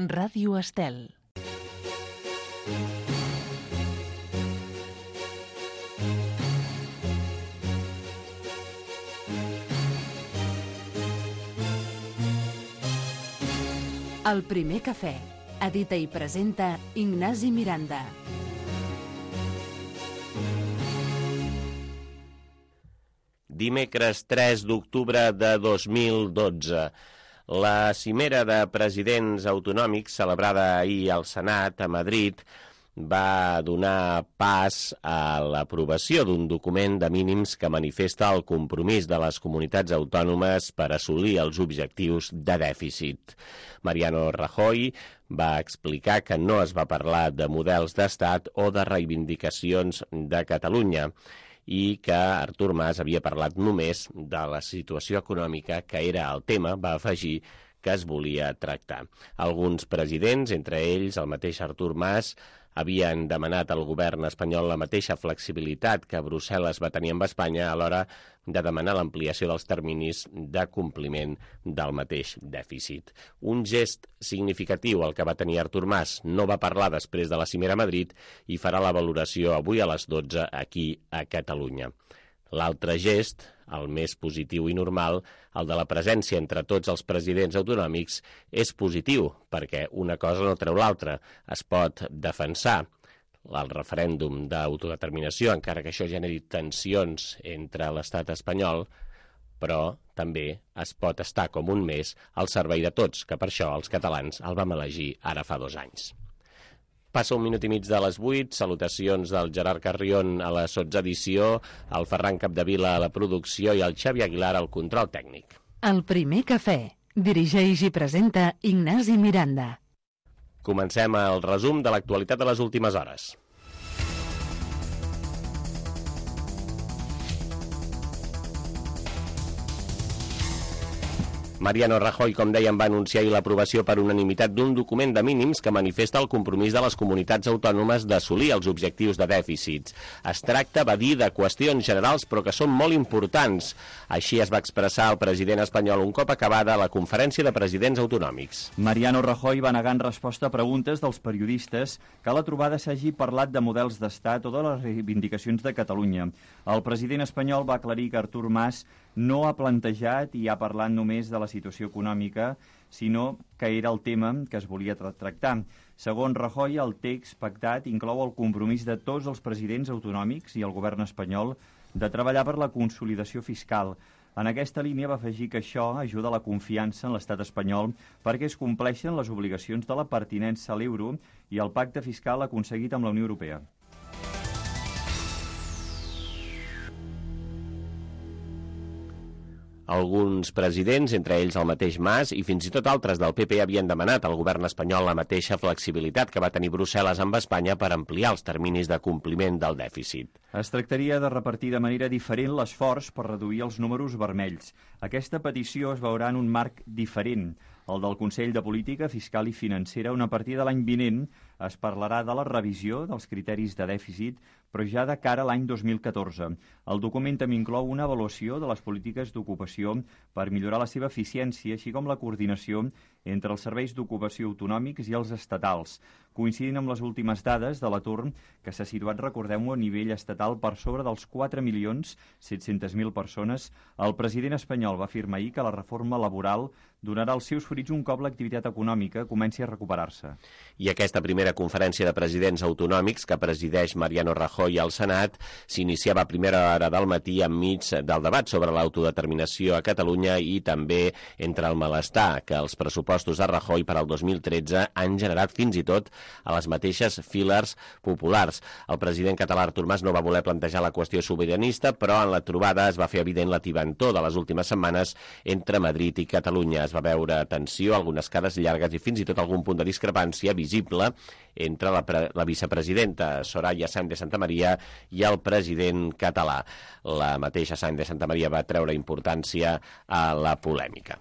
Ràdio Estel. El primer cafè. Edita i presenta Ignasi Miranda. Dimecres 3 d'octubre de 2012. La cimera de presidents autonòmics celebrada ahir al Senat a Madrid va donar pas a l'aprovació d'un document de mínims que manifesta el compromís de les comunitats autònomes per assolir els objectius de dèficit. Mariano Rajoy va explicar que no es va parlar de models d'estat o de reivindicacions de Catalunya i que Artur Mas havia parlat només de la situació econòmica, que era el tema, va afegir, que es volia tractar. Alguns presidents, entre ells el mateix Artur Mas, havien demanat al govern espanyol la mateixa flexibilitat que Brussel·les va tenir amb Espanya a l'hora de demanar l'ampliació dels terminis de compliment del mateix dèficit. Un gest significatiu el que va tenir Artur Mas. No va parlar després de la cimera a Madrid i farà la valoració avui a les 12 aquí a Catalunya. L'altre gest, el més positiu i normal, el de la presència entre tots els presidents autonòmics, és positiu, perquè una cosa no treu l'altra. Es pot defensar el referèndum d'autodeterminació, encara que això generi tensions entre l'estat espanyol, però també es pot estar com un mes al servei de tots, que per això els catalans el vam elegir ara fa 2 anys. Passa 1 minut i mig de les 8, salutacions del Gerard Carrion a la sotsedició, el Ferran Capdevila a la producció i el Xavi Aguilar al control tècnic. El primer cafè. Dirigeix i presenta Ignasi Miranda. Comencem el resum de l'actualitat de les últimes hores. Mariano Rajoy, com dèiem, va anunciar ahir l'aprovació per unanimitat d'un document de mínims que manifesta el compromís de les comunitats autònomes d'assolir els objectius de dèficits. Es tracta, va dir, de qüestions generals però que són molt importants. Així es va expressar el president espanyol un cop acabada la conferència de presidents autonòmics. Mariano Rajoy va negar en resposta a preguntes dels periodistes que a la trobada s'hagi parlat de models d'estat o de les reivindicacions de Catalunya. El president espanyol va aclarir que Artur Mas no ha plantejat i ha parlat només de la situació econòmica, sinó que era el tema que es volia tractar. Segons Rajoy, el text pactat inclou el compromís de tots els presidents autonòmics i el govern espanyol de treballar per la consolidació fiscal. En aquesta línia va afegir que això ajuda a la confiança en l'estat espanyol perquè es compleixen les obligacions de la pertinença a l'euro i el pacte fiscal aconseguit amb la Unió Europea. Alguns presidents, entre ells el mateix Mas, i fins i tot altres del PP havien demanat al govern espanyol la mateixa flexibilitat que va tenir Brussel·les amb Espanya per ampliar els terminis de compliment del dèficit. Es tractaria de repartir de manera diferent l'esforç per reduir els números vermells. Aquesta petició es veurà en un marc diferent, el del Consell de Política Fiscal i Financera, on a partir de l'any vinent es parlarà de la revisió dels criteris de dèficit, però ja de cara a l'any 2014. El document també inclou una avaluació de les polítiques d'ocupació per millorar la seva eficiència, així com la coordinació entre els serveis d'ocupació autonòmics i els estatals. Coincidint amb les últimes dades de l'atur, que s'ha situat, recordem-ho, a nivell estatal per sobre dels 4.700.000 persones, el president espanyol va afirmar ahir que la reforma laboral donarà els seus fruits un cop l'activitat econòmica comenci a recuperar-se. I aquesta primera conferència de presidents autonòmics que presideix Mariano Rajoy al Senat s'iniciava a primera hora del matí enmig del debat sobre l'autodeterminació a Catalunya i també entre el malestar que els pressupostos de Rajoy per al 2013 han generat fins i tot a les mateixes files populars. El president català Artur Mas no va voler plantejar la qüestió sobiranista, però en la trobada es va fer evident la tibantor de les últimes setmanes entre Madrid i Catalunya. Es va veure tensió, algunes cares llargues i fins i tot algun punt de discrepància visible entre la vicepresidenta Soraya Sáenz de Santamaría i el president català. La mateixa Sáenz de Santamaría va treure importància a la polèmica.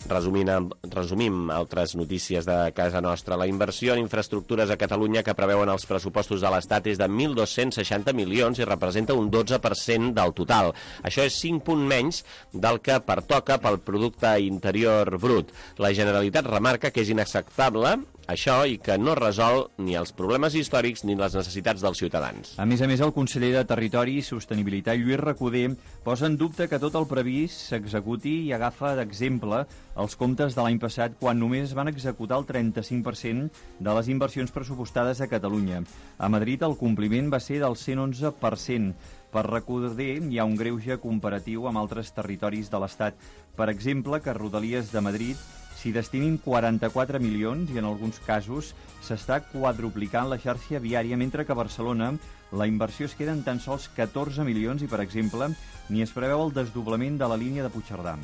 Resumim altres notícies de casa nostra. La inversió en infraestructures a Catalunya que preveuen els pressupostos de l'Estat és de 1.260 milions i representa un 12% del total. Això és 5 punts menys del que pertoca pel producte interior brut. La Generalitat remarca que és inacceptable això i que no resol ni els problemes històrics ni les necessitats dels ciutadans. A més, el conseller de Territori i Sostenibilitat, Lluís Recoder, posa en dubte que tot el previst s'executi i agafa d'exemple els comptes de l'any passat, quan només es van executar el 35% de les inversions pressupostades a Catalunya. A Madrid el compliment va ser del 111%. Per Recoder hi ha un greuge comparatiu amb altres territoris de l'Estat. Per exemple, que a Rodalies de Madrid s'hi destinin 44 milions i en alguns casos s'està quadruplicant la xarxa viària, mentre que a Barcelona la inversió es queda en tan sols 14 milions i, per exemple, ni es preveu el desdoblament de la línia de Puigcerdà.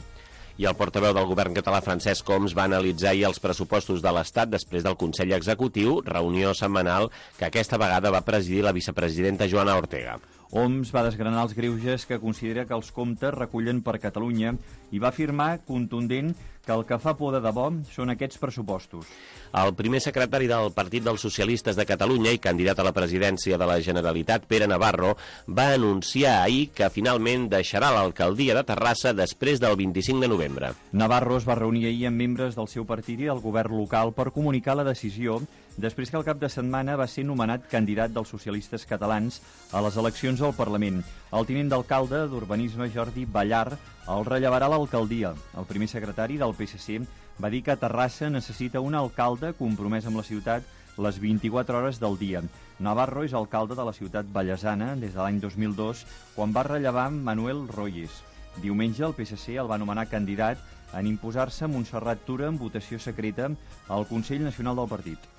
I el portaveu del govern català, Francesc Homs, va analitzar ahir els pressupostos de l'Estat després del Consell Executiu, reunió setmanal que aquesta vegada va presidir la vicepresidenta Joana Ortega. Homs va desgranar els greuges que considera que els comptes recullen per Catalunya i va afirmar contundent que el que fa por de debò són aquests pressupostos. El primer secretari del Partit dels Socialistes de Catalunya i candidat a la presidència de la Generalitat, Pere Navarro, va anunciar ahir que finalment deixarà l'alcaldia de Terrassa després del 25 de novembre. Navarro es va reunir ahir amb membres del seu partit i del govern local per comunicar la decisió després que el cap de setmana va ser nomenat candidat dels socialistes catalans a les eleccions al Parlament. El tinent d'alcalde d'Urbanisme, Jordi Ballar, el rellevarà a l'alcaldia. El primer secretari del PSC va dir que Terrassa necessita un alcalde compromès amb la ciutat les 24 hores del dia. Navarro és alcalde de la ciutat ballesana des de l'any 2002, quan va rellevar Manuel Royes. Diumenge el PSC el va nomenar candidat en imposar-se Montserrat Tura en votació secreta al Consell Nacional del Partit.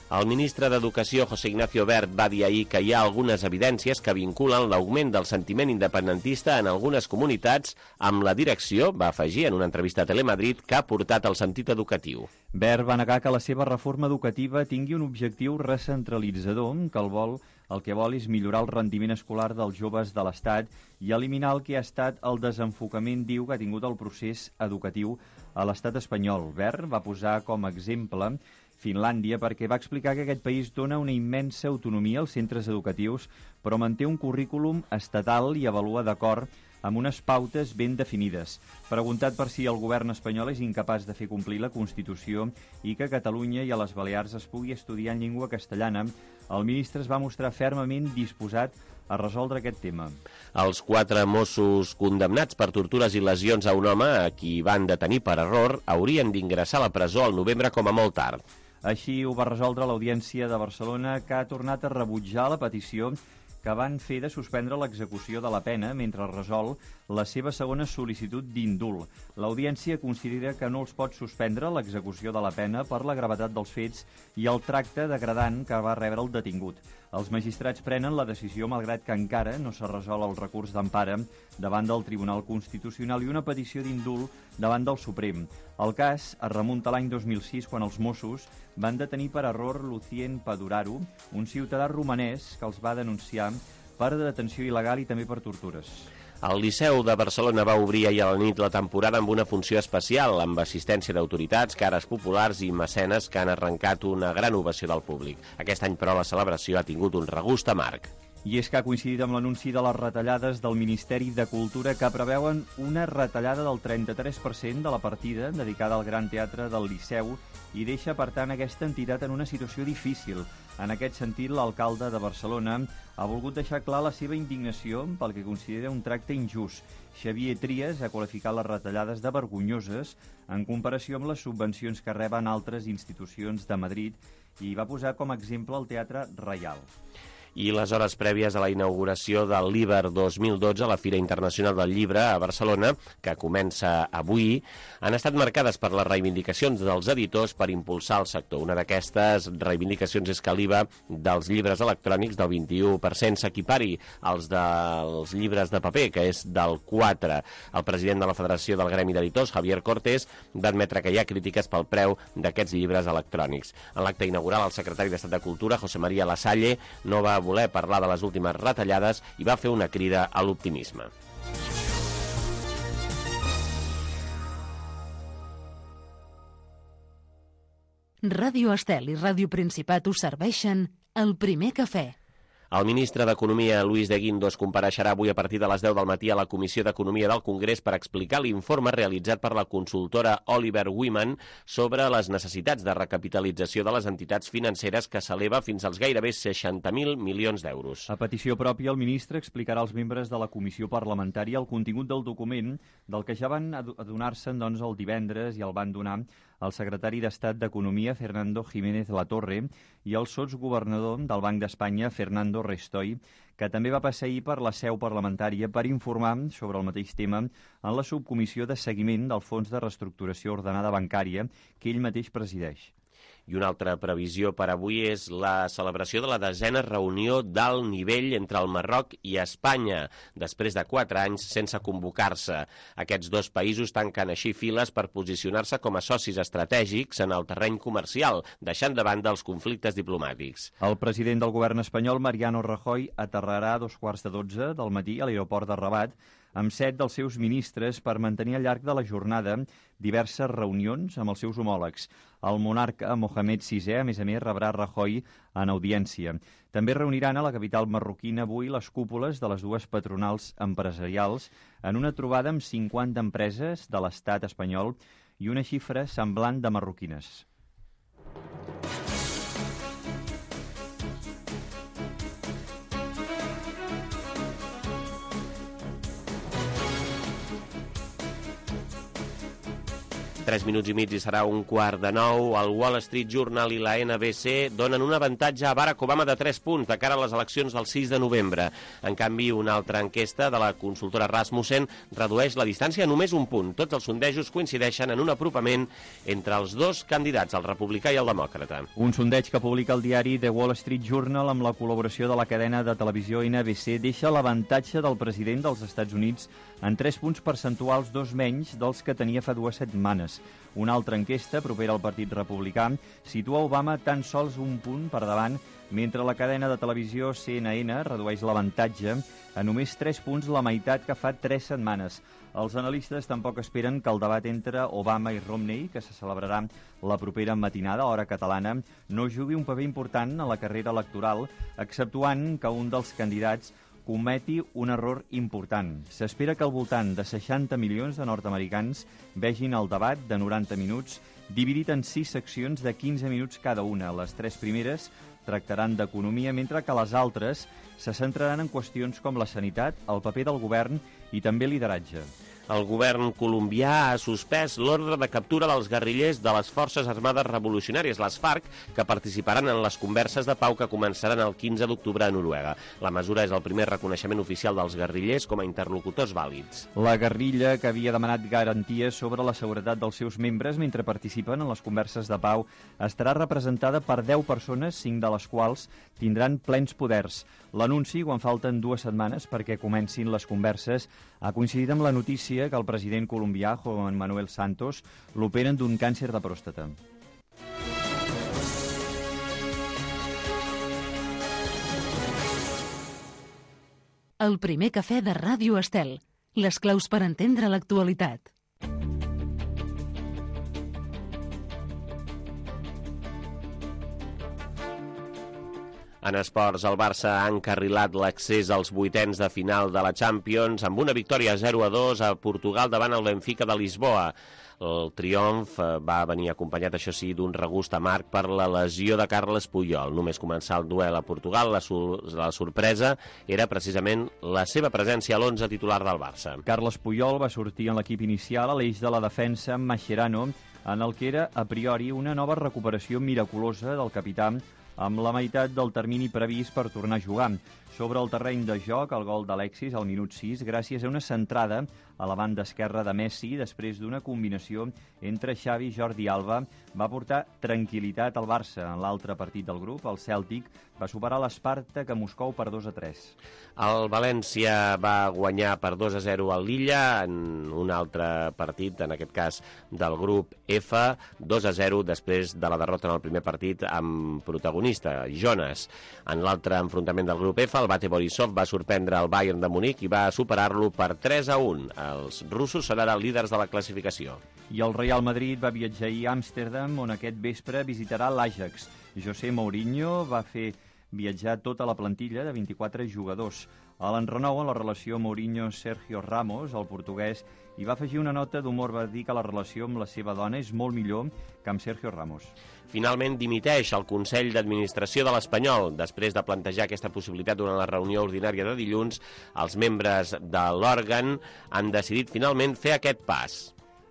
El ministre d'Educació, José Ignacio Wert, va dir ahir que hi ha algunes evidències que vinculen l'augment del sentiment independentista en algunes comunitats amb la direcció, va afegir en una entrevista a Telemadrid, que ha portat al sentit educatiu. Wert va negar que la seva reforma educativa tingui un objectiu recentralitzador, el que vol és millorar el rendiment escolar dels joves de l'Estat i eliminar el que ha estat el desenfocament, diu, que ha tingut el procés educatiu a l'Estat espanyol. Wert va posar com a exemple Finlàndia perquè va explicar que aquest país dona una immensa autonomia als centres educatius, però manté un currículum estatal i avalua d'acord amb unes pautes ben definides. Preguntat per si el govern espanyol és incapaç de fer complir la Constitució i que a Catalunya i a les Balears es pugui estudiar en llengua castellana, el ministre es va mostrar fermament disposat a resoldre aquest tema. Els 4 Mossos condemnats per tortures i lesions a un home a qui van detenir per error haurien d'ingressar a la presó al novembre com a molt tard. Així ho va resoldre l'Audiència de Barcelona, que ha tornat a rebutjar la petició que van fer de suspendre l'execució de la pena mentre resol la seva segona sol·licitud d'indult. L'Audiència considera que no els pot suspendre l'execució de la pena per la gravetat dels fets i el tracte degradant que va rebre el detingut. Els magistrats prenen la decisió malgrat que encara no s'ha resolt el recurs d'empara davant del Tribunal Constitucional i una petició d'indult davant del Suprem. El cas es remunta a l'any 2006, quan els Mossos van detenir per error Lucien Paduraru, un ciutadà romanès que els va denunciar per detenció il·legal i també per tortures. El Liceu de Barcelona va obrir ahir a la nit la temporada amb una funció especial, amb assistència d'autoritats, cares populars i mecenes que han arrencat una gran ovació del públic. Aquest any, però, la celebració ha tingut un regust amarg. I és que ha coincidit amb l'anunci de les retallades del Ministeri de Cultura, que preveuen una retallada del 33% de la partida dedicada al Gran Teatre del Liceu i deixa, per tant, aquesta entitat en una situació difícil. En aquest sentit, l'alcalde de Barcelona ha volgut deixar clar la seva indignació pel que considera un tracte injust. Xavier Trias ha qualificat les retallades de vergonyoses en comparació amb les subvencions que reben altres institucions de Madrid i va posar com a exemple el Teatre Reial. I les hores prèvies a la inauguració del l'Iber 2012, la Fira Internacional del Llibre a Barcelona, que comença avui, han estat marcades per les reivindicacions dels editors per impulsar el sector. Una d'aquestes reivindicacions és que l'IVA dels llibres electrònics del 21% s'equipari als dels llibres de paper, que és del 4%. El president de la Federació del Gremi d'Editors, Javier Cortés, va admetre que hi ha crítiques pel preu d'aquests llibres electrònics. En l'acte inaugural, el secretari d'Estat de Cultura, José María Lasalle, no va voler parlar de les últimes retallades i va fer una crida a l'optimisme. Ràdio Estel i Ràdio Principat us serveixen El Primer Cafè. El ministre d'Economia, Luis de Guindos, compareixerà avui a partir de les 10 del matí a la Comissió d'Economia del Congrés per explicar l'informe realitzat per la consultora Oliver Wyman sobre les necessitats de recapitalització de les entitats financeres que s'eleva fins als gairebé 60.000 milions d'euros. A petició pròpia, el ministre explicarà als membres de la comissió parlamentària el contingut del document, del que ja van adonar-se'n el divendres i el van donar el secretari d'Estat d'Economia, Fernando Jiménez Latorre, i el sotsgovernador del Banc d'Espanya, Fernando Restoy, que també va passar ahir per la seu parlamentària per informar sobre el mateix tema en la subcomissió de seguiment del Fons de Reestructuració Ordenada Bancària que ell mateix presideix. I una altra previsió per avui és la celebració de la 10a reunió d'alt nivell entre el Marroc i Espanya, després de 4 anys sense convocar-se. Aquests dos països tanquen així files per posicionar-se com a socis estratègics en el terreny comercial, deixant de banda els conflictes diplomàtics. El president del govern espanyol, Mariano Rajoy, aterrarà a 2:15 del matí a l'aeroport de Rabat amb 7 dels seus ministres per mantenir al llarg de la jornada diverses reunions amb els seus homòlegs. El monarca Mohamed VI, a més, rebrà Rajoy en audiència. També reuniran a la capital marroquina avui les cúpules de les dues patronals empresarials en una trobada amb 50 empreses de l'estat espanyol i una xifra semblant de marroquines. Tres minuts i mig i serà 8:45. El Wall Street Journal i la NBC donen un avantatge a Barack Obama de 3 punts de cara a les eleccions del 6 de novembre. En canvi, una altra enquesta de la consultora Rasmussen redueix la distància a només 1 punt. Tots els sondejos coincideixen en un apropament entre els dos candidats, el republicà i el demòcrata. Un sondeig que publica el diari The Wall Street Journal amb la col·laboració de la cadena de televisió NBC deixa l'avantatge del president dels Estats Units en 3 punts percentuals, 2 menys dels que tenia fa 2 setmanes. Una altra enquesta, propera al Partit Republicà, situa Obama tan sols 1 punt per davant, mentre la cadena de televisió CNN redueix l'avantatge a només 3 punts, la meitat que fa 3 setmanes. Els analistes tampoc esperen que el debat entre Obama i Romney, que se celebrarà la propera matinada, hora catalana, no jugui un paper important a la carrera electoral, exceptuant que un dels candidats cometi un error important. S'espera que al voltant de 60 milions de nord-americans vegin el debat de 90 minuts dividit en 6 seccions de 15 minuts cada una. Les 3 primeres tractaran d'economia, mentre que les altres se centraran en qüestions com la sanitat, el paper del govern i també lideratge. El govern colombià ha suspès l'ordre de captura dels guerrillers de les Forces Armades Revolucionàries, les FARC, que participaran en les converses de pau que començaran el 15 d'octubre a Noruega. La mesura és el primer reconeixement oficial dels guerrillers com a interlocutors vàlids. La guerrilla, que havia demanat garanties sobre la seguretat dels seus membres mentre participen en les converses de pau, estarà representada per 10 persones, 5 de les quals tindran plens poders. L'anunci, quan falten 2 setmanes perquè comencin les converses, ha coincidit amb la notícia que el president colombià, Juan Manuel Santos, l'operen d'un càncer de pròstata. El primer cafè de Ràdio Estel. Les claus per entendre l'actualitat. En esports, el Barça ha encarrilat l'accés als 8ens de final de la Champions amb una victòria 0-2 a Portugal davant el Benfica de Lisboa. El triomf va venir acompanyat, això sí, d'un regust amarg per la lesió de Carles Puyol. Només començar el duel a Portugal, la sorpresa era precisament la seva presència a l'11 titular del Barça. Carles Puyol va sortir en l'equip inicial a l'eix de la defensa amb Mascherano, en el que era a priori una nova recuperació miraculosa del capità amb la meitat del termini previst per tornar a jugar. Sobre el terreny de joc, el gol d'Alexis al minut 6, gràcies a una centrada a la banda esquerra de Messi, després d'una combinació entre Xavi i Jordi Alba, va portar tranquil·litat al Barça. En l'altre partit del grup, el Cèltic va superar l'Spartak a Moscou per 2-3. El València va guanyar per 2-0 al Lilla en un altre partit, en aquest cas del grup F, 2-0 després de la derrota en el primer partit amb protagonista, Jonas. En l'altre enfrontament del grup F, el el Bate Borisov va sorprendre el Bayern de Munic i va superar-lo per 3-1. Els russos seran els líders de la classificació. I el Real Madrid va viatjar ahir a Amsterdam, on aquest vespre visitarà l'Ajax. José Mourinho va fer viatjar tota la plantilla de 24 jugadors. A l'enrenou en la relació Mourinho-Sergio Ramos, el portuguès, i va afegir una nota d'humor, va dir que la relació amb la seva dona és molt millor que amb Sergio Ramos. Finalment dimiteix el Consell d'Administració de l'Espanyol. Després de plantejar aquesta possibilitat durant la reunió ordinària de dilluns, els membres de l'òrgan han decidit finalment fer aquest pas.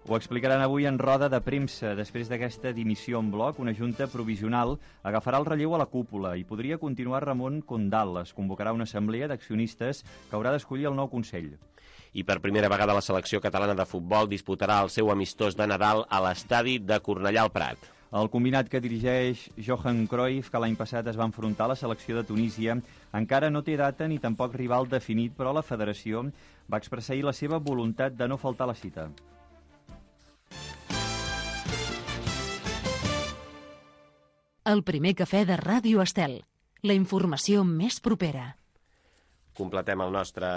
Ho explicaran avui en roda de premsa. Després d'aquesta dimissió en bloc, una junta provisional agafarà el relleu a la cúpula i podria continuar Ramon Condal. Es convocarà una assemblea d'accionistes que haurà d'escollir el nou Consell. I per primera vegada la selecció catalana de futbol disputarà el seu amistós de Nadal a l'estadi de Cornellà al Prat. El combinat que dirigeix Johan Cruyff, que l'any passat es va enfrontar a la selecció de Tunísia, encara no té data ni tampoc rival definit, però la federació va expressar ahir la seva voluntat de no faltar a la cita. El primer cafè de Ràdio Estel. La informació més propera. Completem el nostre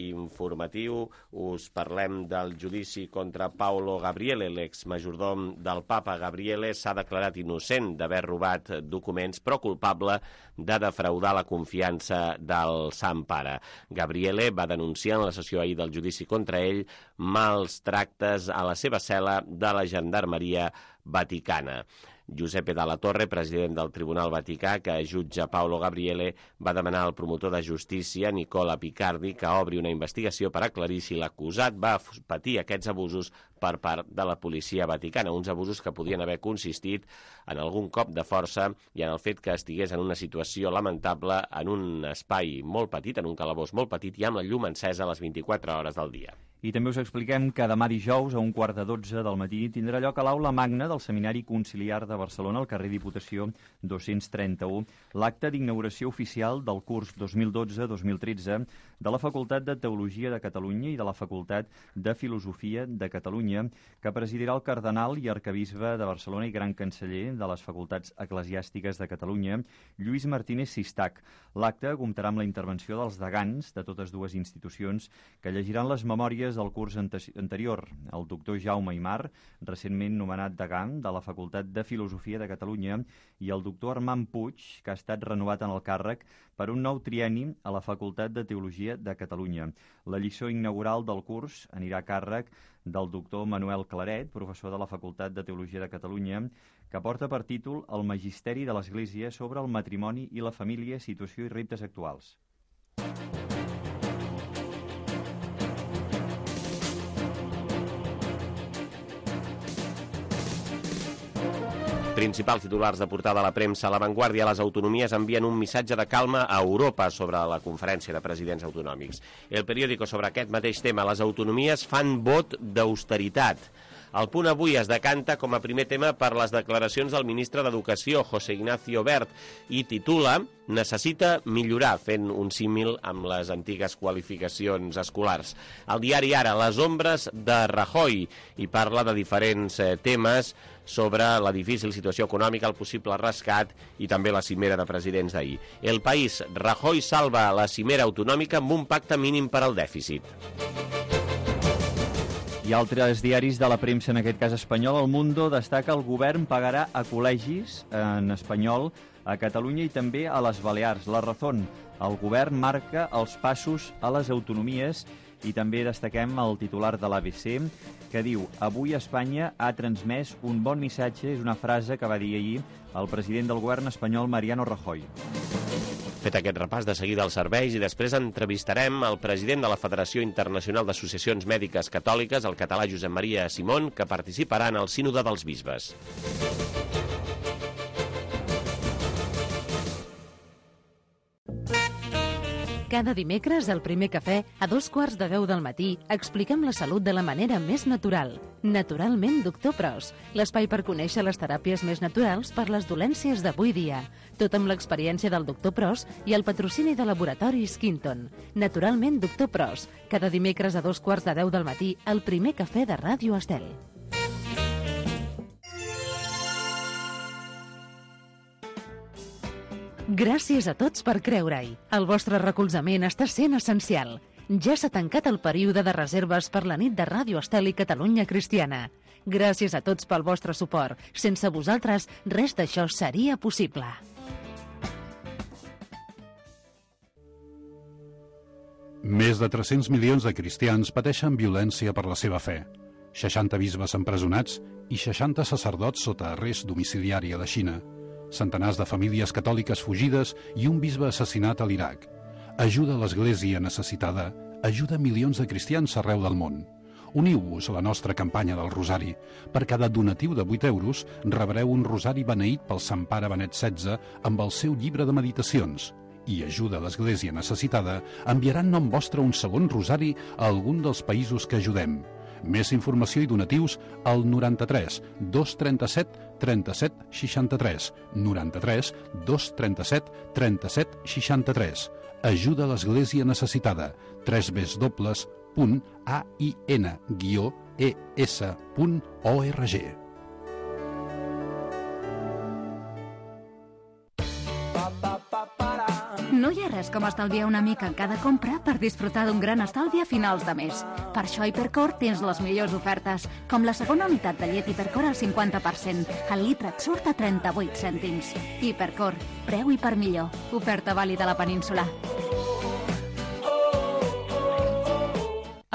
informatiu. Us parlem del judici contra Paolo Gabriele, l'exmajordom del papa. Gabriele s'ha declarat innocent d'haver robat documents, però culpable de defraudar la confiança del Sant Pare. Gabriele va denunciar en la sessió ahir del judici contra ell mals tractes a la seva cel·la de la Gendarmeria Vaticana. Giuseppe Dalla Torre, president del Tribunal Vaticà, que jutja Paolo Gabriele, va demanar al promotor de justícia, Nicola Picardi, que obri una investigació per aclarir si l'acusat va patir aquests abusos per part de la policia vaticana, uns abusos que podien haver consistit en algun cop de força i en el fet que estigués en una situació lamentable en un espai molt petit, en un calabós molt petit i amb la llum encesa a les 24 hores del dia. I també us expliquem que demà dijous, a 11:45 del matí, tindrà lloc a l'Aula Magna del Seminari Conciliar de Barcelona, al carrer Diputació 231, l'acte d'inauguració oficial del curs 2012-2013 de la Facultat de Teologia de Catalunya i de la Facultat de Filosofia de Catalunya, que presidirà el cardenal i arquebisbe de Barcelona i gran canceller de les Facultats Eclesiàstiques de Catalunya, Lluís Martínez Sistac. L'acte comptarà amb la intervenció dels degans de totes dues institucions, que llegiran les memòries del curs anterior, el doctor Jaume Aymar, recentment nomenat degà de la Facultat de Filosofia de Catalunya, i el doctor Armand Puig, que ha estat renovat en el càrrec per un nou trienni a la Facultat de Teologia de Catalunya. La lliçó inaugural del curs anirà a càrrec del doctor Manuel Claret, professor de la Facultat de Teologia de Catalunya, que porta per títol El Magisteri de l'Església sobre el matrimoni i la família, situació i reptes actuals. Principals titulars de portada a la premsa. A La Vanguardia, les autonomies envien un missatge de calma a Europa sobre la conferència de presidents autonòmics. El periòdico, sobre aquest mateix tema, les autonomies fan vot d'austeritat. El Punt avui es decanta com a primer tema per les declaracions del ministre d'Educació, José Ignacio Wert, i titula Necessita millorar, fent un símil amb les antigues qualificacions escolars. El diari Ara, les ombres de Rajoy, i parla de diferents temes sobre la difícil situació econòmica, el possible rescat i també la cimera de presidents d'ahir. El País, Rajoy salva la cimera autonòmica amb un pacte mínim per al dèficit. I altres diaris de la premsa, en aquest cas espanyol, El Mundo destaca el govern pagarà a col·legis en espanyol a Catalunya i també a les Balears. La Razón, el govern marca els passos a les autonomies, i també destaquem el titular de l'ABC, que diu: avui Espanya ha transmès un bon missatge. És una frase que va dir ahir el president del govern espanyol, Mariano Rajoy. Fet aquest repàs, de seguida als serveis, i després entrevistarem el president de la Federació Internacional d'Associacions Mèdiques Catòliques, el català Josep Maria Simón, que participarà en el Sínode dels Bisbes. Cada dimecres, al Primer Cafè, a 2:15 del matí, expliquem la salut de la manera més natural. Naturalment, Doctor Pros, l'espai per conèixer les teràpies més naturals per les dolències d'avui dia. Tot amb l'experiència del Doctor Pros i el patrocini de Laboratori Skinton. Naturalment, Doctor Pros, cada dimecres a 2:15 del matí, al Primer Cafè de Ràdio Estel. Gràcies a tots per creure-hi. El vostre recolzament està sent essencial. Ja s'ha tancat el període de reserves per la nit de Ràdio Estel i Catalunya Cristiana. Gràcies a tots pel vostre suport. Sense vosaltres, res d'això seria possible. Més de 300 milions de cristians pateixen violència per la seva fe. 60 bisbes empresonats i 60 sacerdots sota arrest domiciliari a la Xina. Centenars de famílies catòliques fugides i un bisbe assassinat a l'Iraq. Ajuda a l'Església necessitada, ajuda milions de cristians arreu del món. Uniu-vos a la nostra campanya del Rosari. Per cada donatiu de 8 euros rebreu un rosari beneït pel Sant Pare Benet XVI amb el seu llibre de meditacions. I ajuda a l'Església necessitada enviarà en nom vostre un segon rosari a algun dels països que ajudem. Més informació i donatius al 93 237 37 63. 93 237 37 63. Ajuda a l'Església necessitada. www.ain-es.org. No hi ha res com estalviar una mica en cada compra per disfrutar d'un gran estalvi a finals de mes. Per això a Hipercor tens les millors ofertes, com la segona unitat de llet Hipercor al 50%. El litre et surt a 38 cèntims. Hipercor, preu i per millor. Oferta vàlida a la península.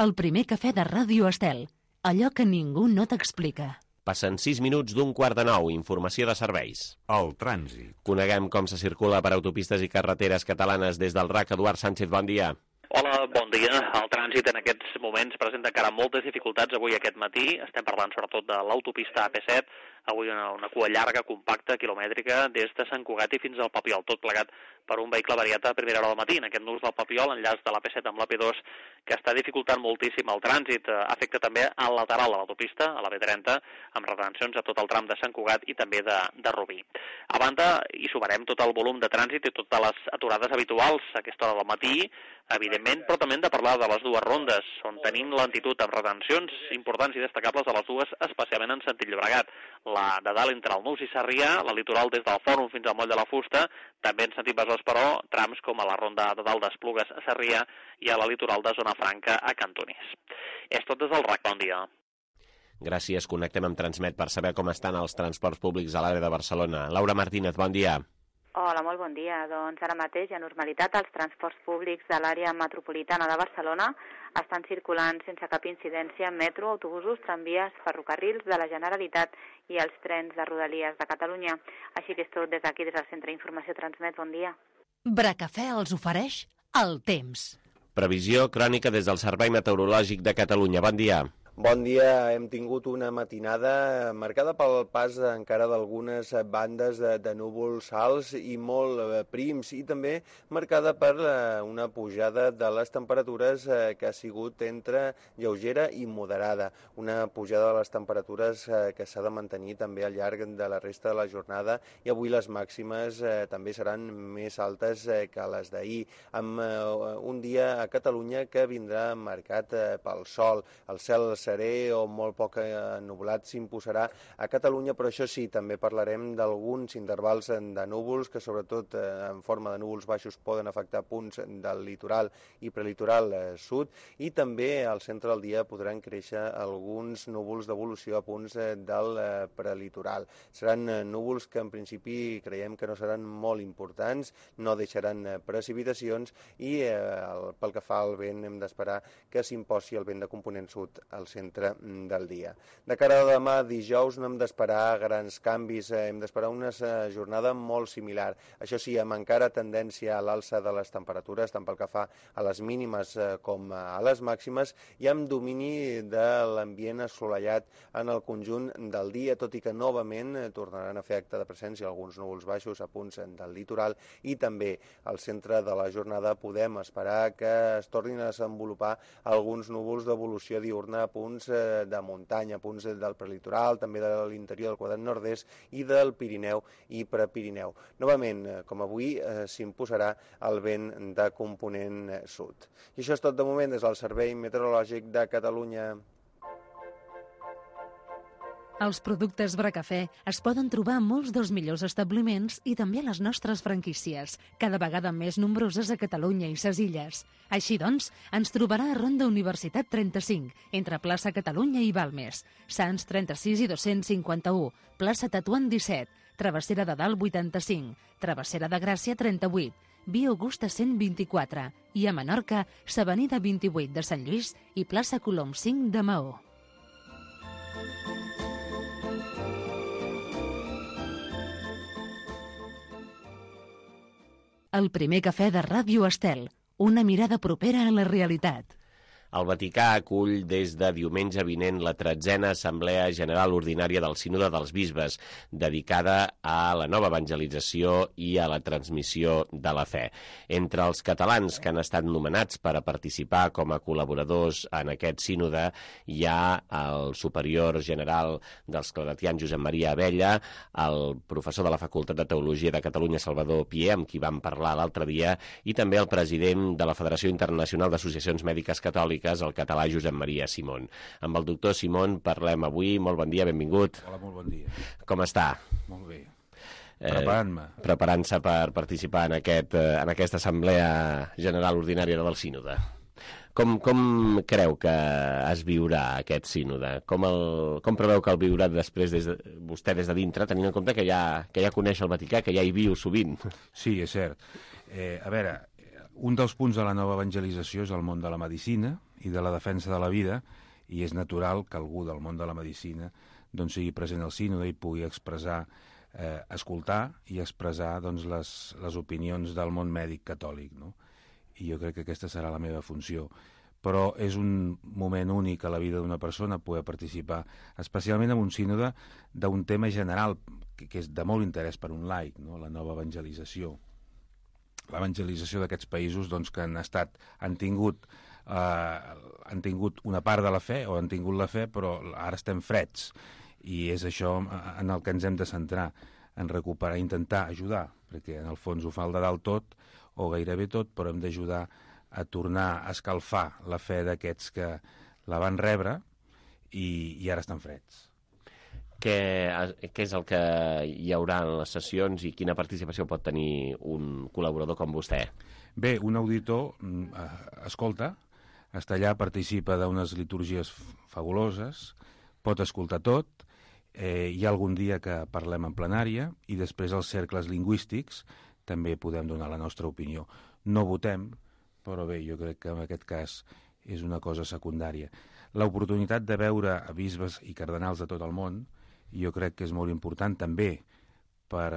El primer cafè de Ràdio Estel. Allò que ningú no t'explica. Passen 6 minuts d'un quart de 9. Informació de serveis. El trànsit. Coneguem com se circula per autopistes i carreteres catalanes des del RAC. Eduard Sánchez, bon dia. Hola, bon dia. El trànsit en aquests moments presenta encara moltes dificultats avui aquest matí. Estem parlant sobretot de l'autopista AP7. Avui una cua llarga, compacta, quilomètrica, des de Sant Cugat i fins al Papiol, tot plegat per un vehicle variat a primera hora del matí. En aquest nus del Papiol, enllaç de l'AP7 amb l'AP2, que està dificultant moltíssim el trànsit. Afecta també al lateral de l'autopista, a la B30, amb retencions a tot el tram de Sant Cugat i també de Rubí. A banda, hi sumarem tot el volum de trànsit i totes les aturades habituals a aquesta hora del matí, evidentment, però també hem de parlar de les dues rondes, on tenim lentitud amb retencions importants i destacables de les dues, especialment en sentit Llobregat. La de dalt entre el Nus i Sarrià, la litoral des del Fòrum fins al Moll de la Fusta, també en sentit Besòs, però, trams com a la ronda de dalt d'Esplugues a Sarrià i a la litoral de Zona Franca a Cantoners. És tot des del RAC, bon dia. Gràcies, connectem amb Transmet per saber com estan els transports públics a l'àrea de Barcelona. Laura Martínez, bon dia. Hola, molt bon dia. Doncs ara mateix hi ha normalitat. Els transports públics de l'àrea metropolitana de Barcelona estan circulant sense cap incidència en metro, autobusos, tramvies, ferrocarrils de la Generalitat i els trens de Rodalies de Catalunya. Així que és tot des d'aquí, des del Centre d'Informació Transmet. Bon dia. Bracafè els ofereix el temps. Previsió crònica des del Servei Meteorològic de Catalunya. Bon dia. Bon dia. Hem tingut una matinada marcada pel pas encara d'algunes bandes de núvols alts i molt prims i també marcada per una pujada de les temperatures que ha sigut entre lleugera i moderada. Una pujada de les temperatures que s'ha de mantenir també al llarg de la resta de la jornada i avui les màximes també seran més altes que les d'ahir, amb un dia a Catalunya que vindrà marcat pel sol. El cel serè o molt poc ennublat s'imposarà a Catalunya, però això sí, també parlarem d'alguns intervals de núvols que sobretot en forma de núvols baixos poden afectar punts del litoral i prelitoral sud i també al centre del dia podran créixer alguns núvols d'evolució a punts del prelitoral. Seran núvols que en principi creiem que no seran molt importants, no deixaran precipitacions i pel que fa al vent hem d'esperar que s'imposi el vent de component sud al centre del dia. De cara a demà, dijous, no hem d'esperar grans canvis, hem d'esperar una jornada molt similar. Això sí, amb encara tendència a l'alça de les temperatures, tant pel que fa a les mínimes com a les màximes, i amb domini de l'ambient assolellat en el conjunt del dia, tot i que novament tornaran a fer acte de presència alguns núvols baixos a punts del litoral i també al centre de la jornada podem esperar que es tornin a desenvolupar alguns núvols d'evolució diurna a punts de muntanya, punts del prelitoral, també de l'interior del quadrat nord-est i del Pirineu i Prepirineu. Novament, com avui, s'imposarà el vent de component sud. I això és tot de moment des del Servei Meteorològic de Catalunya. Els productes Bracafè es poden trobar a molts dels millors establiments i també a les nostres franquícies, cada vegada més nombroses a Catalunya i ses Illes. Així doncs, ens trobarà a Ronda Universitat 35, entre plaça Catalunya i Balmes, Sants 36 i 251, plaça Tatuant 17, Travessera de Dalt 85, Travessera de Gràcia 38, Via Augusta 124 i a Menorca, s'Avenida 28 de Sant Lluís i plaça Colom 5 de Maó. El primer cafè de Ràdio Estel, una mirada propera a la realitat. El Vaticà acull des de diumenge vinent la 13a Assemblea General Ordinària del Sínode dels Bisbes, dedicada a la nova evangelització i a la transmissió de la fe. Entre els catalans que han estat nomenats per a participar com a col·laboradors en aquest sínode hi ha el superior general dels claretians, Josep Maria Abella, el professor de la Facultat de Teologia de Catalunya, Salvador Pier, amb qui vam parlar l'altre dia, i també el president de la Federació Internacional d'Associacions Mèdiques Catòliques, el català Josep Maria Simón. Amb el doctor Simón parlem avui. Molt bon dia, benvingut. Hola, molt bon dia. Com està? Molt bé. Preparant-me. Preparant-se per participar en aquesta Assemblea General Ordinària del Sínode. Com creu que es viurà aquest sínode? Com preveu que el viurà després vostè des de dintre, tenint en compte que ja coneix el Vaticà, que ja hi viu sovint? Sí, és cert. A veure, un dels punts de la nova evangelització és el món de la medicina i de la defensa de la vida, i és natural que algú del món de la medicina doncs, sigui present al sínode i pugui expressar, escoltar i expressar doncs, les opinions del món mèdic catòlic, no? I jo crec que aquesta serà la meva funció. Però és un moment únic a la vida d'una persona poder participar, especialment en un sínode d'un tema general que és de molt interès per un laic, no? La nova evangelització. L'evangelització d'aquests països doncs, que han tingut una part de la fe, o han tingut la fe, però ara estem freds. I és això en el que ens hem de centrar, en recuperar, intentar ajudar, perquè en el fons ho fa el de dalt tot, o gairebé tot, però hem d'ajudar a tornar a escalfar la fe d'aquests que la van rebre i ara estan freds. Què és el que hi haurà en les sessions i quina participació pot tenir un col·laborador com vostè? Bé, un auditor escolta, està allà, participa d'unes litúrgies fabuloses, pot escoltar tot, hi ha algun dia que parlem en plenària i després als cercles lingüístics també podem donar la nostra opinió. No votem, però bé, jo crec que en aquest cas és una cosa secundària. L'oportunitat de veure a bisbes i cardenals de tot el món jo crec que és molt important també per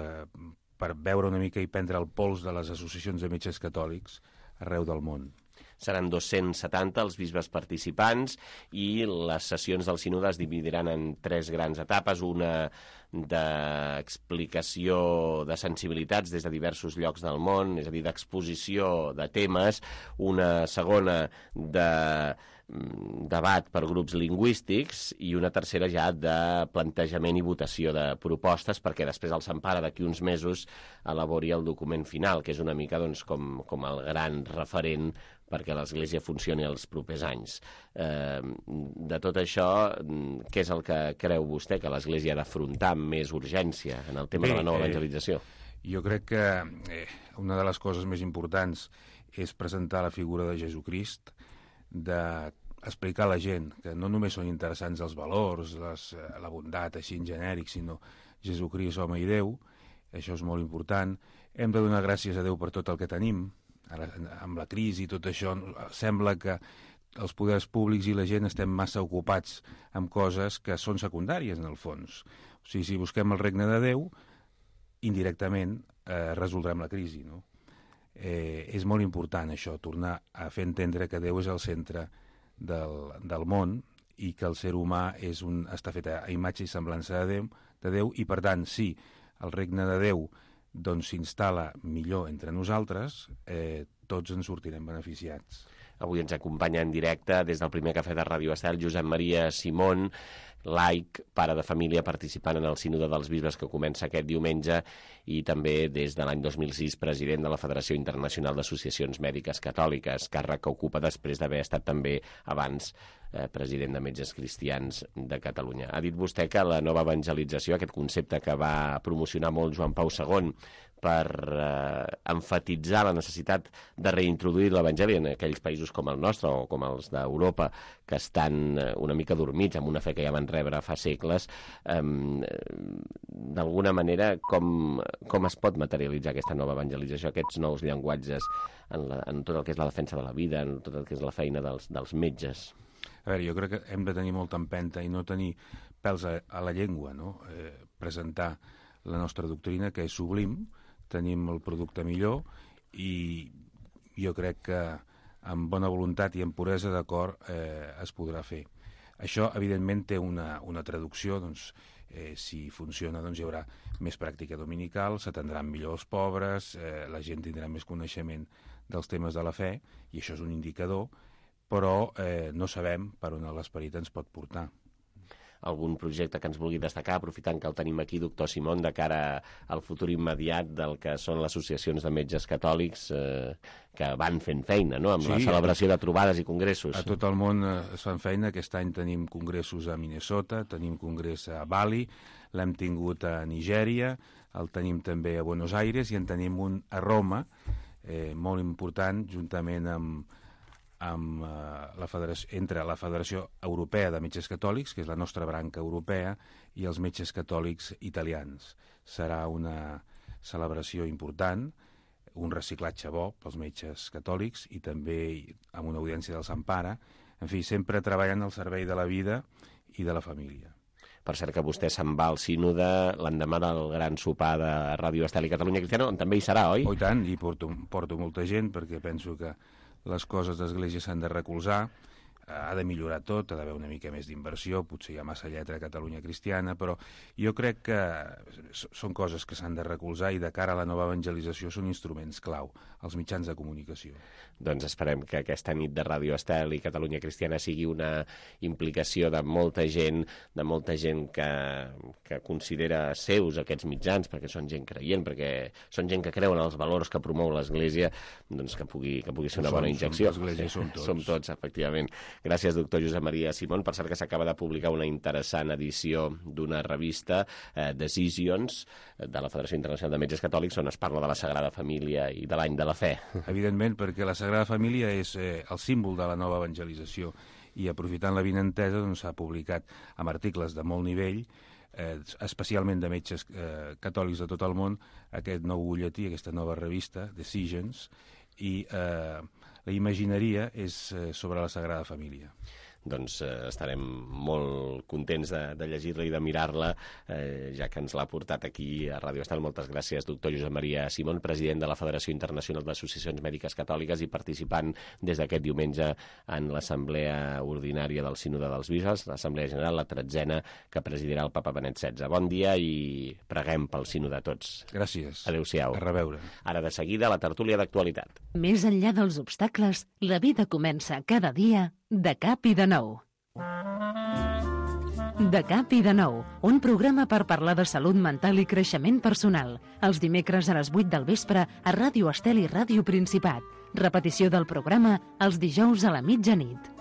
veure una mica i prendre el pols de les associacions de metges catòlics arreu del món. Seran 270 els bisbes participants i les sessions del sínode es dividiran en 3 grans etapes, una d'explicació de sensibilitats des de diversos llocs del món, és a dir, d'exposició de temes, una segona de debat per grups lingüístics i una tercera ja de plantejament i votació de propostes perquè després el Santpare d'aquí uns mesos elabori el document final, que és una mica doncs, com el gran referent perquè l'Església funcioni els propers anys. De tot això, què és el que creu vostè que l'Església ha d'afrontar amb més urgència en el tema de la nova evangelització? Jo crec que una de les coses més importants és presentar la figura de Jesucrist, d'explicar a la gent que no només són interessants els valors, la bondat així en genèric, sinó Jesucrist, home i Déu. Això és molt important. Hem de donar gràcies a Déu per tot el que tenim. Ara, amb la crisi i tot això, sembla que els poders públics i la gent estem massa ocupats amb coses que són secundàries, en el fons. O sigui, si busquem el regne de Déu, indirectament resoldrem la crisi, no? És molt important això, tornar a fer entendre que Déu és el centre del món i que el ser humà està fet a imatge i semblança de Déu i, per tant, si el regne de Déu doncs s'instal·la millor entre nosaltres, tots en sortirem beneficiats. Avui ens acompanya en directe des del primer cafè de Ràdio Estel Josep Maria Simón, laic, pare de família, participant en el Sínode dels Bisbes que comença aquest diumenge i també des de l'any 2006 president de la Federació Internacional d'Associacions Mèdiques Catòliques, càrrec que ocupa després d'haver estat també abans president de Metges Cristians de Catalunya. Ha dit vostè que la nova evangelització, aquest concepte que va promocionar molt Joan Pau II per emfatitzar la necessitat de reintroduir l'Evangeli en aquells països com el nostre o com els d'Europa, que estan una mica dormits amb una fe que ja van rebre fa segles, d'alguna manera, com es pot materialitzar aquesta nova evangelització, aquests nous llenguatges en tot el que és la defensa de la vida, en tot el que és la feina dels metges? A veure, jo crec que hem de tenir molta empenta i no tenir pèls a la llengua, no? Presentar la nostra doctrina, que és sublim, tenim el producte millor i jo crec que amb bona voluntat i amb puresa d'acord es podrà fer. Això, evidentment, té una traducció, doncs, si funciona, doncs hi haurà més pràctica dominical, s'atendran millor els pobres, la gent tindrà més coneixement dels temes de la fe, i això és un indicador, però no sabem per on l'esperit ens pot portar. Algun projecte que ens vulgui destacar, aprofitant que el tenim aquí, doctor Simón, de cara al futur immediat del que són les associacions de metges catòlics que van fent feina, no?, amb la celebració de trobades i congressos. A tot el món es fan feina. Aquest any tenim congressos a Minnesota, tenim congrés a Bali, l'hem tingut a Nigèria, el tenim també a Buenos Aires i en tenim un a Roma, molt important, juntament entre la Federació Europea de Metges Catòlics, que és la nostra branca europea, i els metges catòlics italians. Serà una celebració important, un reciclatge bo pels metges catòlics i també amb una audiència del Sant Pare, en fi, sempre treballant al servei de la vida i de la família. Per cert que vostè se'n va al sínode l'endemà del gran sopar de Ràdio Estel i Catalunya Cristiana, on també hi serà, oi? Oh, i tant, i porto molta gent, perquè penso que les coses d'església s'han de recolzar, ha de millorar tot, ha d'haver una mica més d'inversió, potser hi ha massa lletra a Catalunya Cristiana, però jo crec que són coses que s'han de recolzar i de cara a la nova evangelització són instruments clau, els mitjans de comunicació. Doncs esperem que aquesta nit de Ràdio Estel i Catalunya Cristiana sigui una implicació de molta gent que considera seus aquests mitjans, perquè són gent creient, perquè són gent que creu en els valors que promou l'Església, doncs que pugui ser una bona injecció. Som tots. Som tots, efectivament. Gràcies, doctor Josep Maria Simón. Per cert que s'acaba de publicar una interessant edició d'una revista, Decisions, de la Federació Internacional de Metges Catòlics, on es parla de la Sagrada Família i de l'any de la fe. Evidentment, perquè la Sagrada Família és el símbol de la nova evangelització i aprofitant l'avinentesa s'ha publicat amb articles de molt nivell, especialment de metges catòlics de tot el món, aquest nou butlletí, aquesta nova revista, Decisions, i la imagineria és sobre la Sagrada Família. Doncs estarem molt contents de llegir-la i de mirar-la, ja que ens l'ha portat aquí a Ràdio Estel. Moltes gràcies, doctor Josep Maria Simón, president de la Federació Internacional d'Associacions Mèdiques Catòliques i participant des d'aquest diumenge en l'Assemblea Ordinària del Sínode dels Bisbes, l'Assemblea General, la 13ª, que presidirà el papa Benet XVI. Bon dia i preguem pel Sínode tots. Gràcies. Adéu-siau. A reveure. Ara de seguida, la tertúlia d'actualitat. Més enllà dels obstacles, la vida comença cada dia de cap i de nou. De cap i de nou, un programa per parlar de salut mental i creixement personal. Els dimecres a les 8 del vespre a Ràdio Estel i Ràdio Principat. Repetició del programa els dijous a la mitjanit.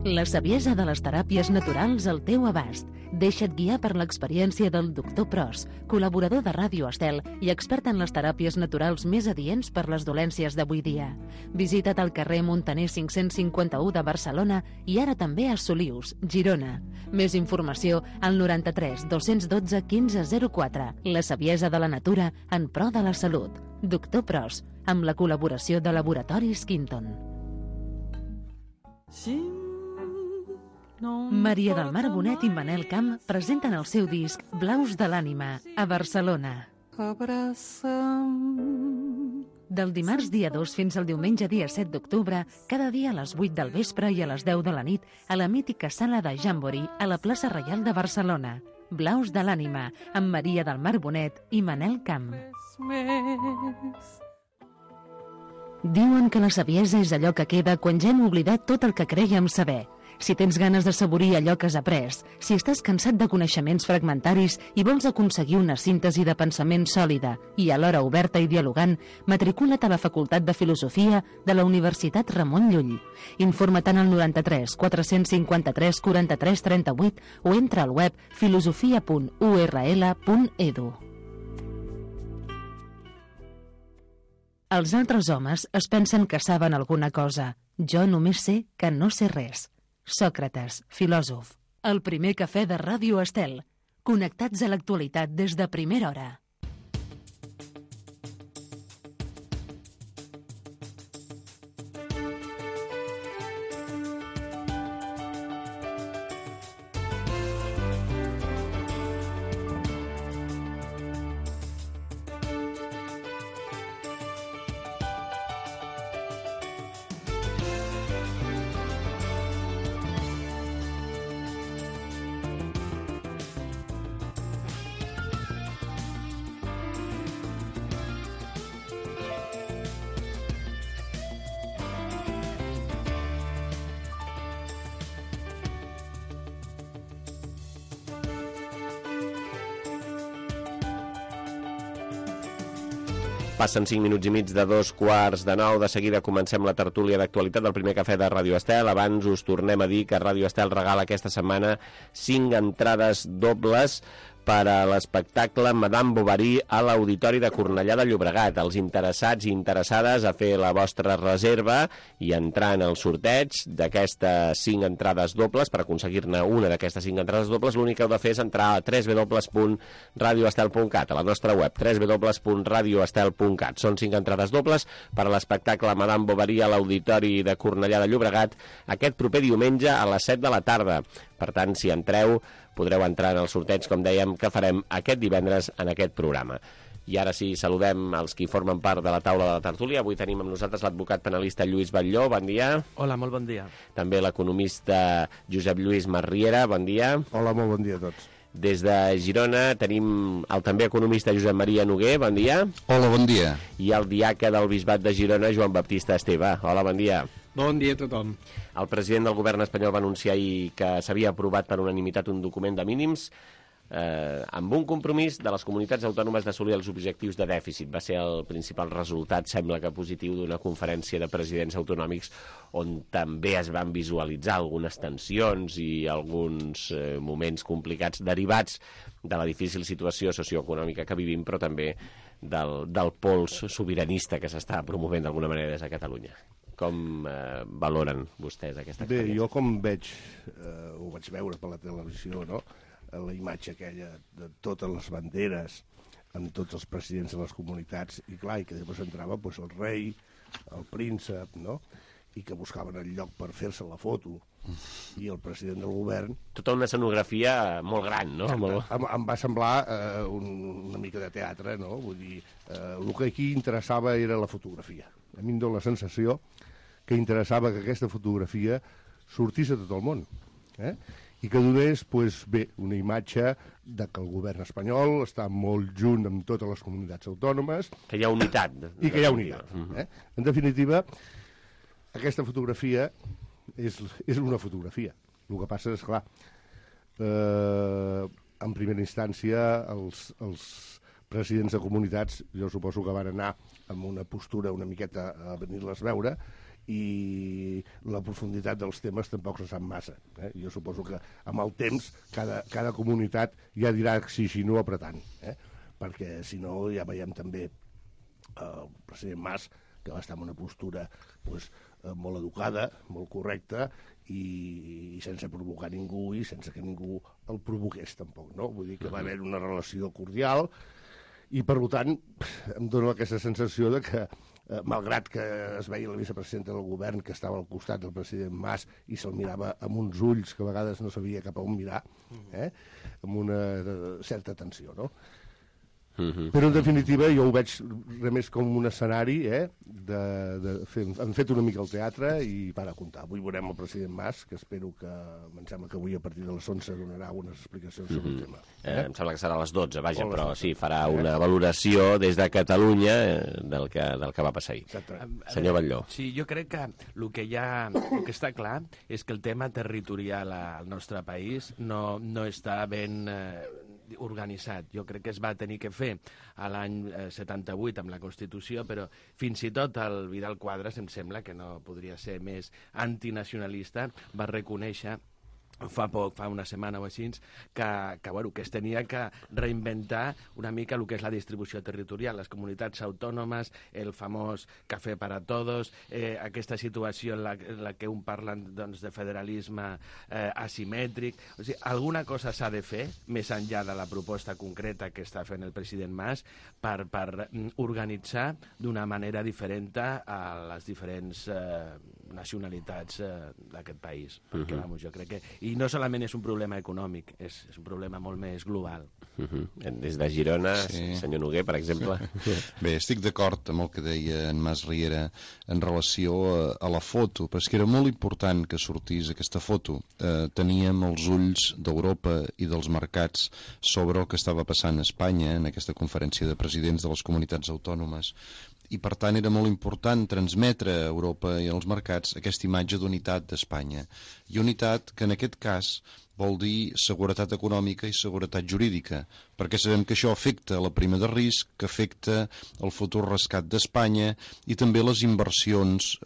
La saviesa de les teràpies naturals al teu abast. Deixa't guiar per l'experiència del doctor Pros, col·laborador de Ràdio Estel i expert en les teràpies naturals més adients per les dolències d'avui dia. Visita't al carrer Montaner 551 de Barcelona i ara també a Solius, Girona. Més informació al 93 212 1504. La saviesa de la natura en pro de la salut. Doctor Pros, amb la col·laboració de Laboratoris Quinton. Maria del Mar Bonet i Manel Camp presenten el seu disc Blaus de l'ànima a Barcelona. Del dimarts dia 2 fins al diumenge dia 7 d'octubre, cada dia a les 8 del vespre i a les 10 de la nit a la mítica sala de Jamboree a la plaça Reial de Barcelona. Blaus de l'ànima amb Maria del Mar Bonet i Manel Camp. Diuen que la saviesa és allò que queda quan ja hem oblidat tot el que crèiem saber. Si tens ganes de saborir allò que has après, si estàs cansat de coneixements fragmentaris i vols aconseguir una síntesi de pensament sòlida i alhora oberta i dialogant, matricula't a la Facultat de Filosofia de la Universitat Ramon Llull. Informa't al 93 453 43 38 o entra al web filosofia.url.edu. Els altres homes es pensen que saben alguna cosa. Jo només sé que no sé res. Sòcrates, filòsof. El primer cafè de Ràdio Estel. Connectats a l'actualitat des de primera hora. Passen 5 minuts i mig de 8:45. De seguida comencem la tertúlia d'actualitat del primer cafè de Ràdio Estel. Abans us tornem a dir que Ràdio Estel regala aquesta setmana 5 entrades dobles per a l'espectacle Madame Bovary a l'Auditori de Cornellà de Llobregat. Els interessats i interessades a fer la vostra reserva i entrar en el sorteig d'aquestes 5 entrades dobles. Per aconseguir-ne una d'aquestes 5 entrades dobles, l'únic que heu de fer és entrar a www.radioestel.cat, a la nostra web, www.radioestel.cat. Són 5 entrades dobles per a l'espectacle Madame Bovary a l'Auditori de Cornellà de Llobregat aquest proper diumenge a les 7 de la tarda. Per tant, si entreu, podreu entrar en el sorteig, com dèiem, que farem aquest divendres en aquest programa. I ara sí, saludem els qui formen part de la taula de la tertúlia. Avui tenim amb nosaltres l'advocat penalista Lluís Batlló, bon dia. Hola, molt bon dia. També l'economista Josep Lluís Masriera, bon dia. Hola, molt bon dia a tots. Des de Girona tenim el també economista Josep Maria Noguer, bon dia. Hola, bon dia. I el diaca del Bisbat de Girona, Joan Baptista Esteve. Hola, bon dia. Bon dia a tothom. El president del govern espanyol va anunciar ahir que s'havia aprovat per unanimitat un document de mínims amb un compromís de les comunitats autònomes d'assolir els objectius de dèficit. Va ser el principal resultat, sembla que positiu, d'una conferència de presidents autonòmics on també es van visualitzar algunes tensions i alguns moments complicats derivats de la difícil situació socioeconòmica que vivim, però també del pols sobiranista que s'està promovent d'alguna manera des de Catalunya. Com valoren vostès aquesta experiència? Bé, jo com veig, ho vaig veure per la televisió, no?, la imatge aquella de totes les banderes amb tots els presidents de les comunitats, i clar, i que després entrava pues, el rei, el príncep, no?, i que buscaven el lloc per fer-se la foto, i el president del govern... Tota una escenografia molt gran, no? Em va semblar una mica de teatre, no? Vull dir, el que aquí interessava era la fotografia. A mi em dóna la sensació que interessava que aquesta fotografia sortís a tot el món, i que donés, pues, bé, una imatge de que el govern espanyol està molt junt amb totes les comunitats autònomes. Que hi ha unitat. I que hi ha unitat. En definitiva, aquesta fotografia és una fotografia. El que passa és, clar, en primera instància, els presidents de comunitats, jo suposo que van anar amb una postura una miqueta a venir-les veure, i la profunditat dels temes tampoc se sap massa. Jo suposo que amb el temps cada comunitat ja dirà si no apretant, perquè si no ja veiem també el president Mas, que va estar en una postura pues, molt educada, molt correcta, i sense provocar ningú i sense que ningú el provoqués tampoc, no? Vull dir que va haver una relació cordial i, per tant, em dóna aquesta sensació de que, malgrat que es veia la vicepresidenta del govern que estava al costat del president Mas i se'l mirava amb uns ulls que a vegades no sabia cap a on mirar, amb una certa tensió, no? Però, en definitiva, jo ho veig res més com un escenari, han fet una mica el teatre i para a comptar. Avui veurem el president Mas, que espero que, em sembla que avui a partir de les 11 donarà unes explicacions sobre el tema. Em sembla que serà a les 12, vaja, però sí, farà una valoració des de Catalunya del que va passar ahir. Senyor Batlló. Sí, jo crec que el que està clar és que el tema territorial al nostre país no està ben organitzat. Jo crec que es va tenir que fer a l'any 78 amb la Constitució, però fins i tot el Vidal Quadras, em sembla que no podria ser més antinacionalista, va reconèixer fa una setmana o així, que es tenia que reinventar una mica el que és la distribució territorial, les comunitats autònomes, el famós cafè para todos, aquesta situació en la que un parla doncs, de federalisme asimètric. O sigui, alguna cosa s'ha de fer, més enllà de la proposta concreta que està fent el president Mas, per organitzar d'una manera diferent a les diferents nacionalitats d'aquest país. Perquè, jo crec que... I no solament és un problema econòmic, és un problema molt més global. Des de Girona, senyor Noguer, per exemple. Bé, estic d'acord amb el que deia en Mas Riera en relació a la foto, però és que era molt important que sortís aquesta foto. Teníem els ulls d'Europa i dels mercats sobre el que estava passant a Espanya en aquesta conferència de presidents de les comunitats autònomes. I, per tant, era molt important transmetre a Europa i als mercats aquesta imatge d'unitat d'Espanya. I unitat que, en aquest cas, vol dir seguretat econòmica i seguretat jurídica, perquè sabem que això afecta la prima de risc, que afecta el futur rescat d'Espanya i també les inversions,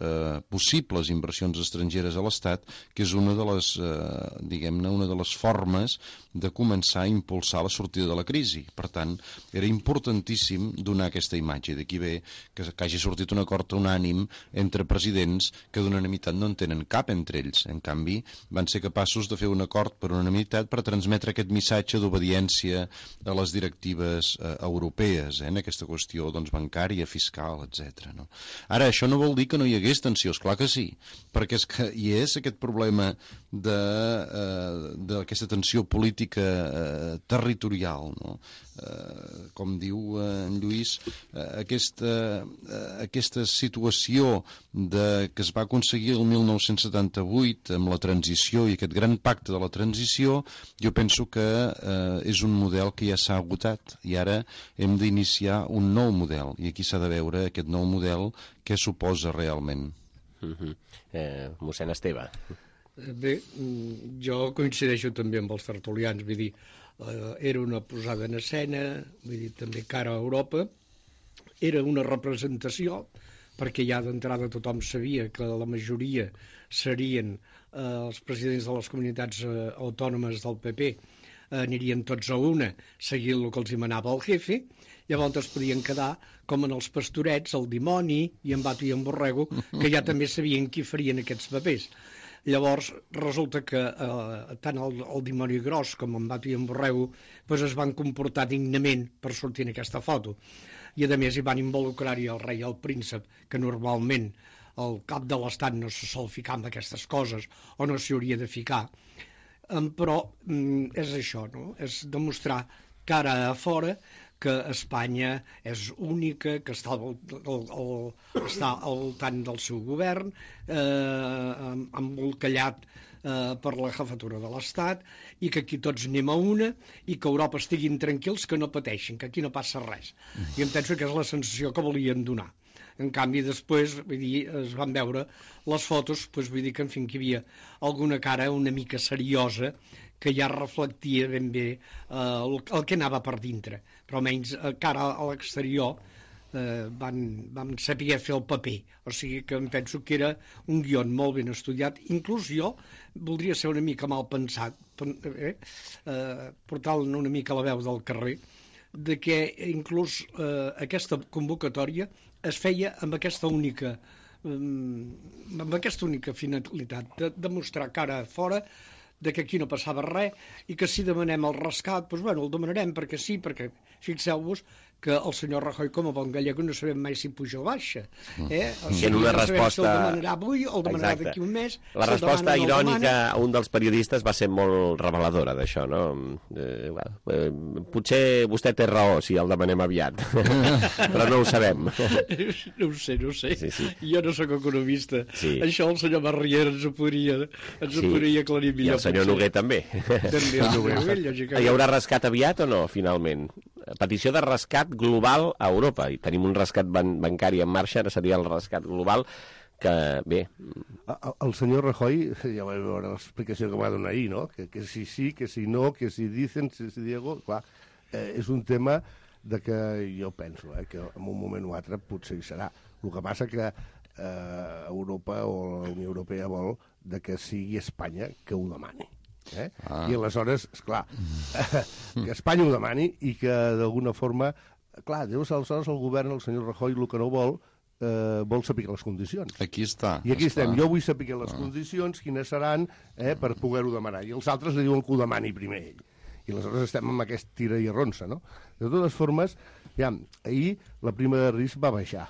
possibles inversions estrangeres a l'Estat, que és una de les, una de les formes de començar a impulsar la sortida de la crisi. Per tant, era importantíssim donar aquesta imatge. D'aquí ve que hagi sortit un acord unànim entre presidents que d'unanimitat no en tenen cap entre ells. En canvi, van ser capaços de fer un acord per unanimitat per transmetre aquest missatge d'obediència a les directives europees, en aquesta qüestió doncs, bancària, fiscal, etc. No? Ara, això no vol dir que no hi hagués tensió, esclar que sí, perquè és que hi és aquest problema d'aquesta tensió política territorial, no? Com diu en Lluís, aquesta situació que es va aconseguir el 1978 amb la transició i aquest gran pacte de la transició, jo penso que és un model que ja s'ha agotat i ara hem d'iniciar un nou model i aquí s'ha de veure aquest nou model què suposa realment. Mossèn Esteve. Bé, jo coincideixo també amb els tertulians, vull dir, era una posada en escena, vull dir, també cara a Europa, era una representació, perquè ja d'entrada tothom sabia que la majoria serien els presidents de les comunitats autònomes del PP, anirien tots a una, seguint el que els manava el jefe, llavors es podien quedar com en els pastorets, el dimoni i en Bato i en Borrego, que ja també sabien qui farien aquests papers. Llavors resulta que tant el dimoni gros com en Bato i en Borrego doncs es van comportar dignament per sortir en aquesta foto. I a més hi van involucrar-hi el rei i el príncep, que normalment el cap de l'Estat no se sol ficar en aquestes coses o no s'hi hauria de ficar. Però és això, no? És demostrar cara a fora que Espanya és única, que està al voltant del seu govern, embolcallat per la jefatura de l'Estat, i que aquí tots anem a una, i que a Europa estiguin tranquils, que no pateixin, que aquí no passa res. I em penso que és la sensació que volien donar. En canvi, després, vull dir, es van veure les fotos, doncs vull dir que, en fi, que hi havia alguna cara una mica seriosa, que ja reflectia ben bé el que anava per dintre. Però almenys cara a l'exterior van saber fer el paper. O sigui que em penso que era un guió molt ben estudiat. Inclús jo voldria ser una mica mal pensat, portant una mica la veu del carrer, de que inclús aquesta convocatòria es feia amb aquesta única finalitat, de demostrar cara a fora de que aquí no passava res i que si demanem el rescat, doncs bueno, el demanarem perquè sí, perquè fixeu-vos que el senyor Rajoy, com a bon gallego, no sabem mai si puja o baixa. O sigui, en una resposta... Si el demanarà avui o el demanarà d'aquí un mes. La resposta irònica a un dels periodistes va ser molt reveladora d'això, no? Potser vostè té raó si el demanem aviat, però no ho sabem. No ho sé. Sí. Jo no sóc economista. Sí. Això el senyor Barriera ens ho podria aclarir millor. I el senyor Noguer també. També el Noguer, lògicament. Hi haurà rescat aviat o no, finalment? Petició de rescat global a Europa. I tenim un rescat bancari en marxa, ara seria el rescat global, que bé... El senyor Rajoy, ja va veure l'explicació que va donar ahir, no? Que si sí, que si no, que si dicen, si Diego... Clar, és un tema de que jo penso que en un moment o altre potser hi serà. El que passa que Europa o la Unió Europea vol que sigui Espanya que ho demani. I aleshores, esclar, que Espanya ho demani i que d'alguna forma... Clar, aleshores el govern, el senyor Rajoy, el que no vol saber les condicions. Aquí està. I aquí estem. Jo vull saber les condicions, quines seran, per poder-ho demanar. I els altres li diuen que ho demani primer ell. I aleshores estem amb aquest tira i arronsa, no? De totes formes, ahir la prima de risc va baixar.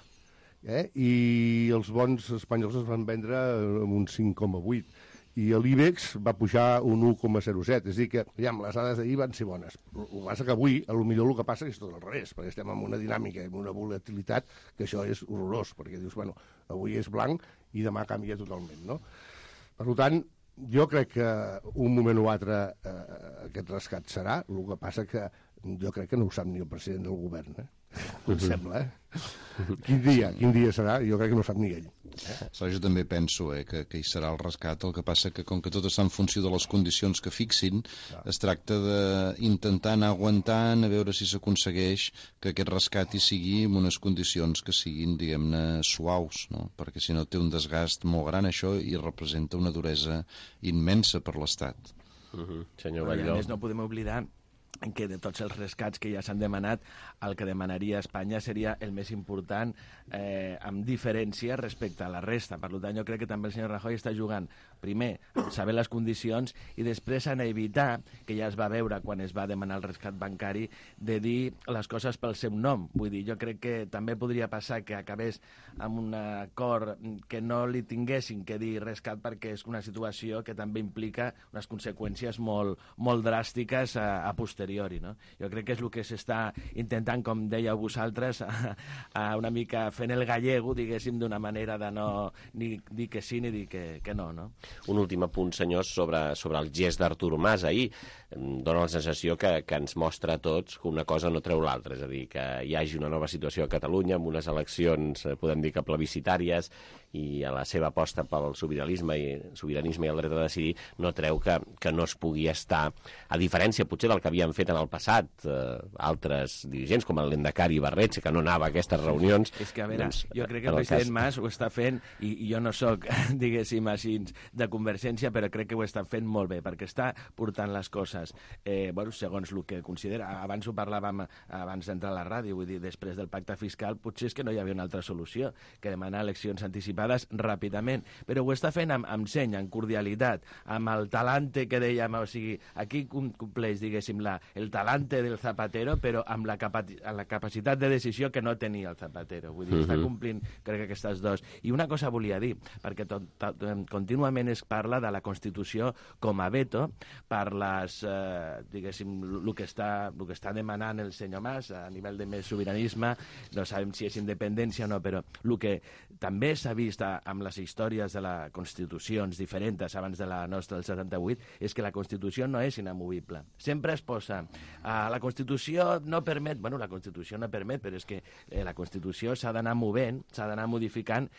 I els bons espanyols es van vendre amb un 5,8. I l'IBEX va pujar un 1,07. És a dir que, les dades d'ahir van ser bones. El que passa que avui, potser el que passa és tot al revés, perquè estem en una dinàmica, en una volatilitat, que això és horrorós, perquè dius, avui és blanc i demà canvia totalment, no? Per tant, jo crec que un moment o altre aquest rescat serà, el que passa que jo crec que no ho sap ni el president del govern, em sembla, Quin dia serà? Jo crec que no sap ni ell. Jo també penso que hi serà el rescat, el que passa que com que tot està en funció de les condicions que fixin, es tracta d'intentar anar aguantant a veure si s'aconsegueix que aquest rescat hi sigui en unes condicions que siguin, diguem-ne, suaus, no? Perquè si no té un desgast molt gran això i representa una duresa immensa per l'Estat. Senyor Batlló. A més, no podem oblidar que de tots els rescats que ja s'han demanat, el que demanaria Espanya seria el més important amb diferència respecte a la resta. Per tant, jo crec que també el senyor Rajoy està jugant, primer, a saber les condicions i després a evitar, que ja es va veure quan es va demanar el rescat bancari, de dir les coses pel seu nom. Vull dir, jo crec que també podria passar que acabés amb un acord que no li tinguessin que dir rescat perquè és una situació que també implica unes conseqüències molt dràstiques a posteriori, no? Jo crec que és el que s'està intentant, com dèieu vosaltres, una mica fent el gallego, diguéssim, d'una manera de no ni dir que sí ni dir que no, no? Un últim apunt, senyors, sobre el gest d'Artur Mas ahir. Dóna la sensació que ens mostra a tots que una cosa no treu l'altra, és a dir, que hi hagi una nova situació a Catalunya amb unes eleccions, podem dir que plebiscitàries, i a la seva aposta pel sobiranisme i el dret a decidir no treu que no es pugui estar, a diferència potser del que havien fet en el passat altres dirigents com el Lendakari Ibarretxe, que no anava a aquestes reunions. És que, a veure, jo crec que el president Mas ho està fent, i jo no soc, diguéssim així, de Convergència, però crec que ho està fent molt bé, perquè està portant les coses, segons el que considera. Abans ho parlàvem, abans d'entrar a la ràdio, vull dir, després del pacte fiscal, potser és que no hi havia una altra solució que demanar eleccions anticipades ràpidament, però ho està fent amb seny, amb cordialitat, amb el talante que dèiem, o sigui, aquí compleix, diguéssim, el talante del Zapatero, però amb la capacitat de decisió que no tenia el Zapatero. Vull dir, està complint, crec que aquestes dos. I una cosa volia dir, perquè contínuament es parla de la Constitució com a veto per les, diguéssim, el que està demanant el senyor Mas a nivell de més sobiranisme, no sabem si és independència o no, però el que també s'ha vist amb les històries de les constitucions diferents abans de la nostra del 78 és que la Constitució no és inamovible. Sempre es posa la Constitució no permet, la Constitució no permet, però és que la Constitució s'ha d'anar movent, s'ha d'anar modificant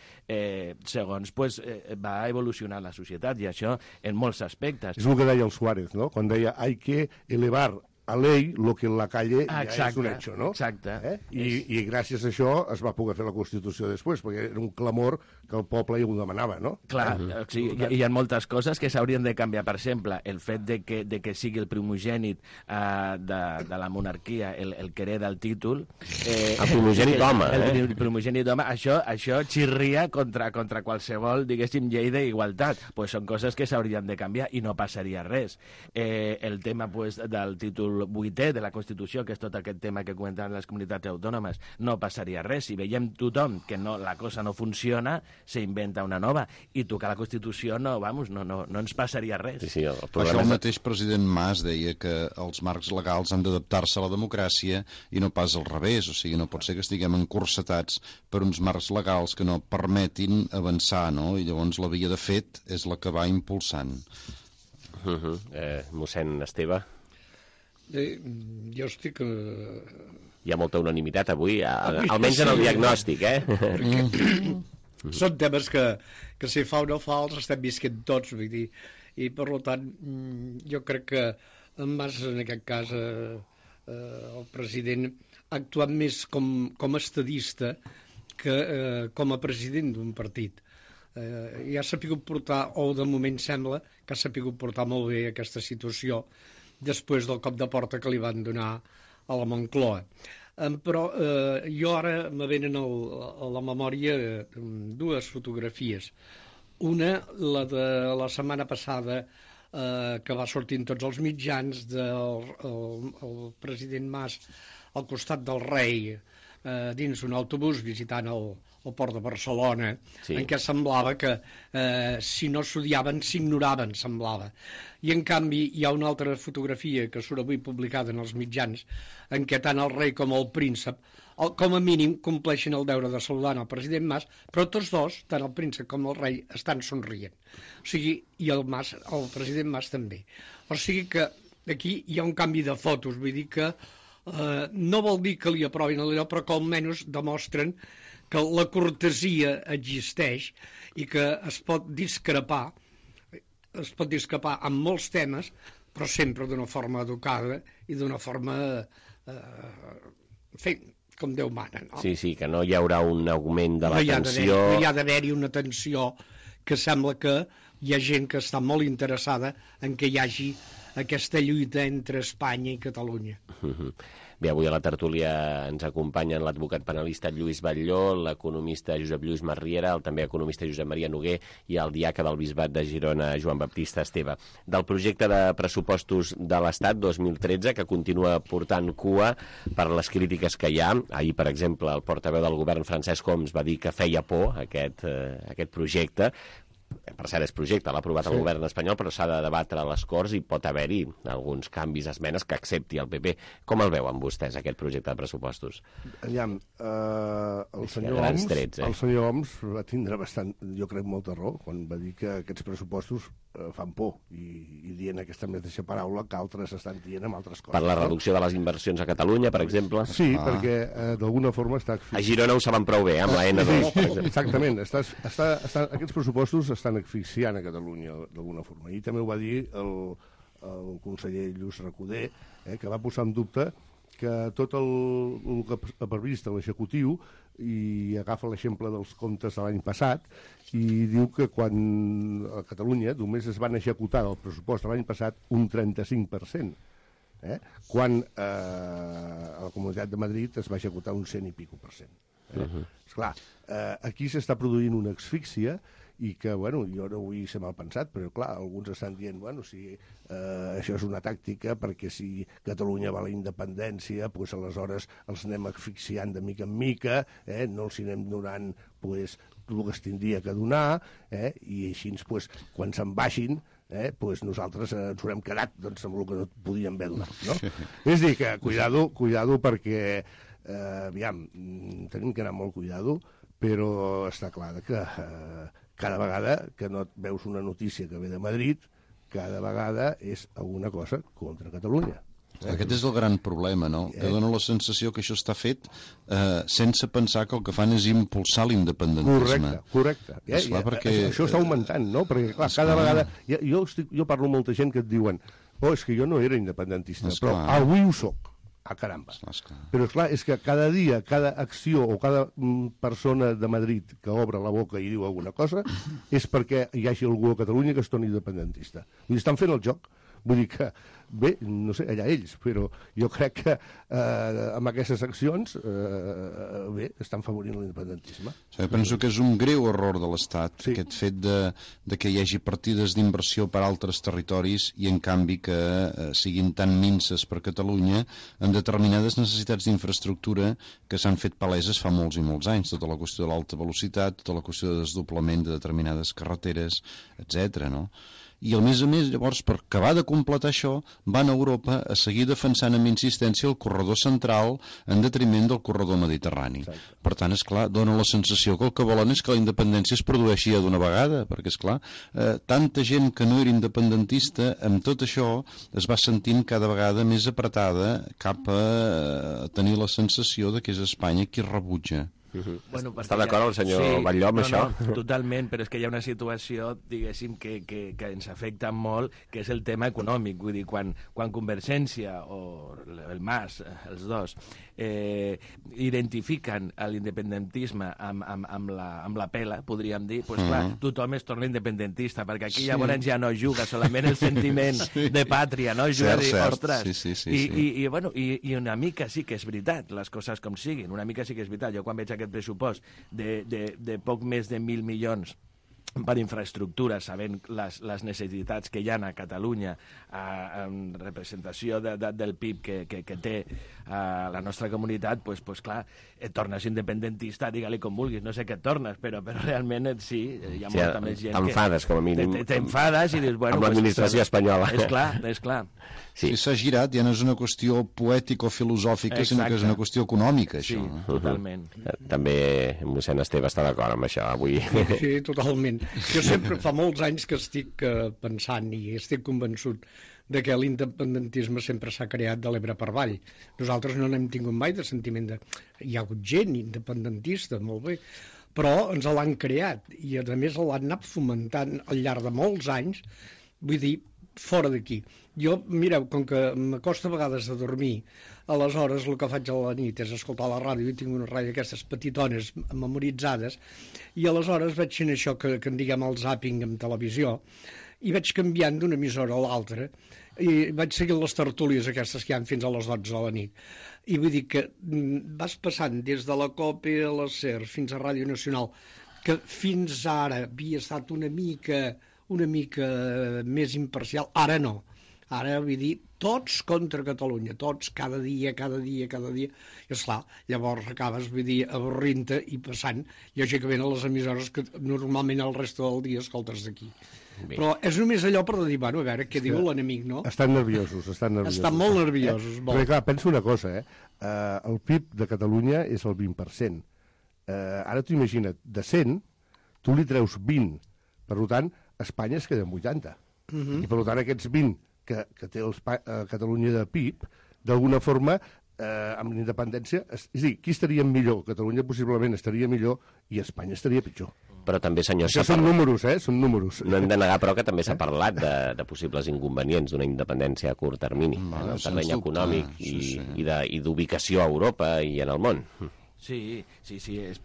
segons va evolucionar la societat, i això en molts aspectes. És el que deia el Suárez, no? Quan deia hay que elevar a ley lo que en la calle ja és un hecho, no? Exacte. I gràcies a això es va poder fer la Constitució després, perquè era un clamor que el poble ja ho demanava, no? Clar, hi ha moltes coses que s'haurien de canviar. Per exemple, el fet de que sigui el primogènit de la monarquia el que hereda el títol... El primogènit d'home, El primogènit d'home, això xirria contra qualsevol, diguéssim, llei d'igualtat. Són coses que s'haurien de canviar i no passaria res. El tema del títol l'article 8è de la Constitució, que és tot aquest tema que comentaven les comunitats autònomes, no passaria res. Si veiem tothom que la cosa no funciona, s'inventa una nova. I tocar la Constitució no ens passaria res. Sí, per això el mateix president Mas deia que els marcs legals han d'adaptar-se a la democràcia i no pas al revés. O sigui, no pot ser que estiguem encursetats per uns marcs legals que no permetin avançar, no? I llavors la via de fet és la que va impulsant. Mossèn Esteve? Jo estic... Hi ha molta unanimitat avui, almenys en el diagnòstic, Són temes que si fa o no fa els estem visquent tots, vull dir, i per tant jo crec que en Mas, en aquest cas, el president, ha actuat més com a estadista que com a president d'un partit. I ha sapigut portar, o de moment sembla que ha sapigut portar molt bé aquesta situació després del cop de porta que li van donar a la Moncloa. Però jo ara me venen a la memòria dues fotografies. Una, la de la setmana passada, que va sortir en tots els mitjans, del president Mas al costat del rei, dins un autobús visitant el port de Barcelona, en què semblava que si no s'odiaven, s'ignoraven, semblava. I en canvi hi ha una altra fotografia que surt avui publicada en els mitjans, en què tant el rei com el príncep, com a mínim, compleixen el deure de saludar el president Mas, però tots dos, tant el príncep com el rei, estan somrient. O sigui, i el president Mas també. O sigui que aquí hi ha un canvi de fotos, vull dir que no vol dir que li aprovin allò, però que almenys demostren que la cortesia existeix i que es pot discrepar en molts temes, però sempre d'una forma educada i d'una forma com Déu mana, no? Sí, que no hi haurà un augment de la tensió. No hi ha d'haver-hi una tensió que sembla que hi ha gent que està molt interessada en que hi hagi aquesta lluita entre Espanya i Catalunya. Bé, avui a la tertúlia ens acompanyen l'advocat penalista Lluís Batlló, l'economista Josep Lluís Masriera, el també economista Josep Maria Noguer i el diaca del Bisbat de Girona, Joan Baptista Esteve. Del projecte de pressupostos de l'Estat 2013, que continua portant cua per les crítiques que hi ha. Ahir, per exemple, el portaveu del govern, Francesc Homs, va dir que feia por aquest projecte. Per cert, és projecte, l'ha aprovat el govern espanyol, però s'ha de debatre a les Corts i pot haver-hi alguns canvis, esmenes que accepti el PP. Com el veuen vostès, aquest projecte de pressupostos? Aviam, el senyor Homs va tindre bastant, jo crec, molta raó quan va dir que aquests pressupostos fan por i dient aquesta mateixa paraula que altres estan dient amb altres coses. Per la reducció de les inversions a Catalunya, per exemple? Sí, perquè d'alguna forma està... A Girona ho saben prou bé, amb la N2. Sí, exactament. Aquests pressupostos estan asfixiant a Catalunya d'alguna forma. I també ho va dir el conseller Lluís Recoder, que va posar en dubte que tot el que ha previst l'executiu, i agafa l'exemple dels comptes de l'any passat, i diu que quan a Catalunya només es van executar del pressupost de l'any passat un 35%, quan a la Comunitat de Madrid es va executar un 100 i pico %. Esclar, aquí s'està produint una asfíxia i que, bueno, jo no vull ser mal pensat, però clar, alguns estan dient, bueno, si això és una tàctica perquè si Catalunya va a la independència, doncs aleshores els anem asfixiant de mica en mica, no els anem donant el que es tindria que donar, i així, quan se'n baixin, nosaltres ens haurem quedat amb el que no podíem haver donat, no? És a dir, que cuidado perquè, aviam, tenim que anar molt cuidado, però està clar que cada vegada que no veus una notícia que ve de Madrid, cada vegada és alguna cosa contra Catalunya. Aquest és el gran problema, no? Que dona la sensació que això està fet sense pensar que el que fan és impulsar l'independentisme. Correcte. Això està augmentant, no? Perquè, clar, cada vegada... Jo parlo amb molta gent que et diuen és que jo no era independentista, però avui ho soc. Ah, caramba. Però, esclar, és que cada dia, cada acció o cada persona de Madrid que obre la boca i diu alguna cosa és perquè hi hagi algú a Catalunya que es torni independentista. Vull dir, estan fent el joc. Vull dir que, bé, no sé, allà ells, però jo crec que amb aquestes accions, bé, estan favorint l'independentisme. Jo penso que és un greu error de l'Estat, aquest fet de que hi hagi partides d'inversió per a altres territoris i, en canvi, que siguin tan minces per Catalunya en determinades necessitats d'infraestructura que s'han fet paleses fa molts i molts anys. Tota la qüestió de l'alta velocitat, tota la qüestió de desdoblament de determinades carreteres, etc. no? I, a més, llavors, per acabar de completar això, van a Europa a seguir defensant amb insistència el corredor central en detriment del corredor mediterrani. Exacte. Per tant, esclar, dona la sensació que el que volen és que la independència es produeixi d'una vegada, perquè, esclar, tanta gent que no era independentista, amb tot això, es va sentint cada vegada més apretada cap a tenir la sensació de que és Espanya qui rebutja. Bueno, està d'acord el senyor Batlló amb això? No, totalment, però és que hi ha una situació, diguéssim, que ens afecta molt, que és el tema econòmic. Vull dir, quan Convergència o el MAS, els dos, identifiquen l'independentisme amb la pela, podríem dir, doncs clar, tothom es torna independentista, perquè aquí llavors ja no juga solament el sentiment de pàtria, no? Juga a dir, ostres, i una mica sí que és veritat, les coses com siguin, una mica sí que és veritat. Jo quan veig aquest pressupost de poc més de 1.000 milions per infraestructures, sabent les necessitats que hi ha a Catalunya en representació del PIB que té la nostra comunitat, doncs clar, et tornes independentista, digue-li com vulguis, no sé què et tornes, però realment sí, hi ha molta més gent que... T'enfades, com a mínim. T'enfades i dius, bueno... Amb l'administració espanyola. És clar. Si s'ha girat, ja no és una qüestió poètico-filosòfica, sinó que és una qüestió econòmica, això. Sí, totalment. També mossèn Esteve està d'acord amb això, avui. Sí, totalment. Jo sempre, fa molts anys que estic pensant i estic convençut de que l'independentisme sempre s'ha creat de l'Ebre per avall. Nosaltres no n'hem tingut mai de sentiment de... Hi ha hagut gent independentista, molt bé, però ens l'han creat i a més l'han anat fomentant al llarg de molts anys, vull dir, fora d'aquí. Jo, mireu, com que m'acosta a vegades a dormir, aleshores el que faig a la nit és escoltar la ràdio, i tinc una ràdio d'aquestes petitones memoritzades, i aleshores vaig fent això que en diguem el zapping en televisió, i vaig canviant d'una emissora a l'altra, i vaig seguint les tertúlies aquestes que hi ha fins a les 12 de la nit. I vull dir que vas passant des de la COPE a la SER fins a Ràdio Nacional, que fins ara havia estat una mica més imparcial, ara no. Ara, vull dir, tots contra Catalunya, tots, cada dia, i esclar, llavors acabes, vull dir, avorrint-te i passant, lògicament, a les emissores que normalment el resto del dia escoltes d'aquí. Però és només allò per dir, bueno, a veure què diu l'enemic, no? Estan nerviosos. Estan molt nerviosos. Però clar, pensa una cosa, el PIB de Catalunya és el 20%. Ara t'ho imagina't, de 100, tu li treus 20. Per tant, Espanya es queda en 80. I per tant, aquests 20 que té Catalunya de PIB, d'alguna forma, amb l'independència, és a dir, qui estaria millor? Catalunya possiblement estaria millor i Espanya estaria pitjor. Però també, senyor... Això són números, són números. No hem de negar, però, que també s'ha parlat de possibles inconvenients d'una independència a curt termini, en el terreny econòmic i d'ubicació a Europa i en el món. Sí, és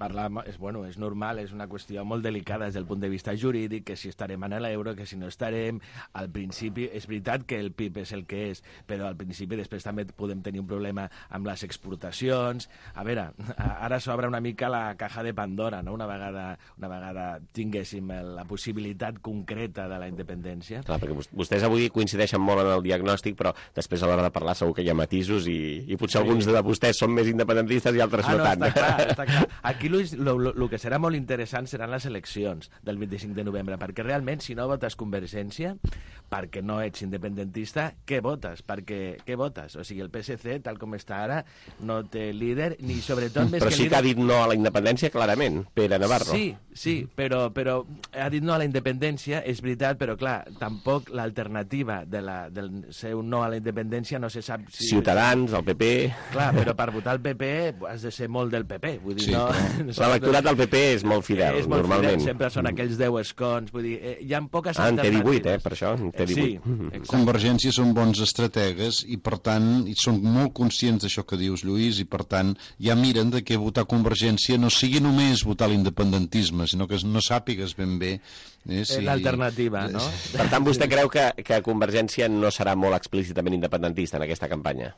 normal, és una qüestió molt delicada des del punt de vista jurídic, que si estarem en l'euro, que si no estarem. Al principi, és veritat que el PIB és el que és, però al principi després també podem tenir un problema amb les exportacions. A veure, ara s'obre una mica la caja de Pandora, no? Una vegada tinguéssim la possibilitat concreta de la independència. Clar, perquè vostès avui coincideixen molt en el diagnòstic, però després a l'hora de parlar segur que hi ha matisos i potser alguns de vostès són més independentistes i altres no tant. Està clar. Aquí el que serà molt interessant seran les eleccions del 25 de novembre, perquè realment, si no votes Convergència, perquè no ets independentista, què votes? Què votes? O sigui, el PSC, tal com està ara, no té líder, ni sobretot... Però sí que ha dit no a la independència, clarament, Pere Navarro. Sí, però ha dit no a la independència, és veritat, però clar, tampoc l'alternativa del seu no a la independència no se sap si... Ciutadans, el PP... Clar, però per votar el PP has de ser molt del PP. Vull dir, Sí, no... l'electorat del PP és molt fidel, és molt normalment. Fidel, sempre són aquells 10 escons. Vull dir, hi ha poques en té 18, alternatives. per això. En té 18. Sí, exacte. Convergència són bons estrategues i, per tant, són molt conscients d'això que dius, Lluís, i, per tant, ja miren de que votar Convergència no sigui només votar l'independentisme, sinó que no sàpigues ben bé si... l'alternativa, no? Per tant, vostè creu que Convergència no serà molt explícitament independentista en aquesta campanya?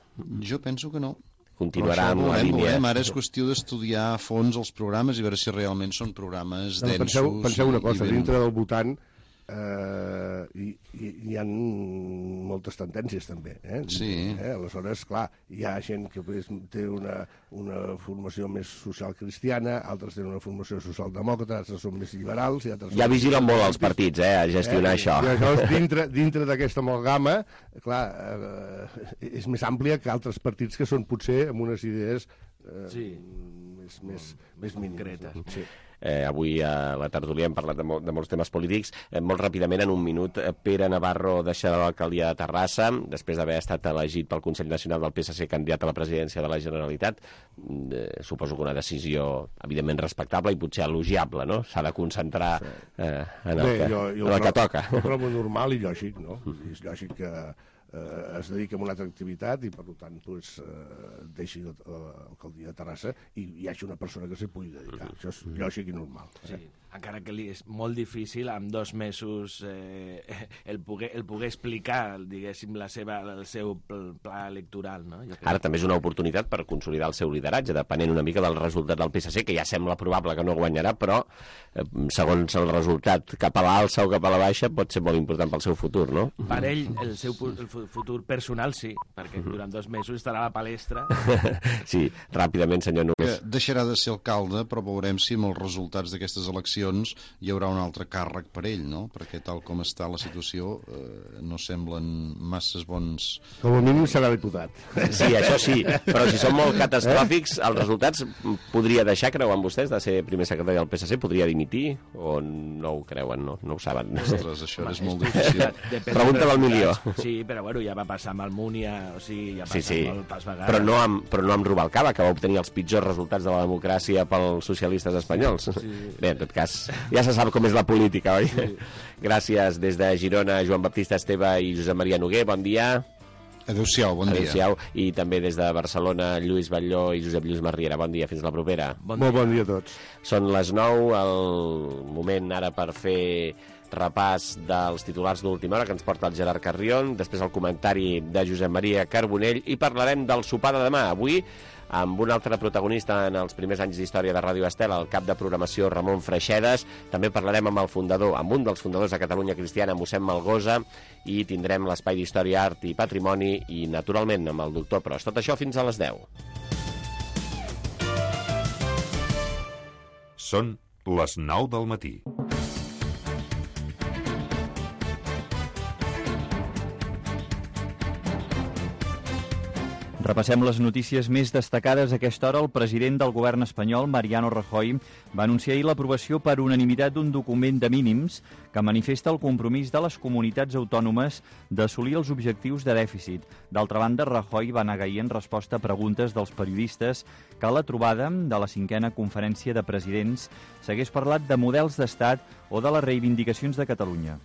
Jo penso que no. Continuarà amb la línia. Ara és qüestió d'estudiar a fons els programes i veure si realment són programes densos. Penseu una cosa, dintre del votant hi ha moltes tendències també, Sí. Aleshores, clar, hi ha gent que té una formació més social cristiana, altres tenen una formació socialdemòcrata, altres són més liberals i altres... Ja vigilen molt els partits, a gestionar això. I aleshores, dintre d'aquesta amalgama, clar, és més àmplia que altres partits que són potser amb unes idees més mínimes. Sí. Avui a la tertúlia hem parlat de molts temes polítics. Molt ràpidament, en un minut, Pere Navarro deixarà l'alcaldia de Terrassa després d'haver estat elegit pel Consell Nacional del PSC candidat a la presidència de la Generalitat. Suposo que una decisió evidentment respectable i potser elogiable, no? S'ha de concentrar en el que toca. Jo trobo normal i lògic, no? És lògic que es dedica a una altra activitat i per tant deixi l'alcaldia de Terrassa i hi hagi una persona que s'hi pugui dedicar. Això és lògic i normal. Sí, encara que és molt difícil amb 2 mesos el poder explicar, diguéssim, el seu pla electoral, no? Ara també és una oportunitat per consolidar el seu lideratge, depenent una mica del resultat del PSC, que ja sembla probable que no guanyarà, però segons el resultat cap a l'alça o cap a la baixa pot ser molt important pel seu futur, no? Per ell, el seu futur personal sí, perquè durant 2 mesos estarà a la palestra. Sí, ràpidament, senyor Nogués. Deixarà de ser alcalde, però veurem si amb els resultats d'aquestes eleccions hi haurà un altre càrrec per ell, no? Perquè tal com està la situació no semblen masses bons... Com a mínim serà diputat. Sí, això sí, però si són molt catastròfics, els resultats podria deixar, creuen vostès, de ser primer secretari del PSC? Podria dimitir? O no ho creuen? No ho saben? Ostres, això és molt difícil. Pregunta del milió. Sí, però bueno, ja va passar amb el Múnia, o sigui, ja passa molt pas vegades. Però no amb Rubalcaba, que va obtenir els pitjors resultats de la democràcia pels socialistes espanyols. Bé, en tot cas, ja se sap com és la política, oi? Sí. Gràcies des de Girona, Joan Baptista Esteve i Josep Maria Noguer, bon dia. Adéu-siau, bon dia. Adéu-siau. I també des de Barcelona, Lluís Batlló i Josep Lluís Marriera, bon dia, fins la propera. Molt bon dia a tots. Són les 9, el moment ara per fer repàs dels titulars d'última hora que ens porta el Gerard Carrion, després el comentari de Josep Maria Carbonell i parlarem del sopar de demà. Avui amb un altre protagonista en els primers anys d'història de Ràdio Estel, el cap de programació Ramon Freixedes. També parlarem amb el fundador, amb un dels fundadors de Catalunya Cristiana, mossèn Malgosa, i tindrem l'espai d'Història, Art i Patrimoni i, naturalment, amb el doctor Pros. Tot això fins a les 10. Són les 9 del matí. Repassem les notícies més destacades. A aquesta hora, el president del govern espanyol, Mariano Rajoy, va anunciar ahir l'aprovació per unanimitat d'un document de mínims que manifesta el compromís de les comunitats autònomes d'assolir els objectius de dèficit. D'altra banda, Rajoy va negar ahir en resposta a preguntes dels periodistes que a la trobada de la 5a conferència de presidents s'hagués parlat de models d'estat o de les reivindicacions de Catalunya.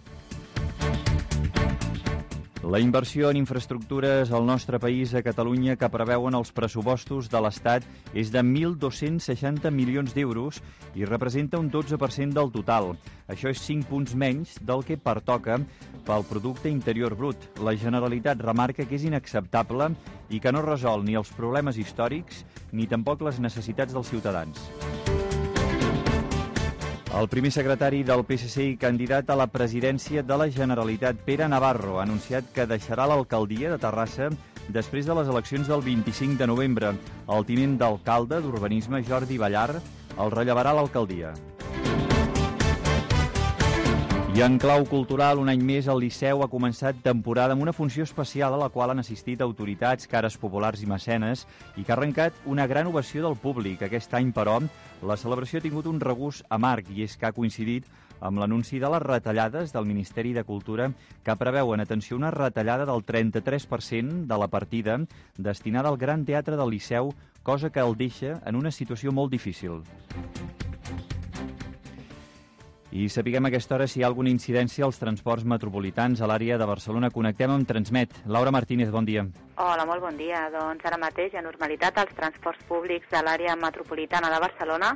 La inversió en infraestructures al nostre país, a Catalunya, que preveuen els pressupostos de l'Estat és de 1.260 milions d'euros i representa un 12% del total. Això és 5 punts menys del que pertoca pel Producte Interior Brut. La Generalitat remarca que és inacceptable i que no resol ni els problemes històrics ni tampoc les necessitats dels ciutadans. El primer secretari del PSC i candidat a la presidència de la Generalitat, Pere Navarro, ha anunciat que deixarà l'alcaldia de Terrassa després de les eleccions del 25 de novembre. El tinent d'alcalde d'Urbanisme, Jordi Ballar, el rellevarà a l'alcaldia. I en clau cultural, un any més, el Liceu ha començat temporada amb una funció especial a la qual han assistit autoritats, cares populars i mecenes i que ha arrencat una gran ovació del públic. Aquest any, però, la celebració ha tingut un regust amarg i és que ha coincidit amb l'anunci de les retallades del Ministeri de Cultura que preveuen, atenció, una retallada del 33% de la partida destinada al Gran Teatre del Liceu, cosa que el deixa en una situació molt difícil. I sapiguem a aquesta hora si hi ha alguna incidència als transports metropolitans a l'àrea de Barcelona. Connectem amb Transmet. Laura Martínez, bon dia. Hola, molt bon dia. Doncs ara mateix hi ha normalitat. Els transports públics de l'àrea metropolitana de Barcelona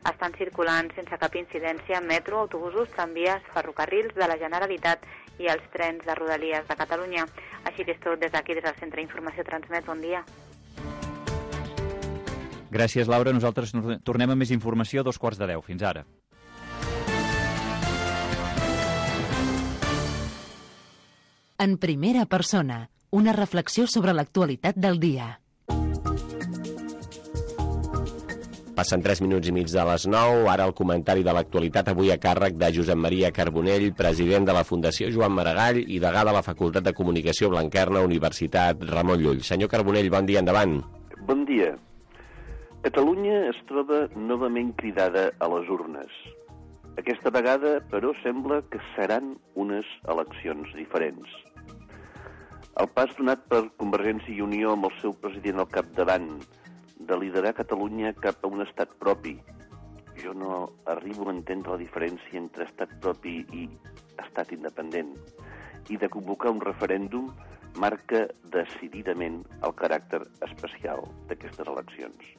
estan circulant sense cap incidència metro, autobusos, tramvies, ferrocarrils de la Generalitat i els trens de Rodalies de Catalunya. Així que és tot des d'aquí, des del Centre d'Informació Transmet. Bon dia. Gràcies, Laura. Nosaltres tornem amb més informació a 9:45. Fins ara. En primera persona, una reflexió sobre l'actualitat del dia. Passen 3 minuts i mig de les 9, ara el comentari de l'actualitat, avui a càrrec de Josep Maria Carbonell, president de la Fundació Joan Maragall i degà de la Facultat de Comunicació Blanquerna, Universitat Ramon Llull. Senyor Carbonell, bon dia, endavant. Bon dia. Catalunya es troba novament cridada a les urnes. Aquesta vegada, però, sembla que seran unes eleccions diferents. El pas donat per Convergència i Unió amb el seu president al capdavant de liderar Catalunya cap a un estat propi. Jo no arribo a entendre la diferència entre estat propi i estat independent. I de convocar un referèndum marca decididament el caràcter especial d'aquestes eleccions.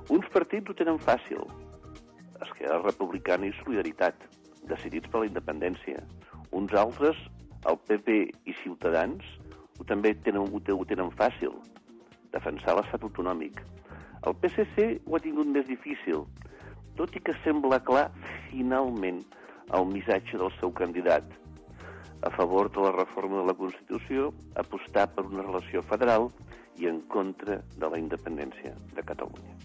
Uns partits ho tenen fàcil. Esquerra Republicana i Solidaritat, decidits per la independència. Uns altres, el PP i Ciutadans, ho tenen fàcil, defensar l'estat autonòmic. El PSC ho ha tingut més difícil, tot i que sembla clar, finalment, el missatge del seu candidat. A favor de la reforma de la Constitució, apostar per una relació federal i en contra de la independència de Catalunya.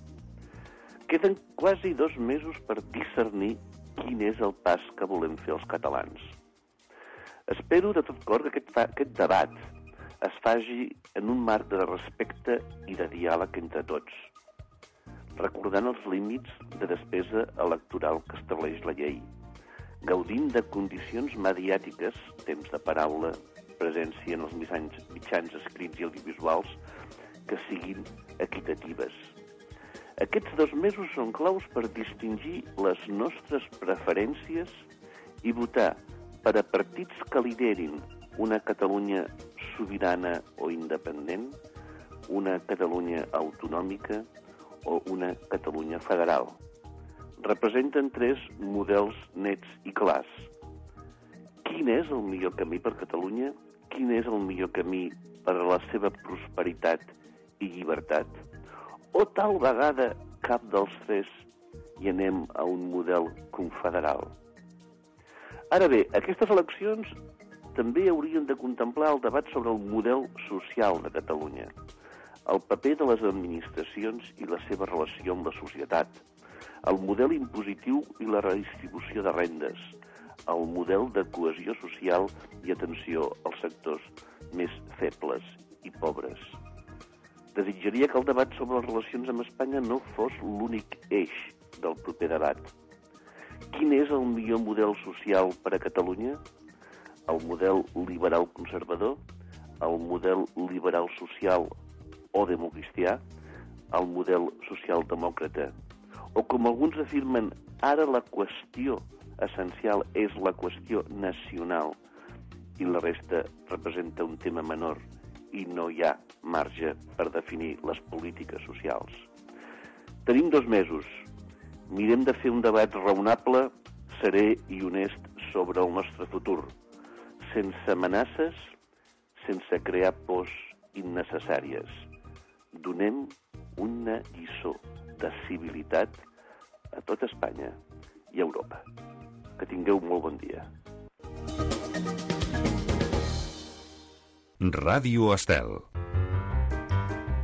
Queden quasi 2 mesos per discernir quin és el pas que volem fer els catalans. Espero de tot cor que aquest debat es faci en un marc de respecte i de diàleg entre tots, recordant els límits de despesa electoral que estableix la llei, gaudint de condicions mediàtiques, temps de paraula, presència en els mitjans escrits i audiovisuals, que siguin equitatives. Aquests 2 mesos són claus per distingir les nostres preferències i votar per a partits que liderin una Catalunya sobirana o independent, una Catalunya autonòmica o una Catalunya federal. Representen 3 models nets i clars. Quin és el millor camí per Catalunya? Quin és el millor camí per a la seva prosperitat i llibertat? O tal vegada cap dels 3 i anem a un model confederal? Ara bé, aquestes eleccions també haurien de contemplar el debat sobre el model social de Catalunya, el paper de les administracions i la seva relació amb la societat, el model impositiu i la redistribució de rendes, el model de cohesió social i atenció als sectors més febles i pobres. Desitjaria que el debat sobre les relacions amb Espanya no fos l'únic eix del proper debat. Quin és el millor model social per a Catalunya? El model liberal conservador? El model liberal social o democristià? El model social-demòcrata? O com alguns afirmen, ara la qüestió essencial és la qüestió nacional i la resta representa un tema menor i no hi ha marge per definir les polítiques socials. Tenim 2 mesos. Mirem de fer un debat raonable, serè i honest sobre el nostre futur, sense amenaces, sense crear pors innecessàries. Donem una lliçó de civilitat a tot Espanya i a Europa. Que tingueu molt bon dia. Ràdio Estel.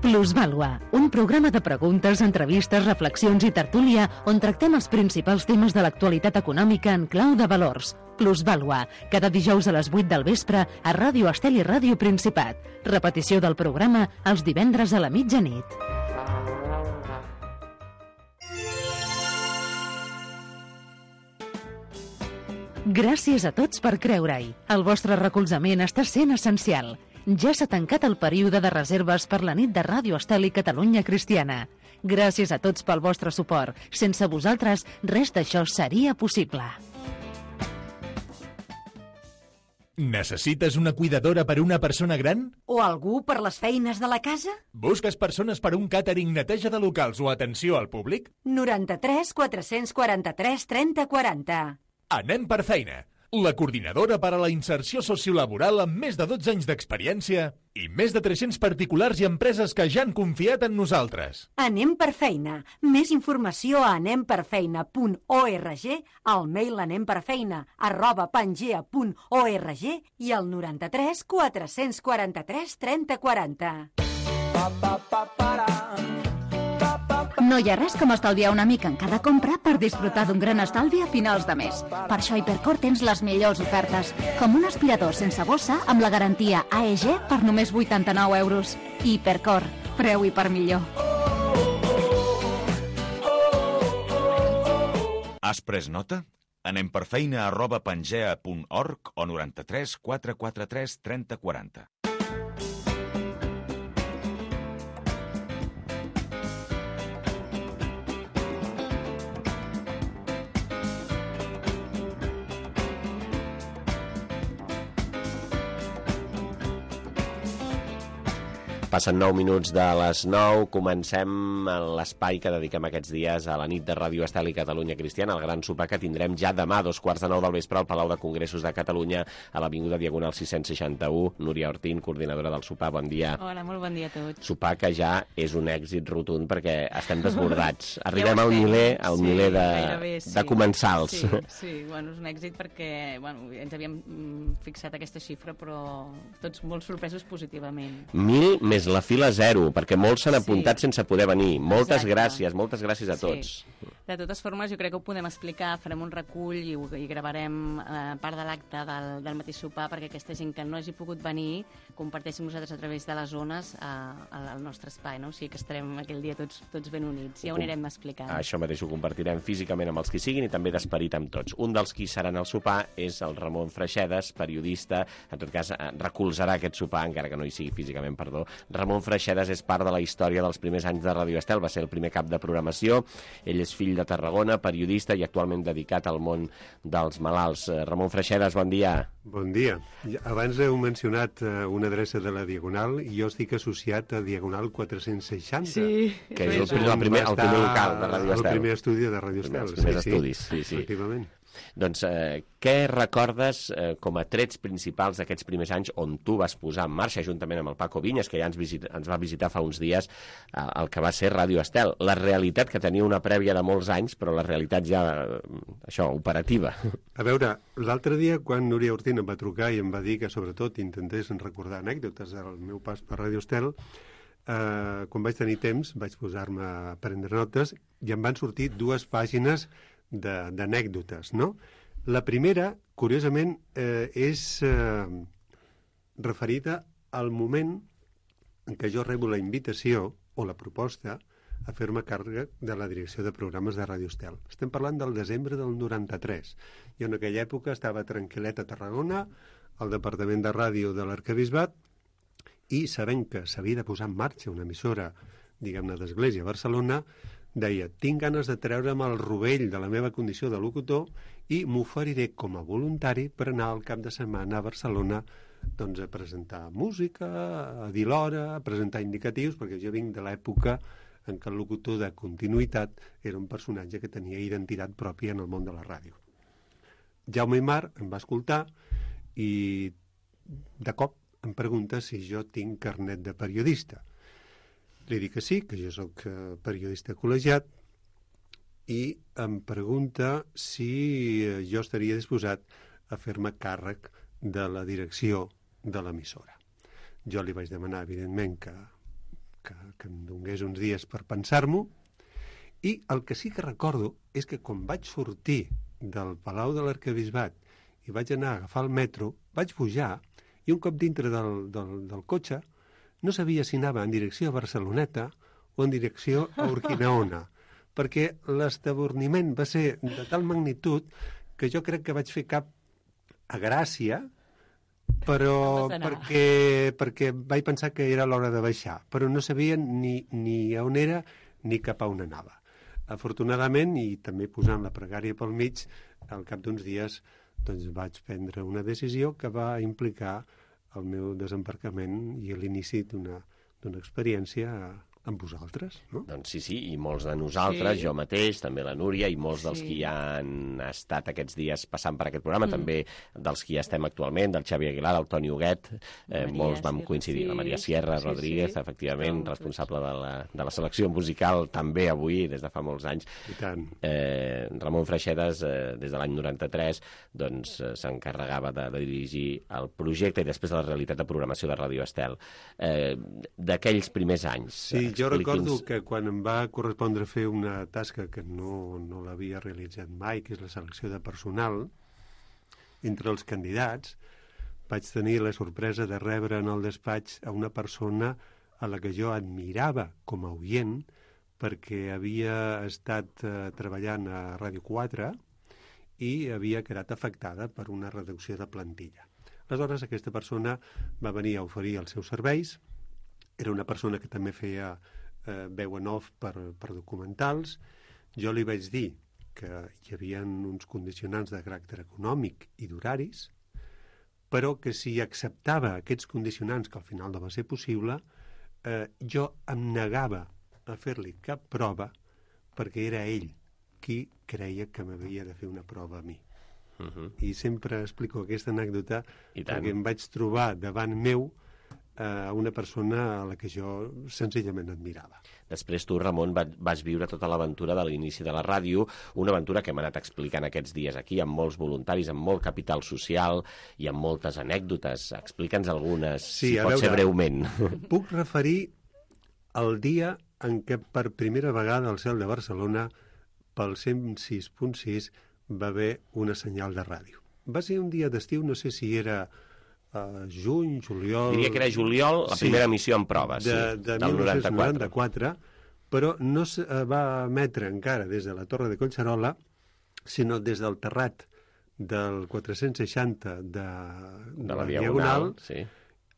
Plusvàlua, un programa de preguntes, entrevistes, reflexions i tertúlia on tractem els principals temes de l'actualitat econòmica en clau de valors. Plusvàlua, cada dijous a les 8 del vespre a Ràdio Estel i Ràdio Principat. Repetició del programa els divendres a la mitjanit. Gràcies a tots per creure-hi. El vostre recolzament està sent essencial. Ja s'ha tancat el període de reserves per la nit de Ràdio Estel i Catalunya Cristiana. Gràcies a tots pel vostre suport. Sense vosaltres, res d'això seria possible. Necessites una cuidadora per una persona gran? O algú per les feines de la casa? Busques persones per un càtering, neteja de locals o atenció al públic? 93 443 30 40. Anem per feina. La coordinadora per a la inserció sociolaboral amb més de 12 anys d'experiència i més de 300 particulars i empreses que ja han confiat en nosaltres. Anem per feina. Més informació a anemperfeina.org, al mail anemperfeina@pangea.org i al 93 443 30 40. No hi ha res com estalviar una mica en cada compra per disfrutar d'un gran estalvi a finals de mes. Per això a Hipercor tens les millors ofertes, com un aspirador sense bossa amb la garantia AEG per només 89 euros. Hipercor, preu i per millor. Has pres nota? Anem per feina@pangea.org o 93 443 30 40. Passen 9 minuts de les 9, comencem l'espai que dediquem aquests dies a la nit de Ràdio Estel i Catalunya Cristiana, el gran sopar que tindrem ja demà a 2:45 del vespre al Palau de Congressos de Catalunya, a l'Avinguda Diagonal 661. Núria Ortín, coordinadora del sopar, bon dia. Hola, molt bon dia a tots. Sopar que ja és un èxit rotund perquè estem desbordats. Arribem al miler de comensals. Sí, bueno, és un èxit perquè ens havíem fixat aquesta xifra, però tots molt sorpresos positivament. 1.000 més la fila 0, perquè molts s'han apuntat sense poder venir. Moltes gràcies a tots. De totes formes, jo crec que ho podem explicar, farem un recull i gravarem part de l'acte del mateix sopar perquè aquesta gent que no hagi pogut venir comparteixi amb nosaltres a través de les zones al nostre espai, no? O sigui que estarem aquell dia tots ben units. Ja ho anirem explicant. Això mateix ho compartirem físicament amb els que siguin i també d'esperit amb tots. Un dels qui seran al sopar és el Ramon Freixedes, periodista, en tot cas recolzarà aquest sopar, encara que no hi sigui físicament, perdó. Ramon Freixedes és part de la història dels primers anys de Ràdio Estel, va ser el primer cap de programació, ell és fill de Tarragona, periodista i actualment dedicat al món dels malalts. Ramon Freixedes, bon dia. Bon dia. Abans heu mencionat una adreça de la Diagonal i jo estic associat a Diagonal 460. Sí. Que és el primer local de Ràdio Estel. El primer estudi de Ràdio Estel. Els primers estudis, sí. Efectivament. Doncs què recordes com a trets principals d'aquests primers anys on tu vas posar en marxa, juntament amb el Paco Vinyes, que ja ens va visitar fa uns dies, el que va ser Ràdio Estel? La realitat, que tenia una prèvia de molts anys, però la realitat ja, operativa. A veure, l'altre dia, quan Núria Ortín em va trucar i em va dir que, sobretot, intentés recordar anècdotes del meu pas per Ràdio Estel, quan vaig tenir temps, vaig posar-me a prendre notes i em van sortir 2 pàgines d'anècdotes, no? La primera, curiosament, és referida al moment en què jo rebo la invitació o la proposta a fer-me càrrec de la direcció de programes de Ràdio Estel. Estem parlant del desembre del 93. Jo en aquella època estava tranquil·let a Tarragona, al departament de ràdio de l'Arquebisbat, i sabent que s'havia de posar en marxa una emissora, diguem-ne, d'Església a Barcelona, deia, tinc ganes de treure'm el rovell de la meva condició de locutor i m'oferiré com a voluntari per anar al cap de setmana a Barcelona doncs, a presentar música, a dir l'hora, a presentar indicatius, perquè jo vinc de l'època en què el locutor de continuïtat era un personatge que tenia identitat pròpia en el món de la ràdio. Jaume Aymar em va escoltar i de cop em pregunta si jo tinc carnet de periodista. Li dic que sí, que jo sóc periodista col·legiat, i em pregunta si jo estaria disposat a fer-me càrrec de la direcció de l'emissora. Jo li vaig demanar, evidentment, que em donés uns dies per pensar-m'ho, i el que sí que recordo és que quan vaig sortir del Palau de l'Arquebisbat i vaig anar a agafar el metro, vaig pujar i un cop dintre del cotxe no sabia si anava en direcció a Barceloneta o en direcció a Urquinaona, perquè l'estaborniment va ser de tal magnitud que jo crec que vaig fer cap a Gràcia, però perquè vaig pensar que era l'hora de baixar, però no sabia ni on era ni cap a on anava. Afortunadament, i també posant la pregària pel mig, al cap d'uns dies doncs, vaig prendre una decisió que va implicar el meu desembarcament i l'inici d'una experiència amb vosaltres, no? Doncs sí, i molts de nosaltres, jo mateix, també la Núria, i molts dels que ja han estat aquests dies passant per aquest programa, també dels que ja estem actualment, del Xavi Aguilar, el Toni Huguet, molts vam coincidir, la Maria Sierra Rodríguez, efectivament, responsable de la selecció musical, també avui, des de fa molts anys. I tant. Ramon Freixedes, des de l'any 93, doncs s'encarregava de dirigir el projecte i després de la realitat de programació de Ràdio Estel. D'aquells primers anys, sí, jo recordo que quan em va correspondre fer una tasca que no l'havia realitzat mai, que és la selecció de personal, entre els candidats vaig tenir la sorpresa de rebre en el despatx a una persona a la que jo admirava com a oient, perquè havia estat treballant a Ràdio 4 i havia quedat afectada per una reducció de plantilla. Aleshores, aquesta persona va venir a oferir els seus serveis. Era una persona que també feia veu en off per documentals. Jo li vaig dir que hi havia uns condicionants de caràcter econòmic i d'horaris, però que si acceptava aquests condicionants, que al final no va ser possible, jo em negava a fer-li cap prova perquè era ell qui creia que m'havia de fer una prova a mi. I sempre explico aquesta anècdota perquè em vaig trobar davant meu a una persona a la que jo senzillament admirava. Després tu, Ramon, vas viure tota l'aventura de l'inici de la ràdio, una aventura que hem anat explicant aquests dies aquí, amb molts voluntaris, amb molt capital social i amb moltes anècdotes. Explica'ns algunes, si pot ser breument. Puc referir al dia en què per primera vegada al Cel de Barcelona, pel 106.6, va haver una senyal de ràdio. Va ser un dia d'estiu, no sé si era juny, juliol... Diria que era juliol, la primera emissió en proves, de 1994, però no es va emetre encara des de la Torre de Collserola, sinó des del terrat del 460 de la Diagonal,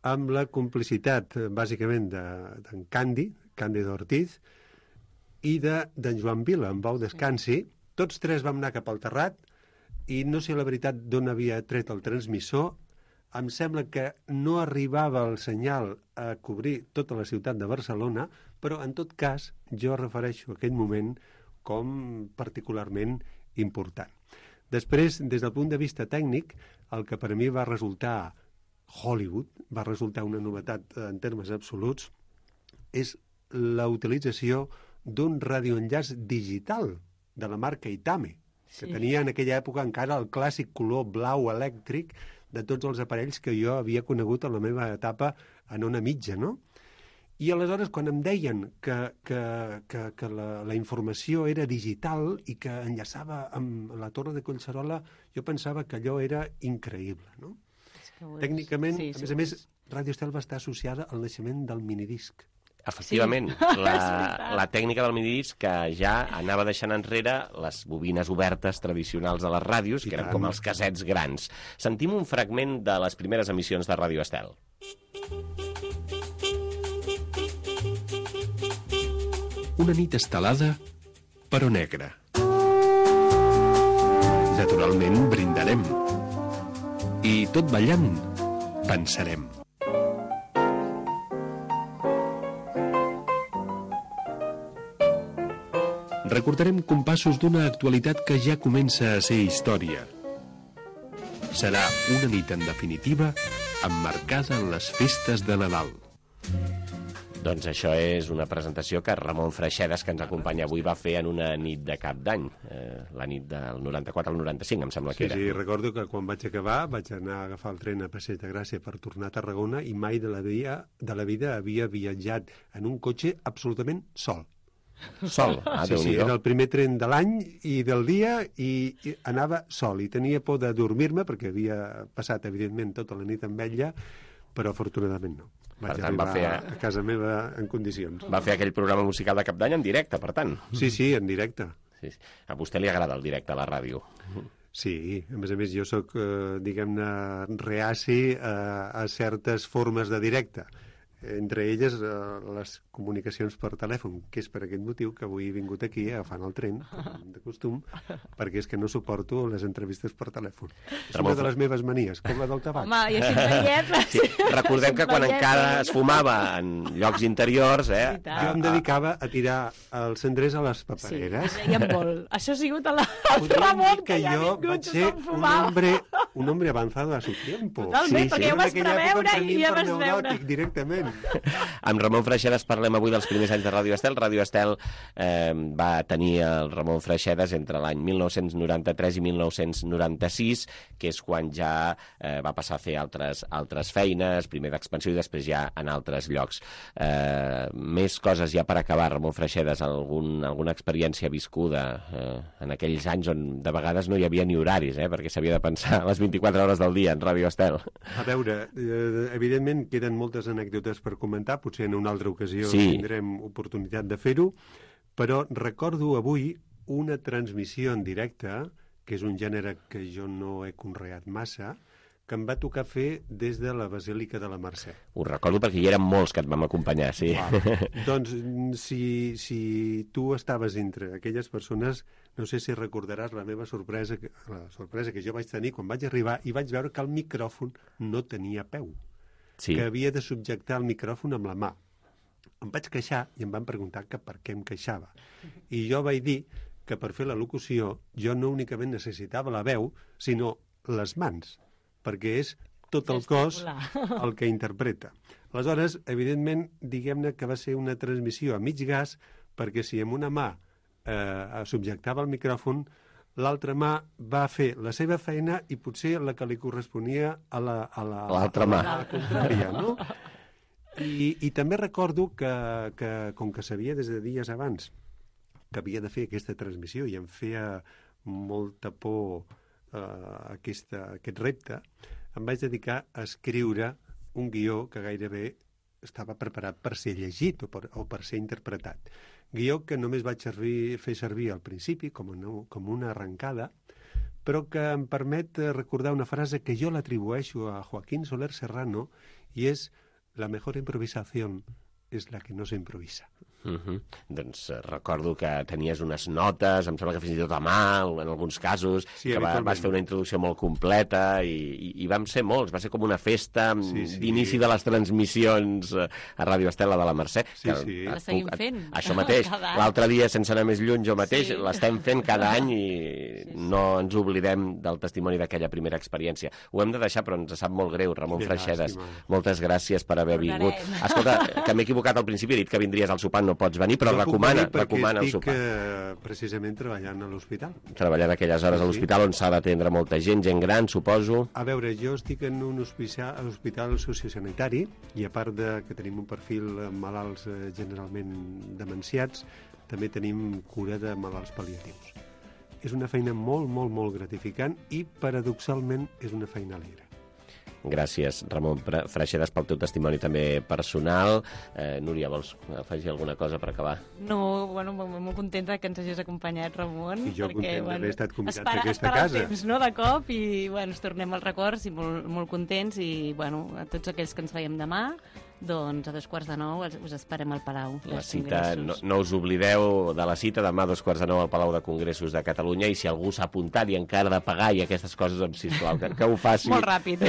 amb la complicitat, bàsicament, d'en Càndid Ortiz, i d'en Joan Vila, en Bau Descansi. Tots tres vam anar cap al terrat, i no sé la veritat d'on havia tret el transmissor. Em sembla que no arribava el senyal a cobrir tota la ciutat de Barcelona, però en tot cas jo refereixo aquell moment com particularment important. Després, des del punt de vista tècnic, el que per a mi va resultar Hollywood, va resultar una novetat en termes absoluts, és la utilització d'un radioenllaç digital de la marca Itame, que tenia en aquella època encara el clàssic color blau elèctric de tots els aparells que jo havia conegut en la meva etapa en ona mitja, no? I aleshores, quan em deien que la informació era digital i que enllaçava amb la Torre de Collserola, jo pensava que allò era increïble, no? Tècnicament, a més, Ràdio Estel va estar associada al naixement del minidisc. Efectivament, la tècnica del minidisc que ja anava deixant enrere les bobines obertes tradicionals de les ràdios, que eren com els cassets grans. Sentim un fragment de les primeres emissions de Ràdio Estel. Una nit estelada, però negra. Naturalment, brindarem. I tot ballant, pensarem. Recordarem compassos d'una actualitat que ja comença a ser història. Serà una nit, en definitiva, emmarcada en les festes de Nadal. Doncs això és una presentació que Ramon Freixedes, que ens acompanya avui, va fer en una nit de cap d'any, la nit del 94 al 95, em sembla que era. Sí, recordo que quan vaig acabar vaig anar a agafar el tren a Passeig de Gràcia per tornar a Tarragona i mai de la vida havia viatjat en un cotxe absolutament sol. Sol? Sí, era el primer tren de l'any i del dia i anava sol i tenia por de dormir-me perquè havia passat, evidentment, tota la nit amb ella, però afortunadament no. Vaig arribar a casa meva en condicions. Va fer aquell programa musical de cap d'any en directe, per tant. Sí, en directe. Sí. A vostè li agrada el directe a la ràdio? Sí, a més jo sóc, diguem-ne, reaci a certes formes de directe. Entre elles les comunicacions per telèfon, que és per aquest motiu que avui he vingut aquí agafant el tren, com de costum, perquè és que no suporto les entrevistes per telèfon. És una de les meves manies, com la del tabac. Home, i així veiem... Sí, recordem que quan encara es fumava en llocs interiors... Jo em dedicava a tirar els cendrers a les papereres. Sí, i en vol. Això ha sigut el Ramon que ja ha vingut, vaig ser un hombre avanzado a su tiempo. Totalment, perquè ja ho vas preveure i ja vas veure. Directament. Amb Ramon Freixedes parlem avui dels primers anys de Ràdio Estel. Ràdio Estel va tenir el Ramon Freixedes entre l'any 1993 i 1996, que és quan ja va passar a fer altres feines, primer d'expansió i després ja en altres llocs. Més coses ja per acabar, Ramon Freixedes, alguna experiència viscuda en aquells anys on de vegades no hi havia ni horaris, perquè s'havia de pensar les 24 hores del dia en Ràdio Estel. A veure, evidentment queden moltes anècdotes per comentar, potser en una altra ocasió tindrem oportunitat de fer-ho, però recordo avui una transmissió en directe, que és un gènere que jo no he conreat massa, que em va tocar fer des de la Basílica de la Mercè. Ho recordo perquè hi eren molts que et vam acompanyar, sí. Doncs si tu estaves entre aquelles persones, no sé si recordaràs la meva sorpresa que jo vaig tenir quan vaig arribar i vaig veure que el micròfon no tenia peu. Que havia de subjectar el micròfon amb la mà. Em vaig queixar i em van preguntar que per què em queixava. I jo vaig dir que per fer la locució jo no únicament necessitava la veu, sinó les mans, perquè és tot el cos el que interpreta. Aleshores, evidentment, diguem-ne que va ser una transmissió a mig gas, perquè si amb una mà subjectava el micròfon, l'altra mà va fer la seva feina i potser la que li corresponia a l'altra mà. A la contrària, no? I també recordo que com que sabia des de dies abans que havia de fer aquesta transmissió i em feia molta por aquest repte, em vaig dedicar a escriure un guió que gairebé estava preparat per ser llegit o per ser interpretat. Guió que només vaig fer servir al principi com una arrencada, però que em permet recordar una frase que jo l'atribueixo a Joaquín Soler Serrano i és «La mejor improvisación es la que no se improvisa». Doncs recordo que tenies unes notes, em sembla que fins i tot a mà, en alguns casos, que vas fer una introducció molt completa i vam ser molts, va ser com una festa d'inici de les transmissions a Ràdio Estela de la Mercè. La seguim fent. Això mateix, l'altre dia, sense anar més lluny, jo mateix, l'estem fent cada any i no ens oblidem del testimoni d'aquella primera experiència. Ho hem de deixar, però ens sap molt greu, Ramon Freixedes. Moltes gràcies per haver vingut. Escolta, que m'he equivocat al principi, he dit que vindries al sopar, no pots venir, però recomana el sopar. Estic precisament treballant a l'hospital. Treballant aquelles hores a l'hospital on s'ha d'atendre molta gent gran, suposo. A veure, jo estic en un hospital sociosanitari i a part que tenim un perfil malalts generalment demenciats, també tenim cura de malalts pal·liatius. És una feina molt, molt, molt gratificant i paradoxalment és una feina alegre. Gràcies, Ramon Freixedes, pel teu testimoni també personal. Núria, vols afegir alguna cosa per acabar? No, bueno, molt contenta que ens hagis acompanyat, Ramon. I jo content d'haver estat convidat a aquesta casa. Temps, no?, de cop, i bueno, ens tornem als records i molt contents, i bueno, a tots aquells que ens veiem demà, doncs a 8:45 us esperem al Palau. La cita, no us oblideu de la cita demà a 8:45 al Palau de Congressos de Catalunya, i si algú s'ha apuntat i encara de pagar i aquestes coses, sisplau, que ho faci molt ràpid.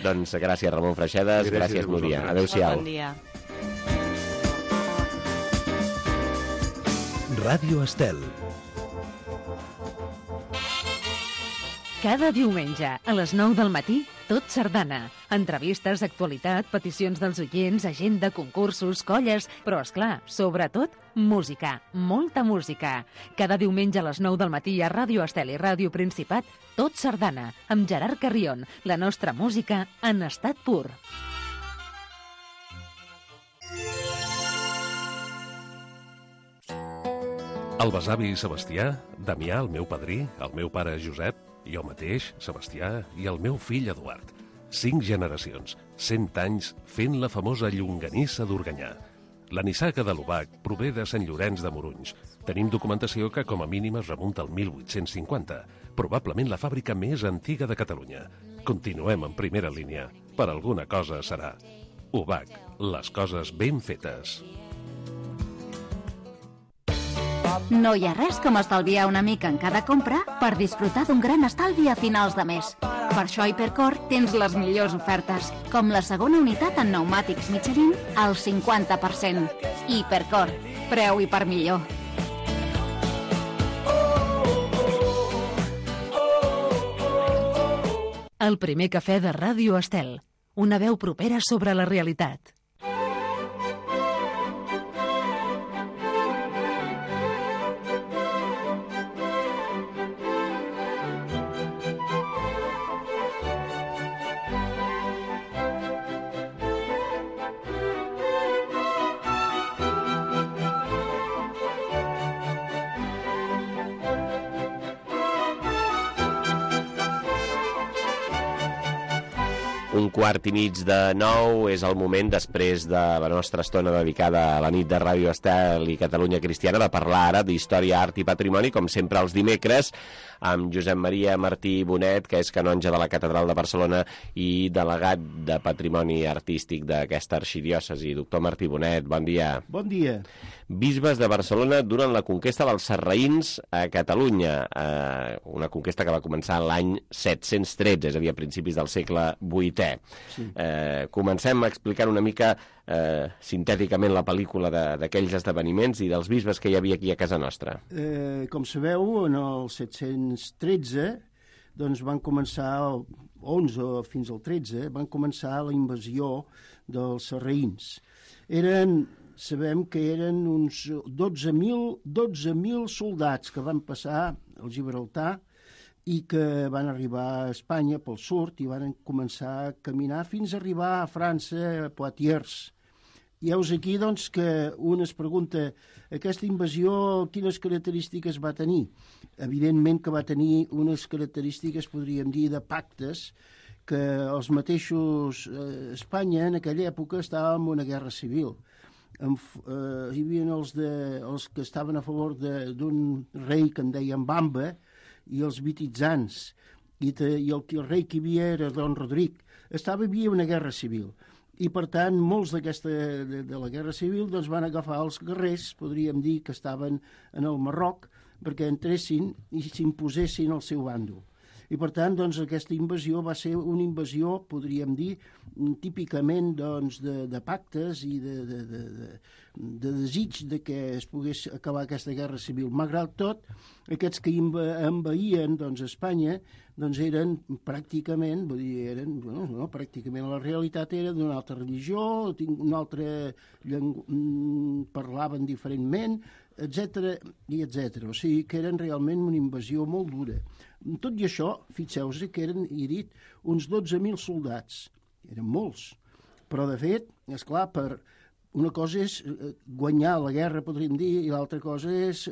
Doncs gràcies, Ramon Freixedes, gràcies Núria. Adéu-siau. Bon dia. Ràdio Estel. Cada diumenge, a les 9 del matí, Tot Sardana. Entrevistes, actualitat, peticions dels oients, agenda, concursos, colles, però, esclar, sobretot, música. Molta música. Cada diumenge a les 9 del matí a Ràdio Estel i Ràdio Principat, Tot Sardana, amb Gerard Carrion. La nostra música en estat pur. El besavi Sebastià, Damià, el meu padrí, el meu pare Josep, jo mateix, Sebastià, i el meu fill Eduard. 5 generacions, 100 anys fent la famosa llonganissa d'Organyà. La nissaga de l'Obac prové de Sant Llorenç de Morunys. Tenim documentació que com a mínim es remunta al 1850, probablement la fàbrica més antiga de Catalunya. Continuem en primera línia. Per alguna cosa serà. Obac, les coses ben fetes. No hi ha res com estalviar una mica en cada compra per disfrutar d'un gran estalvi a finals de mes. Per això a Hipercor tens les millors ofertes, com la segona unitat en pneumàtics Michelin al 50%. Hipercor, preu i per millor. El primer cafè de Ràdio Estel. Una veu propera sobre la realitat. Un quart i mig de 9 és el moment, després de la nostra estona dedicada a la nit de Ràdio Estel i Catalunya Cristiana, de parlar ara d'història, art i patrimoni, com sempre els dimecres, amb Josep Maria Martí Bonet, que és canonge de la Catedral de Barcelona i delegat de Patrimoni Artístic d'aquesta arxidiòcesi. Doctor Martí Bonet, bon dia. Bon dia. Bisbes de Barcelona durant la conquesta dels sarraïns a Catalunya, una conquesta que va començar l'any 713, és a dir, a principis del segle VIII. Sí. Comencem explicant una mica sintèticament la pel·lícula d'aquells esdeveniments i dels bisbes que hi havia aquí a casa nostra. Com sabeu, en el 713 doncs van començar, 11 fins al 13, van començar la invasió dels sarraïns. Sabem que eren uns 12.000 soldats que van passar al Gibraltar i que van arribar a Espanya pel sud i van començar a caminar fins a arribar a França, a Poitiers. I heus aquí doncs, que un es pregunta aquesta invasió quines característiques va tenir. Evidentment que va tenir unes característiques, podríem dir, de pactes, que els mateixos Espanya en aquella època estava en una guerra civil. Hi havia els que estaven a favor d'un rei que en deien Bamba i els vititzans, i el rei que hi havia era Don Rodric. Hi havia una guerra civil. I, per tant, molts de la Guerra Civil doncs, van agafar els guerrers, podríem dir, que estaven en el Marroc, perquè entressin i s'imposessin al seu bàndol. I, per tant, doncs, aquesta invasió va ser una invasió, podríem dir, típicament doncs, de pactes i de desig de que es pogués acabar aquesta guerra civil. Malgrat tot, aquests que envaïen doncs, Espanya doncs eren pràcticament, pràcticament la realitat era d'una altra religió, una altra parlaven diferentment, etc. O sigui que eren realment una invasió molt dura. Tot i això, fixeu-vos que eren, he dit, uns 12.000 soldats. Eren molts. Però, de fet, esclar, una cosa és guanyar la guerra, podríem dir, i l'altra cosa és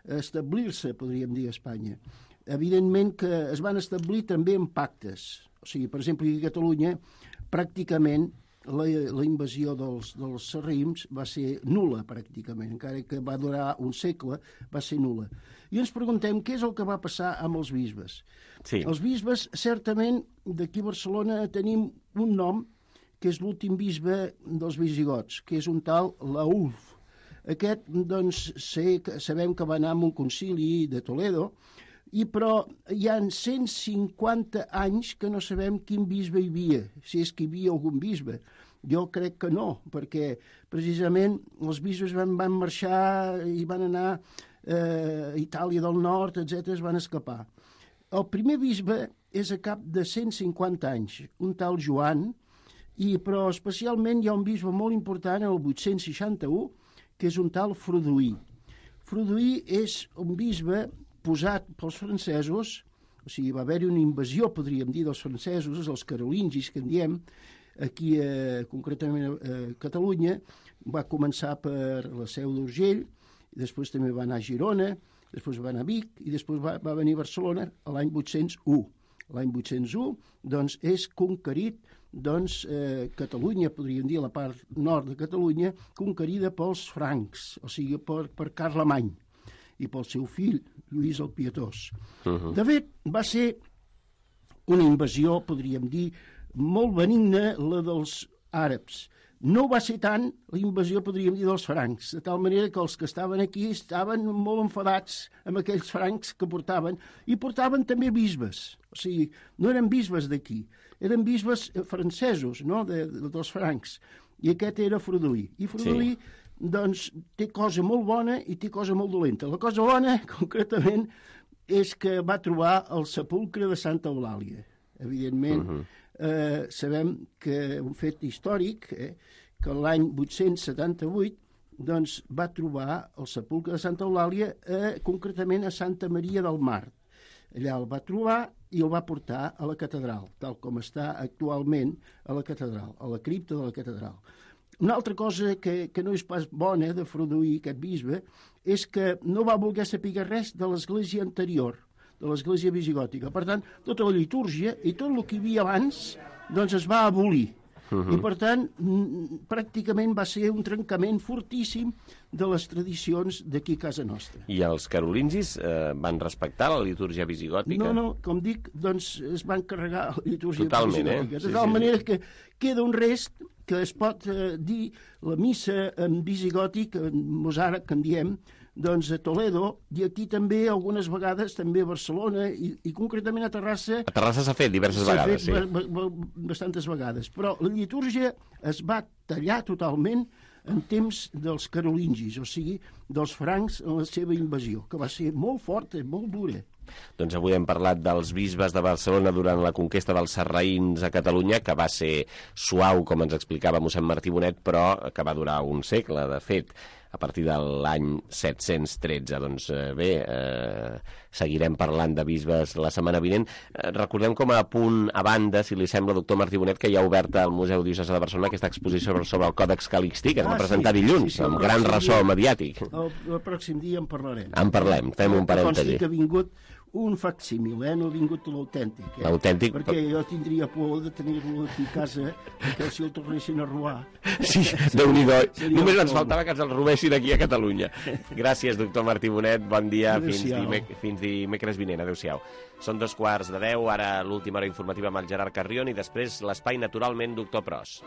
establir-se, podríem dir, a Espanya. Evidentment que es van establir també en pactes. O sigui, per exemple, aquí a Catalunya, pràcticament la invasió dels sarraïns va ser nul·la, pràcticament. Encara que va durar un segle, va ser nul·la. I ens preguntem què és el que va passar amb els bisbes. Sí. Els bisbes, certament, d'aquí a Barcelona tenim un nom, que és l'últim bisbe dels visigots, que és un tal Laulf. Aquest, doncs, sabem que va anar a un concili de Toledo, però hi ha 150 anys que no sabem quin bisbe hi havia, si és que hi havia algun bisbe. Jo crec que no, perquè precisament els bisbes van marxar i van anar a Itàlia del Nord, etc., es van escapar. el primer bisbe és a cap de 150 anys, un tal Joan, però especialment hi ha un bisbe molt important, el 861, que és un tal Froduí. Froduí és un bisbe posat pels francesos, o sigui, va haver-hi una invasió, podríem dir, dels francesos, els carolingis, que en diem, aquí concretament a Catalunya, va començar per la Seu d'Urgell, després també va anar a Girona, després va anar a Vic i després va venir a Barcelona l'any 801. L'any 801 doncs, és conquerit Catalunya, podríem dir, la part nord de Catalunya, conquerida pels francs, o sigui, per Carlemany i pel seu fill, Lluís el Pietós. De fet, va ser una invasió, podríem dir, molt benigna, la dels àrabs. No va ser tant la invasió, podríem dir, dels francs, de tal manera que els que estaven aquí estaven molt enfadats amb aquells francs que portaven, i portaven també bisbes. O sigui, no eren bisbes d'aquí, eren bisbes francesos, no?, dels francs. I aquest era Froduí. I Froduí, doncs, té cosa molt bona i té cosa molt dolenta. La cosa bona, concretament, és que va trobar el sepulcre de Santa Eulàlia. Evidentment, sabem que un fet històric, que l'any 878 doncs, va trobar el sepulcre de Santa Eulàlia concretament a Santa Maria del Mar. Allà el va trobar i el va portar a la catedral, tal com està actualment a la catedral, a la cripta de la catedral. Una altra cosa que no és pas bona de Froduí, aquest bisbe, és que no va voler saber res de l'església anterior, de l'església visigòtica. Per tant, tota la litúrgia i tot el que hi havia abans doncs es va abolir. I, per tant, pràcticament va ser un trencament fortíssim de les tradicions d'aquí a casa nostra. I els carolingis van respectar la litúrgia visigòtica? No, com dic, doncs es van carregar la litúrgia visigòtica. De tal manera que queda un rest que es pot dir la missa en visigòtic, en mosàrab, que en diem, doncs a Toledo, i aquí també algunes vegades, també a Barcelona, i concretament a Terrassa... A Terrassa s'ha fet diverses vegades, sí. S'ha fet bastantes vegades, però la litúrgia es va tallar totalment en temps dels carolingis, o sigui, dels francs en la seva invasió, que va ser molt forta, molt dura. Doncs avui hem parlat dels bisbes de Barcelona durant la conquesta dels sarraïns a Catalunya, que va ser suau, com ens explicava mossèn Martí Bonet, però que va durar un segle, de fet, a partir de l'any 713. Doncs bé, seguirem parlant de bisbes la setmana vinent. Recordem com a punt a banda, si li sembla, doctor Martí Bonet, que hi ha oberta al Museu Diocesà de Barcelona aquesta exposició sobre el Còdex Calixtí, que es va presentar dilluns, amb gran ressò mediàtic. El pròxim dia en parlarem. En parlem, fem un parèntesi. Que ha vingut un facsímil, no ha vingut l'autèntic. L'autèntic. Perquè jo tindria por de tenir-lo aquí a casa, que si el tornessin a robar. Sí, Déu-n'hi-do. Només ens faltava que ens el robessin aquí a Catalunya. Gràcies, doctor Martí Bonet. Bon dia. Fins dimecres vinent. Adéu-siau. Són 9:15, ara l'última hora informativa amb el Gerard Carrion i després l'espai Naturalment, doctor Pros.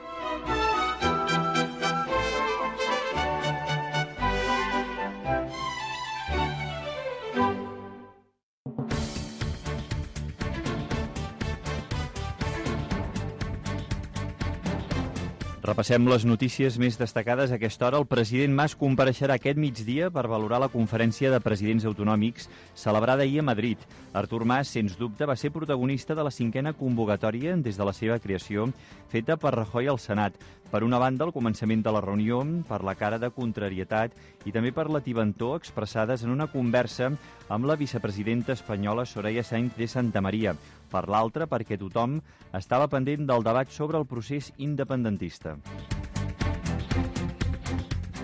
Repassem les notícies més destacades. A aquesta hora el president Mas compareixerà aquest migdia per valorar la conferència de presidents autonòmics celebrada ahir a Madrid. Artur Mas, sens dubte, va ser protagonista de la 5a convocatòria des de la seva creació, feta per Rajoy al Senat. Per una banda, al començament de la reunió, per la cara de contrarietat i també per la tibantor expressades en una conversa amb la vicepresidenta espanyola Soraya Sáenz de Santamaría. Per l'altra, perquè tothom estava pendent del debat sobre el procés independentista.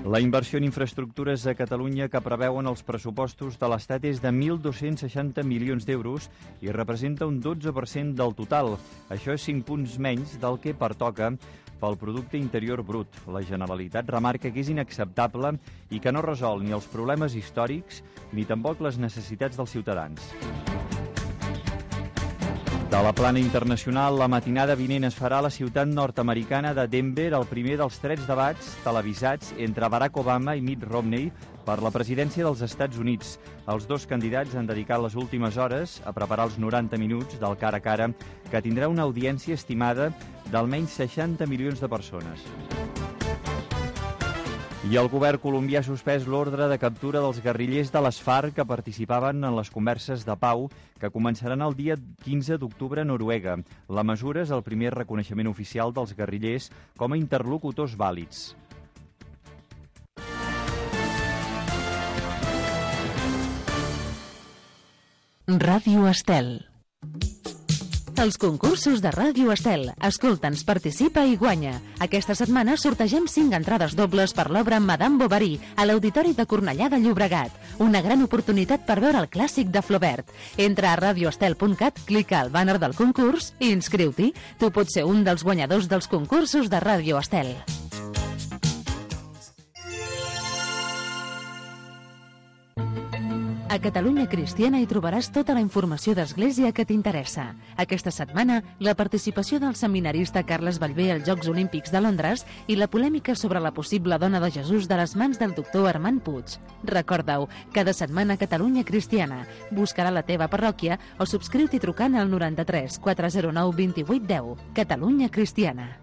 La inversió en infraestructures a Catalunya que preveuen els pressupostos de l'Estat és de 1.260 milions d'euros i representa un 12% del total. Això és 5 punts menys del que pertoca pel Producte Interior Brut. La Generalitat remarca que és inacceptable i que no resol ni els problemes històrics ni tampoc les necessitats dels ciutadans. De la plana internacional, la matinada vinent es farà a la ciutat nord-americana de Denver el primer dels 3 debats televisats entre Barack Obama i Mitt Romney per la presidència dels Estats Units. Els dos candidats han dedicat les últimes hores a preparar els 90 minuts del cara a cara, que tindrà una audiència estimada d'almenys 60 milions de persones. I el govern colombià ha suspès l'ordre de captura dels guerrillers de les FARC que participaven en les converses de pau que començaran el dia 15 d'octubre a Noruega. La mesura és el primer reconeixement oficial dels guerrillers com a interlocutors vàlids. Ràdio Estel. Els concursos de Ràdio Estel. Escolta'ns, participa i guanya. Aquesta setmana sortegem 5 entrades dobles per l'obra Madame Bovary a l'Auditori de Cornellà de Llobregat. Una gran oportunitat per veure el clàssic de Flaubert. Entra a radioestel.cat, clica al banner del concurs i inscriu-t'hi. Tu pots ser un dels guanyadors dels concursos de Ràdio Estel. A Catalunya Cristiana hi trobaràs tota la informació d'Església que t'interessa. Aquesta setmana, la participació del seminarista Carles Ballbé als Jocs Olímpics de Londres i la polèmica sobre la possible dona de Jesús de les mans del doctor Armand Puig. Recorda-ho, cada setmana Catalunya Cristiana. Buscarà la teva parròquia o subscriu-t'hi trucant al 93 409 2810. Catalunya Cristiana.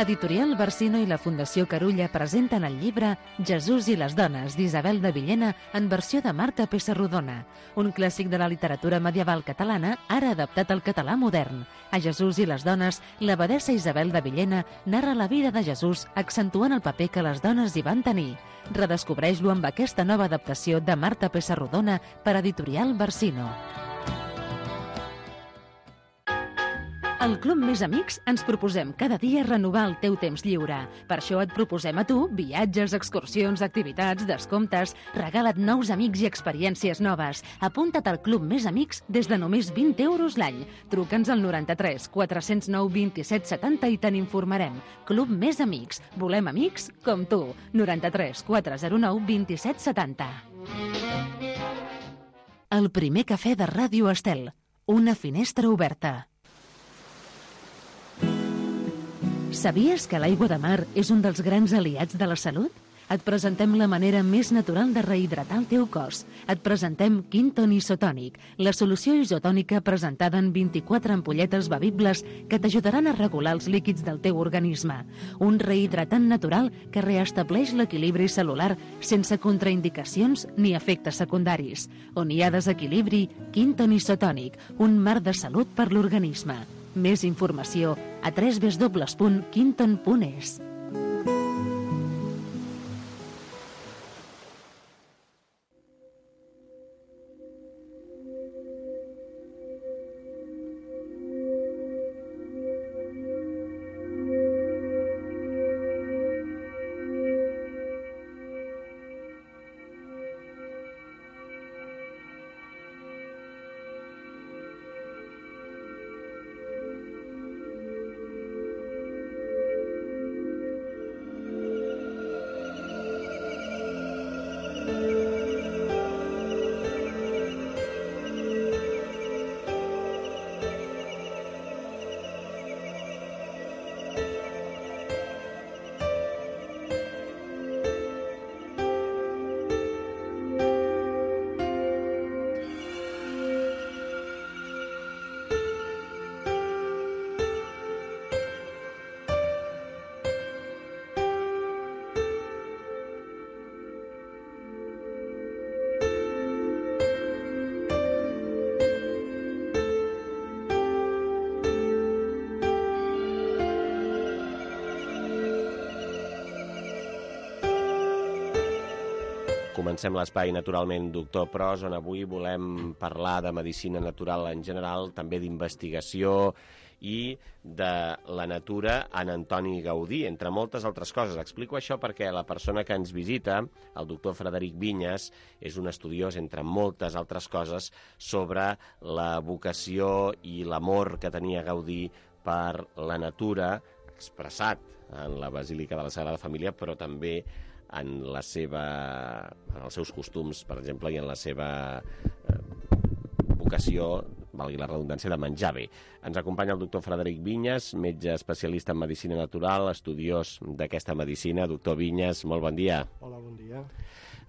Editorial Barsino i la Fundació Carulla presenten el llibre Jesús i les dones, d'Isabel de Villena, en versió de Marta Pessarrodona, un clàssic de la literatura medieval catalana, ara adaptat al català modern. A Jesús i les dones, l'abadessa Isabel de Villena narra la vida de Jesús, accentuant el paper que les dones hi van tenir. Redescobreix-lo amb aquesta nova adaptació de Marta Pessarrodona per Editorial Barsino. Al Club Més Amics ens proposem cada dia renovar el teu temps lliure. Per això et proposem a tu viatges, excursions, activitats, descomptes. Regala't nous amics i experiències noves. Apunta't al Club Més Amics des de només 20 euros l'any. Truca'ns al 93 409 27 70 i te n'informarem. Club Més Amics. Volem amics com tu. 93 409 27 70. El primer cafè de Ràdio Estel. Una finestra oberta. Sabies que l'aigua de mar és un dels grans aliats de la salut? Et presentem la manera més natural de rehidratar el teu cos. Et presentem Quinton Isotònic, la solució isotònica presentada en 24 ampolletes bevibles que t'ajudaran a regular els líquids del teu organisme. Un rehidratant natural que reestableix l'equilibri cel·lular sense contraindicacions ni efectes secundaris. On hi ha desequilibri, Quinton Isotònic, un mar de salut per l'organisme. Més informació a www.quinton.es. Comencem l'espai, naturalment, Doctor Pros, on avui volem parlar de medicina natural en general, també d'investigació i de la natura en Antoni Gaudí, entre moltes altres coses. Explico això perquè la persona que ens visita, el doctor Frederic Vinyes, és un estudiós, entre moltes altres coses, sobre la vocació i l'amor que tenia Gaudí per la natura, expressat en la Basílica de la Sagrada Família, però també en els seus costums, per exemple, i en la seva vocació, valgui la redundància, de menjar bé. Ens acompanya el doctor Frederic Vinyes, metge especialista en medicina natural, estudiós d'aquesta medicina. Doctor Vinyes, molt bon dia. Hola, bon dia.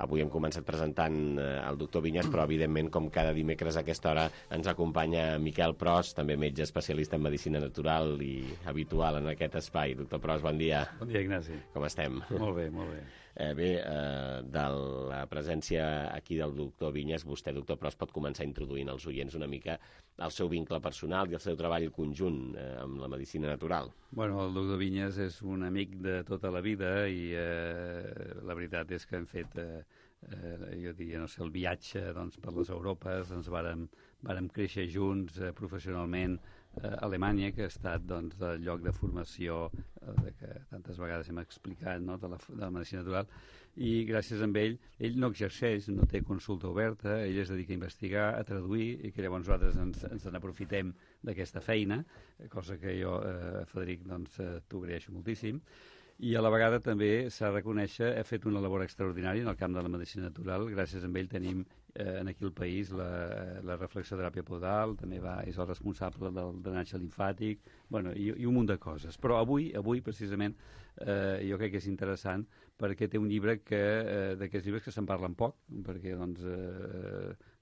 Avui hem començat presentant el doctor Vinyes, però evidentment, com cada dimecres a aquesta hora, ens acompanya Miquel Pros, també metge especialista en medicina natural i habitual en aquest espai. Doctor Pros, bon dia. Bon dia, Ignasi. Com estem? Molt bé, molt bé. De la presència aquí del doctor Vinyes, vostè, doctor Pros, pot començar introduint als oients una mica el seu vincle personal i el seu treball conjunt amb la medicina natural. Bueno, el doctor Vinyes és un amic de tota la vida i la veritat és que hem fet, jo diria, no sé, el viatge doncs, per les Europes, ens vàrem créixer junts professionalment a Alemanya, que ha estat doncs, el lloc de formació que tantes vegades hem explicat, no? de la medicina natural, i gràcies a ell no exerceix, no té consulta oberta, ell es dedica a investigar, a traduir, i que llavors nosaltres ens n'aprofitem d'aquesta feina, cosa que jo, Frederic, doncs, t'ho agraeixo moltíssim. I a la vegada també s'ha de reconèixer, ha fet una labor extraordinària en el camp de la medicina natural. Gràcies a ell tenim aquí al país la reflexoteràpia podal, també és el responsable del drenatge limfàtic, bueno, i un munt de coses. Però avui precisament, jo crec que és interessant perquè té un llibre d'aquests llibres que se'n parlen poc, perquè doncs,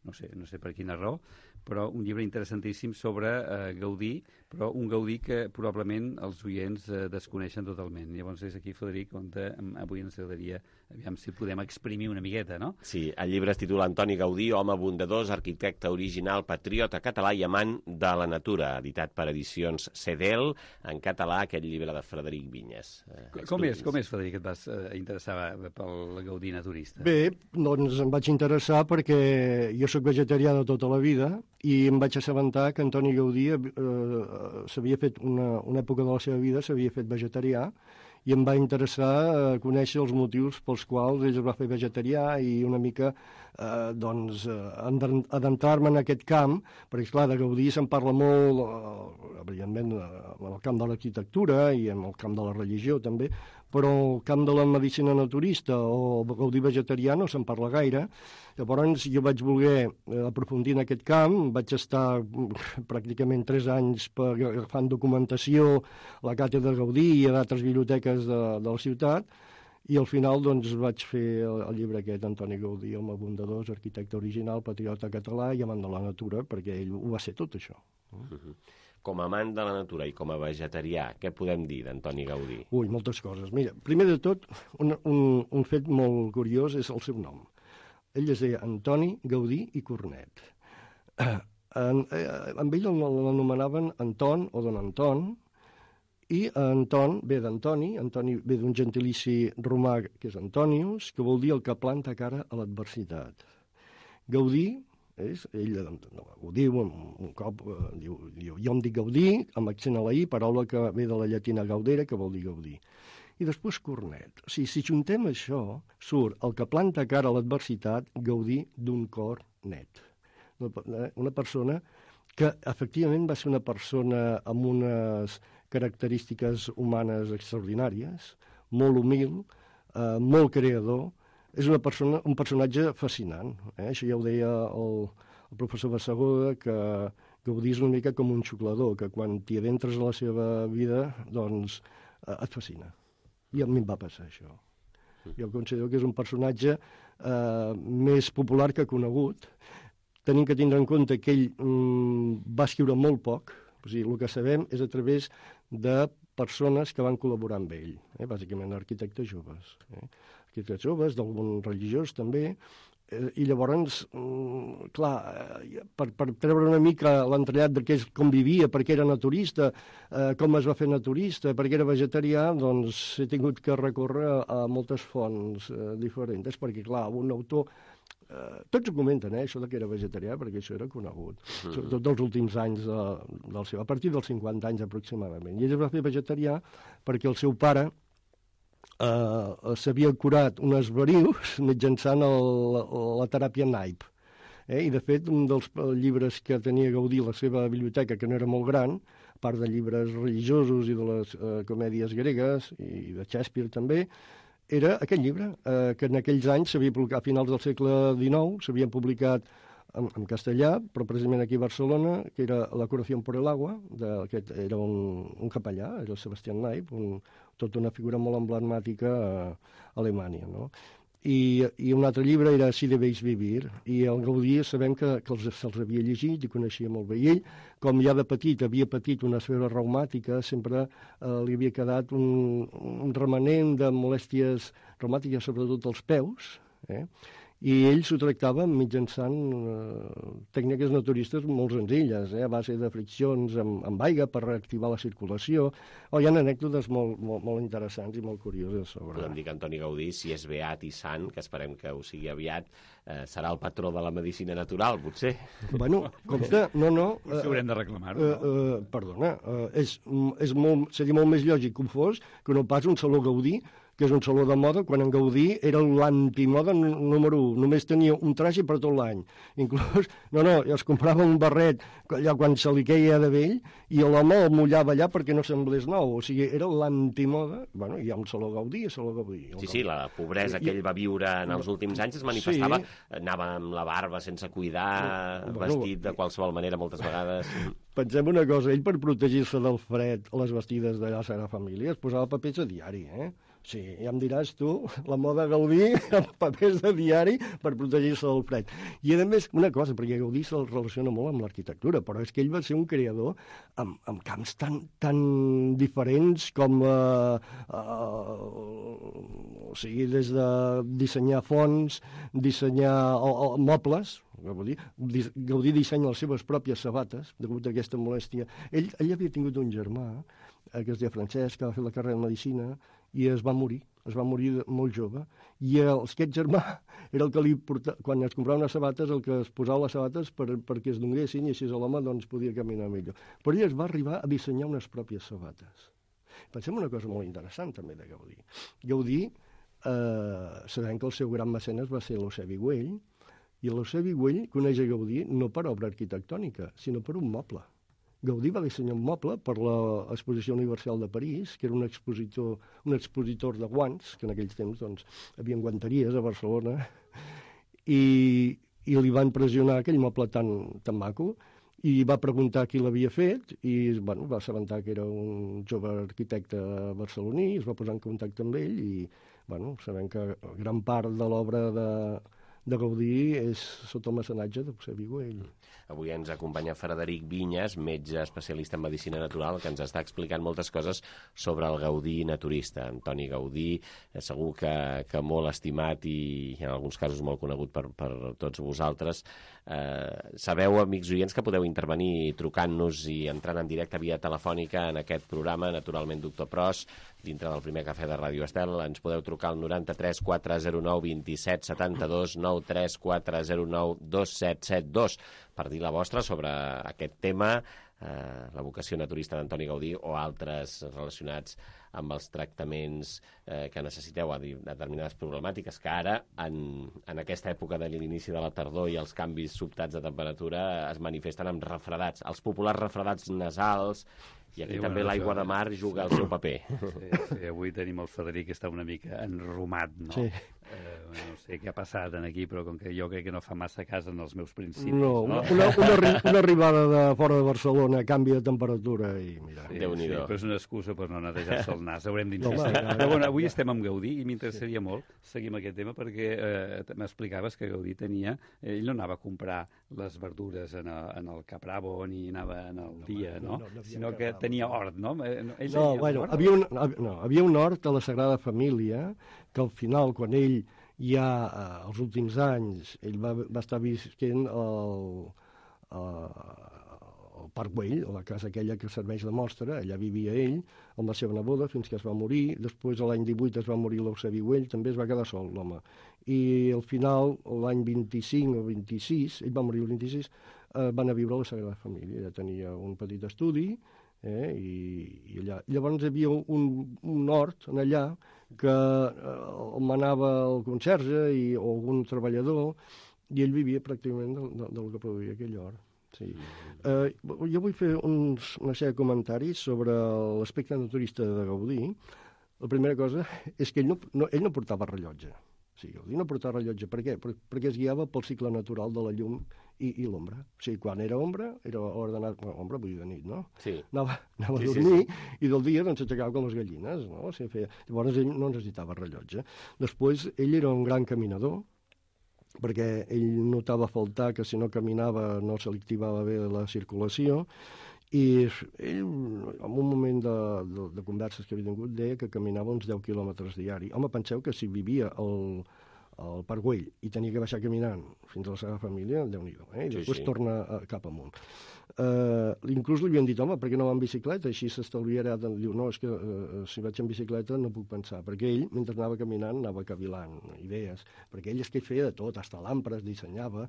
no sé per quina raó, però un llibre interessantíssim sobre Gaudí, però un Gaudí que probablement els oients desconeixen totalment. Llavors és aquí, Frederic, on avui ens agradaria, aviam si podem exprimir una miqueta, no? Sí, el llibre es titula Antoni Gaudí, home bondadós, arquitecte original, patriota català i amant de la natura, editat per edicions CEDEL, en català, aquest llibre de Frederic Vinyes. Com és, Frederic, que et vas interessar pel Gaudí naturista? Bé, doncs em vaig interessar perquè jo soc vegetarià de tota la vida i em vaig assabentar que Antoni Gaudí s'havia fet una època de la seva vida s'havia fet vegetarià i em va interessar conèixer els motius pels quals ell es va fer vegetarià i una mica adentrar-me en aquest camp, perquè esclar, de Gaudí se'n parla molt, evidentment, en el camp de l'arquitectura i en el camp de la religió també, però el camp de la medicina naturista o Gaudí vegetarià no se'n parla gaire. Llavors jo vaig voler aprofundir en aquest camp, vaig estar pràcticament 3 anys agafant documentació a la càtedra Gaudí i a d'altres biblioteques de la ciutat, i al final doncs, vaig fer el llibre aquest, Antoni Gaudí, home bondadós, arquitecte original, patriota català i amant de la natura, perquè ell ho va ser tot això. Com a amant de la natura i com a vegetarià, què podem dir d'Antoni Gaudí? Ui, moltes coses. Mira, primer de tot, un fet molt curiós és el seu nom. Ell es deia Antoni Gaudí i Cornet. Amb ell l'anomenaven Anton o don Anton, i Anton ve d'Antoni, Antoni ve d'un gentilici romà que és Antonius, que vol dir el que planta cara a l'adversitat. Gaudí, ell ho diu un cop, diu, jo em dic Gaudí, amb accent a la I, paraula que ve de la llatina gaudere, que vol dir gaudir. I després Cornet. O sigui, si juntem això, surt el que planta cara a l'adversitat, gaudir d'un cor net. Una persona que efectivament va ser una persona amb unes característiques humanes extraordinàries, molt humil, molt creador. És un personatge fascinant. Això ja ho deia el professor Bassegoda, que Gaudí és una mica com un xuclador, que quan t'hi adentres a la seva vida, doncs et fascina. I a mi em va passar això. Jo considero que és un personatge més popular que conegut. Tenim que tindre en compte que ell va escriure molt poc, o sigui, el que sabem és a través de persones que van col·laborar amb ell, bàsicament arquitectes joves. Arquitectes joves, d'algun religiós també, i llavors, clar, per treure una mica l'entrellat de com vivia, per què era naturista, com es va fer naturista, per què era vegetarià, doncs he tingut que recórrer a moltes fonts diferents, perquè, clar, un autor... Tots ho comenten, això que era vegetarià, perquè això era conegut, sobretot dels últims anys del seu, a partir dels 50 anys aproximadament. I ell es va fer vegetarià perquè el seu pare s'havia curat unes varius mitjançant la teràpia naip. I, de fet, un dels llibres que tenia Gaudí a la seva biblioteca, que no era molt gran, a part de llibres religiosos i de les comèdies gregues i de Shakespeare també, era aquest llibre, que en aquells anys s'havia publicat, a finals del segle XIX, s'havia publicat en castellà, però precisament aquí a Barcelona, que era La curación por el agua, aquest era un capellà, era el Sebastián Naip, tota una figura molt emblemàtica a Alemanya, no? i un altre llibre era Si debéis vivir, i el Gaudí sabem que se'ls havia llegit i coneixia molt bé. I ell, com ja de petit havia patit una esfera reumàtica, sempre li havia quedat un remanent de molèsties reumàtiques, sobretot als peus, i ell s'ho tractava mitjançant tècniques naturistes molt senzilles, a base de friccions amb aigua per reactivar la circulació. Hi ha anècdotes molt interessants i molt curioses sobre... Podem dir que Antoni Gaudí, si és beat i sant, que esperem que ho sigui aviat, serà el patró de la medicina natural, potser. Bueno, compte, no... Potser haurem de reclamar-ho, no? Perdona, seria molt més lògic que ho fos que no pas un saló Gaudí, que és un saló de moda, quan en Gaudí era l'antimoda número 1. Només tenia un traje per tot l'any. Inclús, es comprava un barret allà quan se li queia de vell i l'home el mullava allà perquè no semblés nou. O sigui, era l'antimoda. Bueno, hi ha un saló Gaudí i saló Gaudí. Sí, la pobresa que ell va viure en els últims anys es manifestava. Anava amb la barba sense cuidar, vestit de qualsevol manera moltes vegades. Pensem una cosa, ell per protegir-se del fred a les vestides de la Sagrada Família es posava papers a diari, Sí, ja em diràs tu, la moda Gaudí amb papers de diari per protegir-se del fred. I a més, una cosa, perquè Gaudí se'l relaciona molt amb l'arquitectura, però és que ell va ser un creador amb camps tan diferents com o sigui, des de dissenyar fonts, dissenyar mobles. Gaudí dissenya les seves pròpies sabates, degut a aquesta molèstia. Ell havia tingut un germà, que es deia Francesc, que va fer la carrera de Medicina, i es va morir molt jove, i aquest germà era el que li portava, quan es comprava unes sabates, el que es posava les sabates perquè es donguessin i així l'home podia caminar millor. Però ell es va arribar a dissenyar unes pròpies sabates. Pensem una cosa molt interessant també de Gaudí. Gaudí, sabem que el seu gran mecenes va ser l'Eusebi Güell, i l'Eusebi Güell coneix a Gaudí no per obra arquitectònica, sinó per un moble. Gaudí va dissenyar un moble per l'Exposició Universal de París, que era un expositor de guants, que en aquells temps havia guanteries a Barcelona, i li va impressionar aquell moble tan maco, i va preguntar qui l'havia fet, i va assabentar que era un jove arquitecte barceloní, es va posar en contacte amb ell, i sabem que gran part de l'obra de Gaudí és sota el mecenatge d'Eusebi Güell. Avui ens acompanya Frederic Vinyes, metge especialista en medicina natural, que ens està explicant moltes coses sobre el Gaudí naturista. Antoni Gaudí, segur que molt estimat i en alguns casos molt conegut per tots vosaltres. Sabeu, amics oients, que podeu intervenir trucant-nos i entrant en directe via telefònica en aquest programa, naturalment Doctor Pros, dintre del primer cafè de Ràdio Estel. Ens podeu trucar al 93 409 27 72 93 409 2772 per dir la vostra sobre aquest tema, la vocació naturista d'Antoni Gaudí o altres relacionats amb els tractaments que necessiteu a determinades problemàtiques que ara, en aquesta època de l'inici de la tardor i els canvis sobtats de temperatura, es manifesten amb refredats, els populars refredats nasals, i aquí també l'aigua de mar juga el seu paper. Sí, avui tenim el Frederic, que està una mica enromat, no? Sí. No sé què ha passat aquí, però com que jo crec que no fa massa cas en els meus principis. No, una arribada de fora de Barcelona, canvi de temperatura i mira. Sí, Déu-n'hi-do. Però és una excusa per no netejar-se el nas, haurem d'insistir. Però bueno, avui estem amb Gaudí i m'interessaria molt seguir amb aquest tema perquè m'explicaves que Gaudí tenia... Ell no anava a comprar les verdures en el Capravo ni anava en el dia, no? Sinó que tenia hort, no? Havia un hort a la Sagrada Família que al final, quan ell ja als últims anys, ell va estar visquent al Parc Güell, a la casa aquella que serveix de mostra, allà vivia ell amb la seva neboda fins que es va morir. Després, l'any 18, es va morir l'Eusebi Güell, també es va quedar sol, l'home. I al final, l'any 25 o 26, ell va morir el 26, van a viure a la Sagrada Família. Ella tenia un petit estudi, i allà. Llavors hi havia un hort allà que el manava el conserge o algun treballador, i ell vivia pràcticament del que produïa aquell hort. Sí. Jo vull fer una sèrie de comentaris sobre l'aspecte naturista de Gaudí. La primera cosa és que ell no portava rellotge. sigui, Gaudí no portava rellotge. Per què? Perquè es guiava pel cicle natural de la llum i l'ombra. O sigui, quan era ombra, era hora d'anar... Bueno, ombra vull dir de nit, no? Sí. Anava a dormir i del dia doncs s'aixecava com les gallines, no? O sigui, llavors ell no necessitava rellotge. Després, ell era un gran caminador, perquè ell notava faltar que si no caminava no se li activava bé la circulació, i ell, en un moment de converses que havia tingut, deia que caminava uns 10 quilòmetres diari. Home, penseu que si vivia al Parc Güell i tenia que baixar caminant fins a la seva família, Déu-n'hi-do, i després torna cap amunt. Inclús li havien dit, home, per què no va en bicicleta? Així s'estalviarà. Diu, no, és que si vaig en bicicleta no puc pensar, perquè ell, mentre anava caminant, anava cavilant idees, perquè ell és que feia de tot, hasta lampres dissenyava,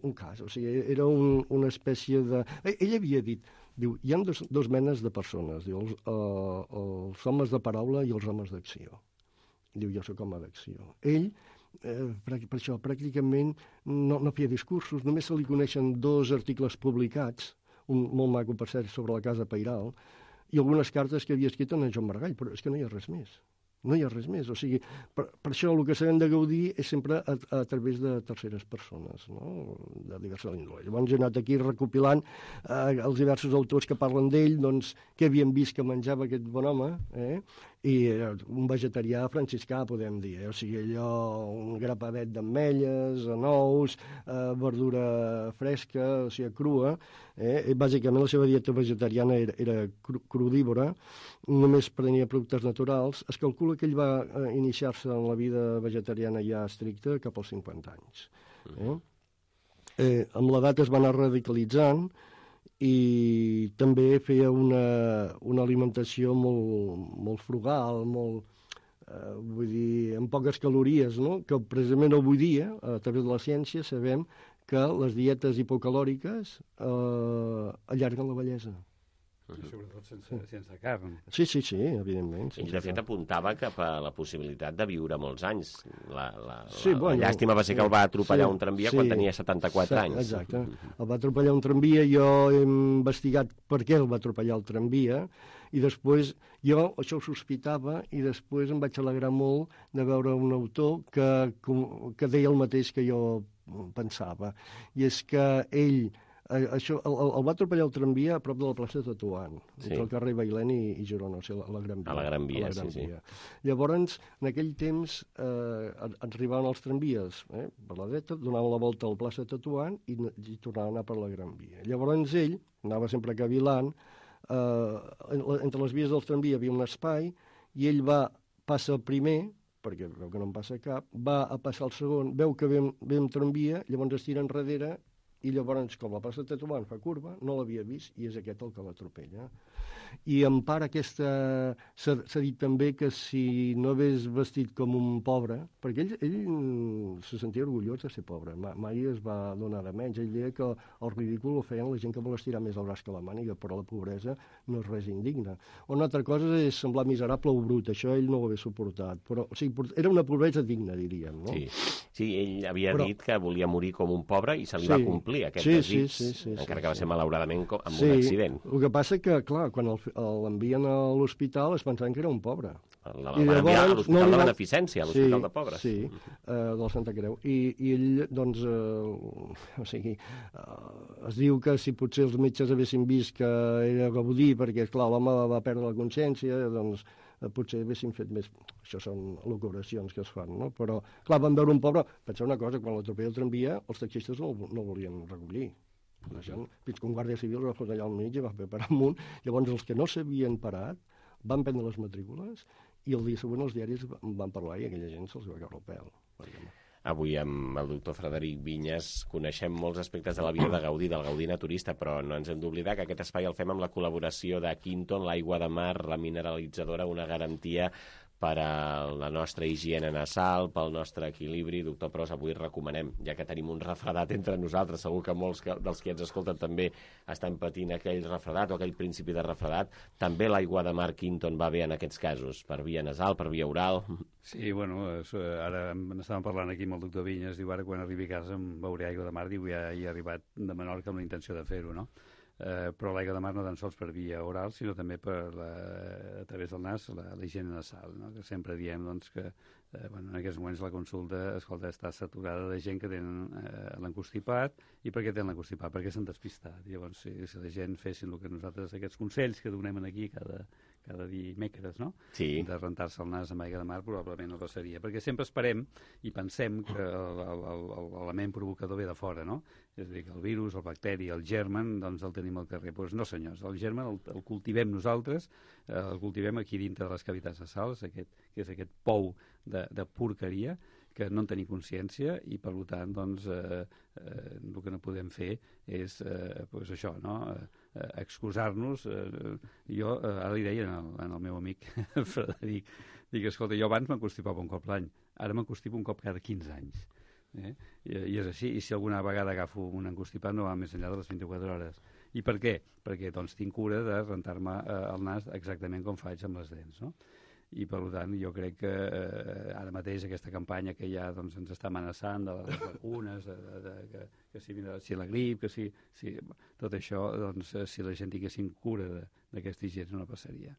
un cas, o sigui, era una espècie de... Ell havia dit, diu, hi ha dos menes de persones, diu, els homes de paraula i els homes d'acció. Diu, jo soc home d'acció. Ell, per això, pràcticament no feia discursos, només se li coneixen 2 articles publicats, un molt maco, per cert, sobre la Casa Pairal, i algunes cartes que havia escrit en Joan Maragall, però és que no hi ha res més. No hi ha res més. O sigui, per això el que sabem de Gaudí és sempre a través de terceres persones, no? De diverses índole. Llavors he anat aquí recopilant els diversos autors que parlen d'ell, doncs, què havien vist que menjava aquest bon home, i un vegetarià franciscà, podem dir, o sigui, allò, un grapadet d'ametlles, nous, verdura fresca, o sigui, crua, i bàsicament la seva dieta vegetariana era crudívora, només prenia productes naturals. Es calcula que ell va iniciar-se en la vida vegetariana ja estricta cap als 50 anys. Amb l'edat es va anar radicalitzant i també feia una alimentació molt frugal, vull dir, amb poques calories, no? Que precisament avui dia, a través de la ciència, sabem que les dietes hipocalòriques allarguen la vellesa. I sobretot sense carn. Sí, evidentment. Ell, de fet, apuntava cap a la possibilitat de viure molts anys. La llàstima va ser que el va atropellar un tramvia quan tenia 74 anys. Exacte. El va atropellar un tramvia, jo he investigat per què el va atropellar el tramvia, i després jo això ho sospitava, i després em vaig alegrar molt de veure un autor que deia el mateix que jo pensava. I és que ell... Això, el va atropellar el tramvia a prop de la plaça de Tetuan, entre el carrer Bailén i Girona, o sigui, a la Gran Via. A la Gran Via, sí. Llavors, en aquell temps, arribaven els tramvies per la dreta, donaven la volta a la plaça de Tetuan i tornaven a anar per la Gran Via. Llavors ell anava sempre cavilant, entre les vies del tramvia hi havia un espai, i ell passa el primer, perquè veu que no en passa cap, va a passar el segon, veu que ve un tramvia, llavors es tira enrere, i llavors, com la plaça de Tetuan fa curva, no l'havia vist, i és aquest el que l'atropella. I en part aquesta... S'ha dit també que si no hagués vestit com un pobre, perquè ell se sentia orgullós de ser pobre, mai es va donar de menys. Ell deia que el ridícul ho feien la gent que vol estirar més el braç que la màniga, però la pobresa no és res indigne. Una altra cosa és semblar miserable o brut, això ell no ho hauria suportat, però o sigui, era una pobresa digna, diríem, no? Sí, ell havia dit que volia morir com un pobre i se li va complir aquest desig, encara que va ser malauradament amb un accident. El que passa que, clar, quan l'envien a l'hospital es pensaven que era un pobre. El van enviar a l'Hospital de Beneficència, a l'Hospital de Pobres. Sí, del Santa Creu. I ell, doncs, o sigui, es diu que si potser els metges haguessin vist que era Gaudí, perquè, clar, l'home va perdre la consciència, doncs potser haguessin fet més... Això són locubracions que es fan, no? Però, clar, van veure un pobre... Penseu una cosa, quan l'atropella el tramvia, els taxistes no volien recollir. Fins que un guàrdia civil va posar allà al mig i va fer parar amunt. Llavors, els que no s'havien parat van prendre les matrícules i el dia següent els diaris van parlar i aquella gent se'ls va caure el pèl. Avui amb el doctor Frederic Vinyes coneixem molts aspectes de la vida de Gaudí, del Gaudí naturista, però no ens hem d'oblidar que aquest espai el fem amb la col·laboració de Quinton, l'aigua de mar, la mineralitzadora, una garantia per a la nostra higiene nasal, pel nostre equilibri. Doctor Pros, avui recomanem, ja que tenim un refredat entre nosaltres, segur que molts dels que ens escolten també estan patint aquell refredat o aquell principi de refredat, també l'aigua de mar Quinton va bé en aquests casos, per via nasal, per via oral? Sí, bueno, ara n'estàvem parlant aquí amb el doctor Vinyes, diu ara quan arribi a casa em beuré aigua de mar, diu ja he arribat de Menorca amb la intenció de fer-ho, no? Però l'aigua de mar no tan sols per via oral, sinó també a través del nas, la higiene nasal, no? Que sempre diem doncs, que en aquests moments la consulta, escolta, està saturada de gent que tenen l'encostipat. I per què tenen l'encostipat? Perquè s'han despistat. Llavors, si la gent fessin el que nosaltres, aquests consells que donem aquí cada dimecres, no? Sí. De rentar-se el nas amb aigua de mar, probablement no passaria. Perquè sempre esperem i pensem que l'element provocador ve de fora, no? És a dir, que el virus, el bacteri, el germen, doncs el tenim al carrer. Doncs no, senyors, el germen el cultivem nosaltres, el cultivem aquí dintre de les cavitats nasals, que és aquest pou de porqueria, que no en tenim consciència i, per tant, doncs, el que no podem fer és això, no? Excusar-nos. Jo ara li deia al meu amic Frederic, dic, escolta, jo abans m'enconstipava un cop l'any, ara m'enconstipo un cop cada 15 anys. I és així, i si alguna vegada agafo un encostipat no va més enllà de les 24 hores. I per què? Perquè doncs tinc cura de rentar-me el nas exactament com faig amb les dents, no? I per tant jo crec que ara mateix aquesta campanya que ja doncs, ens està amenaçant de les vacunes, que si la grip, que si tot això, doncs, si la gent tinguessin cura d'aquesta higiene no passaria.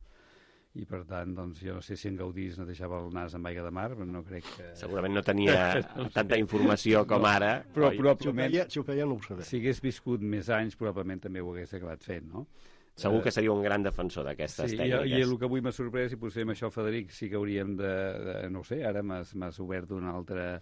I per tant, doncs, jo no sé si en Gaudí no deixava el nas amb aigua de mar, però no crec que... Segurament no tenia tanta informació com ara. Però probablement, si ho feia no ho sabia. Si hagués viscut més anys, probablement també ho hagués acabat fent, no? Segur que seria un gran defensor d'aquestes tècniques. I el que avui m'ha sorprès, i potser amb això, Frederic, sí que hauríem no ho sé, ara m'has obert un altre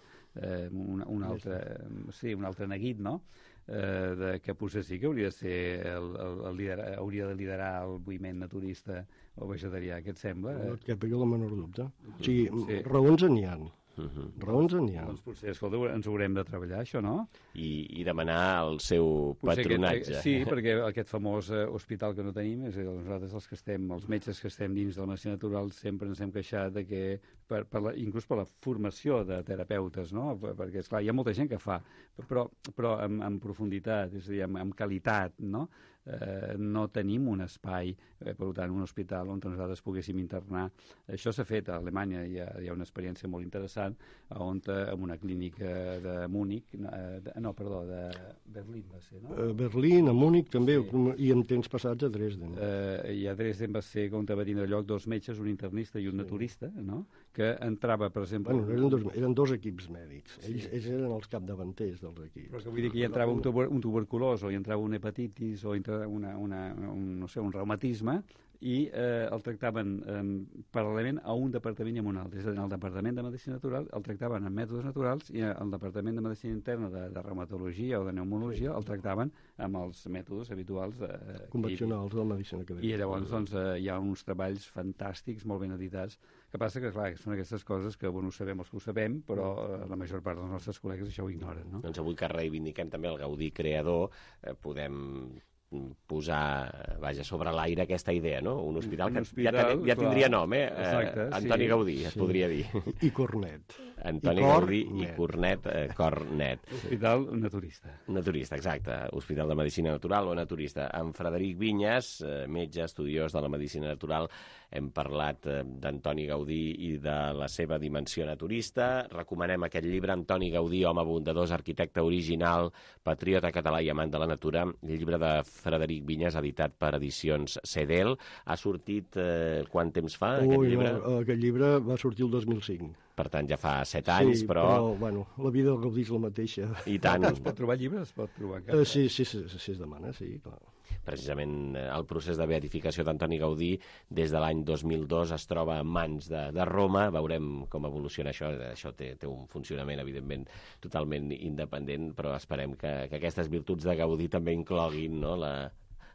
neguit, no? Que potser sí que hauria de ser hauria de liderar el moviment naturista o vegetarià, què et sembla? No et cap la menor dubte. O sigui, raons n'hi ha. Raons n'hi ha. Doncs potser, escolta, ens haurem de treballar, això, no? I demanar el seu patronatge. Sí, perquè aquest famós hospital que no tenim, és a dir, nosaltres els metges que estem dins de la medicina natural sempre ens hem queixat de que, inclús per la formació de terapeutes, no? Perquè, esclar, hi ha molta gent que fa, però en profunditat, és a dir, amb qualitat, no? No tenim un espai, per tant, un hospital on nosaltres poguéssim internar. Això s'ha fet a Alemanya, hi ha una experiència molt interessant, on en una clínica de Múnich, de Berlín va ser, no? Berlín, a Múnich també, i en temps passats a Dresden. I a Dresden va ser on va tindre lloc 2 metges, un internista i un naturista, no? Que entrava, per exemple... Bueno, eren 2 equips mèdics, ells eren els capdavanters dels equips. Però que vull dir que hi entrava un tuberculós, o hi entrava una hepatitis, o un reumatisme, i el tractaven paral·lelament a un departament i a un altre. És a dir, el departament de medicina natural el tractaven amb mètodes naturals i el departament de medicina interna de reumatologia o de pneumologia el tractaven amb els mètodes habituals convencionals de la medicina que i llavors doncs, hi ha uns treballs fantàstics, molt ben editats, que passa que, clar, són aquestes coses que ho sabem els que ho sabem, però la major part dels nostres col·legues això ho ignoren, no? Doncs avui que reivindiquem també el Gaudí creador, podem posar, sobre l'aire aquesta idea, no? Un hospital que ja tindria nom, Exacte, Antoni Gaudí, es podria dir. I Cornet. Antoni Gaudí i Cornet, Cornet. Hospital naturista. Naturista, exacte. Hospital de Medicina Natural o naturista. Amb Frederic Vinyes, metge estudiós de la medicina natural, hem parlat d'Antoni Gaudí i de la seva dimensió naturista. Recomanem aquest llibre, Antoni Gaudí, home bondadós, arquitecte original, patriota català i amant de la natura, llibre de Frederic Vinyes, editat per Edicions Cedel. Ha sortit quant temps fa, aquest llibre? Aquest llibre va sortir el 2005. Per tant, ja fa 7 anys, però bueno, la vida del Gaudí és la mateixa. I tant. Es pot trobar llibres? Es pot trobar encara? Sí, es demana, sí, clar. Precisament el procés de beatificació d'Antoni Gaudí des de l'any 2002 es troba en mans de Roma. Veurem com evoluciona això. Això té un funcionament, evidentment, totalment independent, però esperem que aquestes virtuts de Gaudí també incloguin, no?,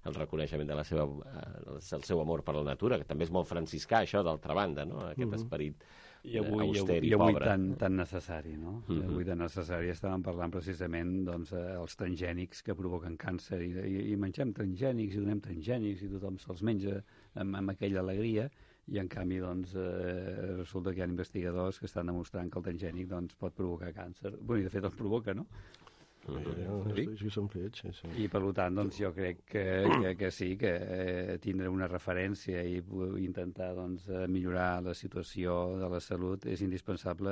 el reconeixement del seu amor per la natura, que també és molt franciscà, això, d'altra banda, no?, aquest esperit auster i pobre. Tan necessari, no? Avui tan necessari. Estàvem parlant precisament els transgènics que provoquen càncer i mengem transgènics i donem transgènics i tothom se'ls menja amb aquella alegria i en canvi resulta que hi ha investigadors que estan demostrant que el transgènic pot provocar càncer. Bé, i de fet els provoca, no? Sí, són fets, sí. I per tant, jo crec que sí, que tindre una referència i intentar millorar la situació de la salut és indispensable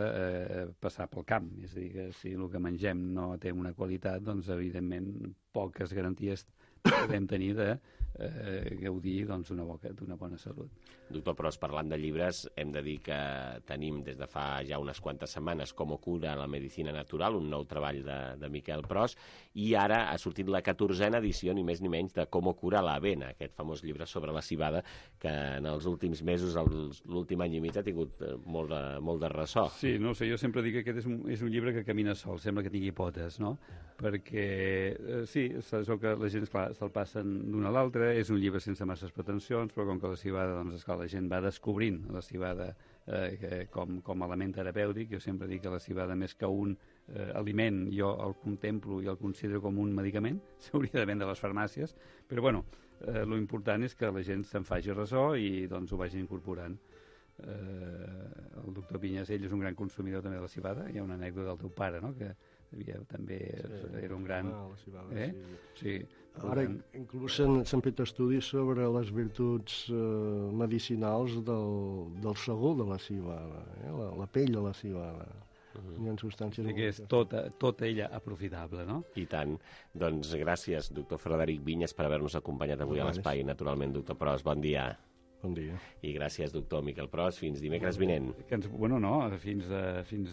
passar pel camp. És a dir, que si el que mengem no té una qualitat, evidentment poques garanties podem tenir de gaudir d'una bona salut. Doctor Pros, parlant de llibres, hem de dir que tenim des de fa ja unes quantes setmanes Com cura la medicina natural, un nou treball de Miquel Pros, i ara ha sortit la 14a edició, ni més ni menys, de Com cura l'avena, aquest famós llibre sobre la civada, que en els últims mesos, l'últim any i mig, ha tingut molt de ressò. Sí, no sé, jo sempre dic que aquest és un llibre que camina sol, sembla que tingui potes, no? Perquè, sí, és el que la gent, esclar, se'l passen d'un a l'altre, és un llibre sense masses pretensions, però com que la civada, doncs, esclar, la gent va descobrint la civada com a element terapèutic. Jo sempre dic que la civada, més que un aliment, jo el contemplo i el considero com un medicament, s'hauria de vendre a les farmàcies, però bueno, lo important és que la gent se'n faci ressò i doncs ho vagin incorporant. El doctor Pinyas, ell és un gran consumidor també de la civada. Hi ha una anècdota del teu pare, no?, que també era un gran... la civada, sí. Ara inclús s'han fet estudis sobre les virtuts medicinals del sagó de la civada, la pell de la civada. Hi ha substàncies... que és tota ella aprofitable, no? I tant. Doncs gràcies, doctor Frederic Vinyes, per haver-nos acompanyat avui a l'Espai. Naturalment, doctor Pros, bon dia. Bon dia. I gràcies, doctor Miquel Pros. Fins dimecres vinent. Bueno, no, fins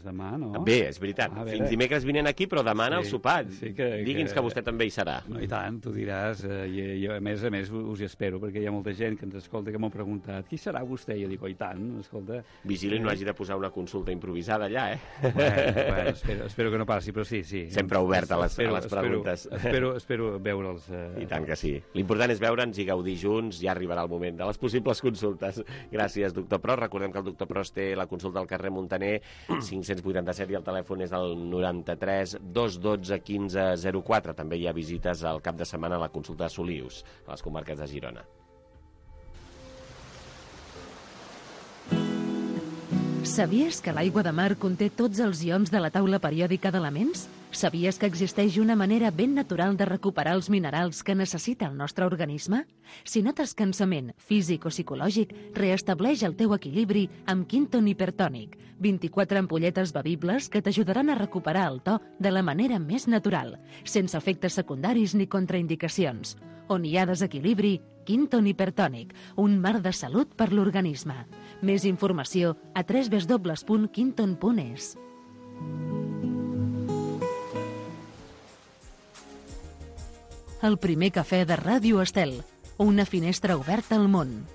demà, no? Bé, és veritat. Fins dimecres vinent aquí, però demà al sopar. Digui'ns que vostè també hi serà. No, i tant, tu diràs. Jo, a més, us hi espero, perquè hi ha molta gent que ens escolta que m'ha preguntat qui serà vostè? I jo dic, i tant, escolta... Vigili no hagi de posar una consulta improvisada allà, Bueno, espero que no passi, però sí. Sempre obert a les preguntes. Espero veure'ls. I tant que sí. L'important és veure'ns i gaudir junts. Ja arribarà el moment de les possibles consultes. Gràcies, doctor Pros. Recordem que el doctor Pros té la consulta al carrer Muntaner 587 i el telèfon és el 93 212 1504. També hi ha visites al cap de setmana a la consulta de Solius, a les comarques de Girona. Sabies que l'aigua de mar conté tots els ions de la taula periòdica d'elements? Sabies que existeix una manera ben natural de recuperar els minerals que necessita el nostre organisme? Si notes cansament físic o psicològic, reestableix el teu equilibri amb Quinton Hipertònic. 24 ampolletes bevibles que t'ajudaran a recuperar el to de la manera més natural, sense efectes secundaris ni contraindicacions. On hi ha desequilibri, Quinton Hipertònic, un mar de salut per l'organisme. Més informació a www.quinton.es. El primer cafè de Ràdio Estel, una finestra oberta al món.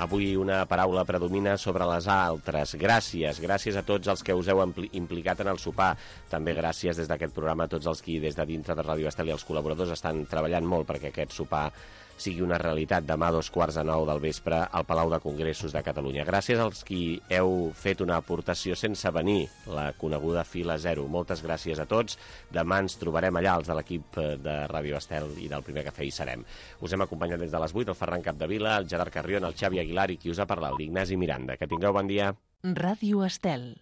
Avui una paraula predomina sobre les altres. Gràcies a tots els que us heu implicat en el sopar. També gràcies des d'aquest programa a tots els qui des de dintre de Ràdio Estel i els col·laboradors estan treballant molt perquè aquest sopar sigui una realitat demà a 8:45 del vespre al Palau de Congressos de Catalunya. Gràcies als qui heu fet una aportació sense venir, la coneguda fila zero. Moltes gràcies a tots. Demà ens trobarem allà, els de l'equip de Ràdio Estel i del Primer Cafè hi serem. Us hem acompanyat des de les 8, el Ferran Capdevila, el Gerard Carrion, el Xavi Aguilar i qui us ha parlat, l'Ignasi Miranda. Que tingueu bon dia. Ràdio Estel.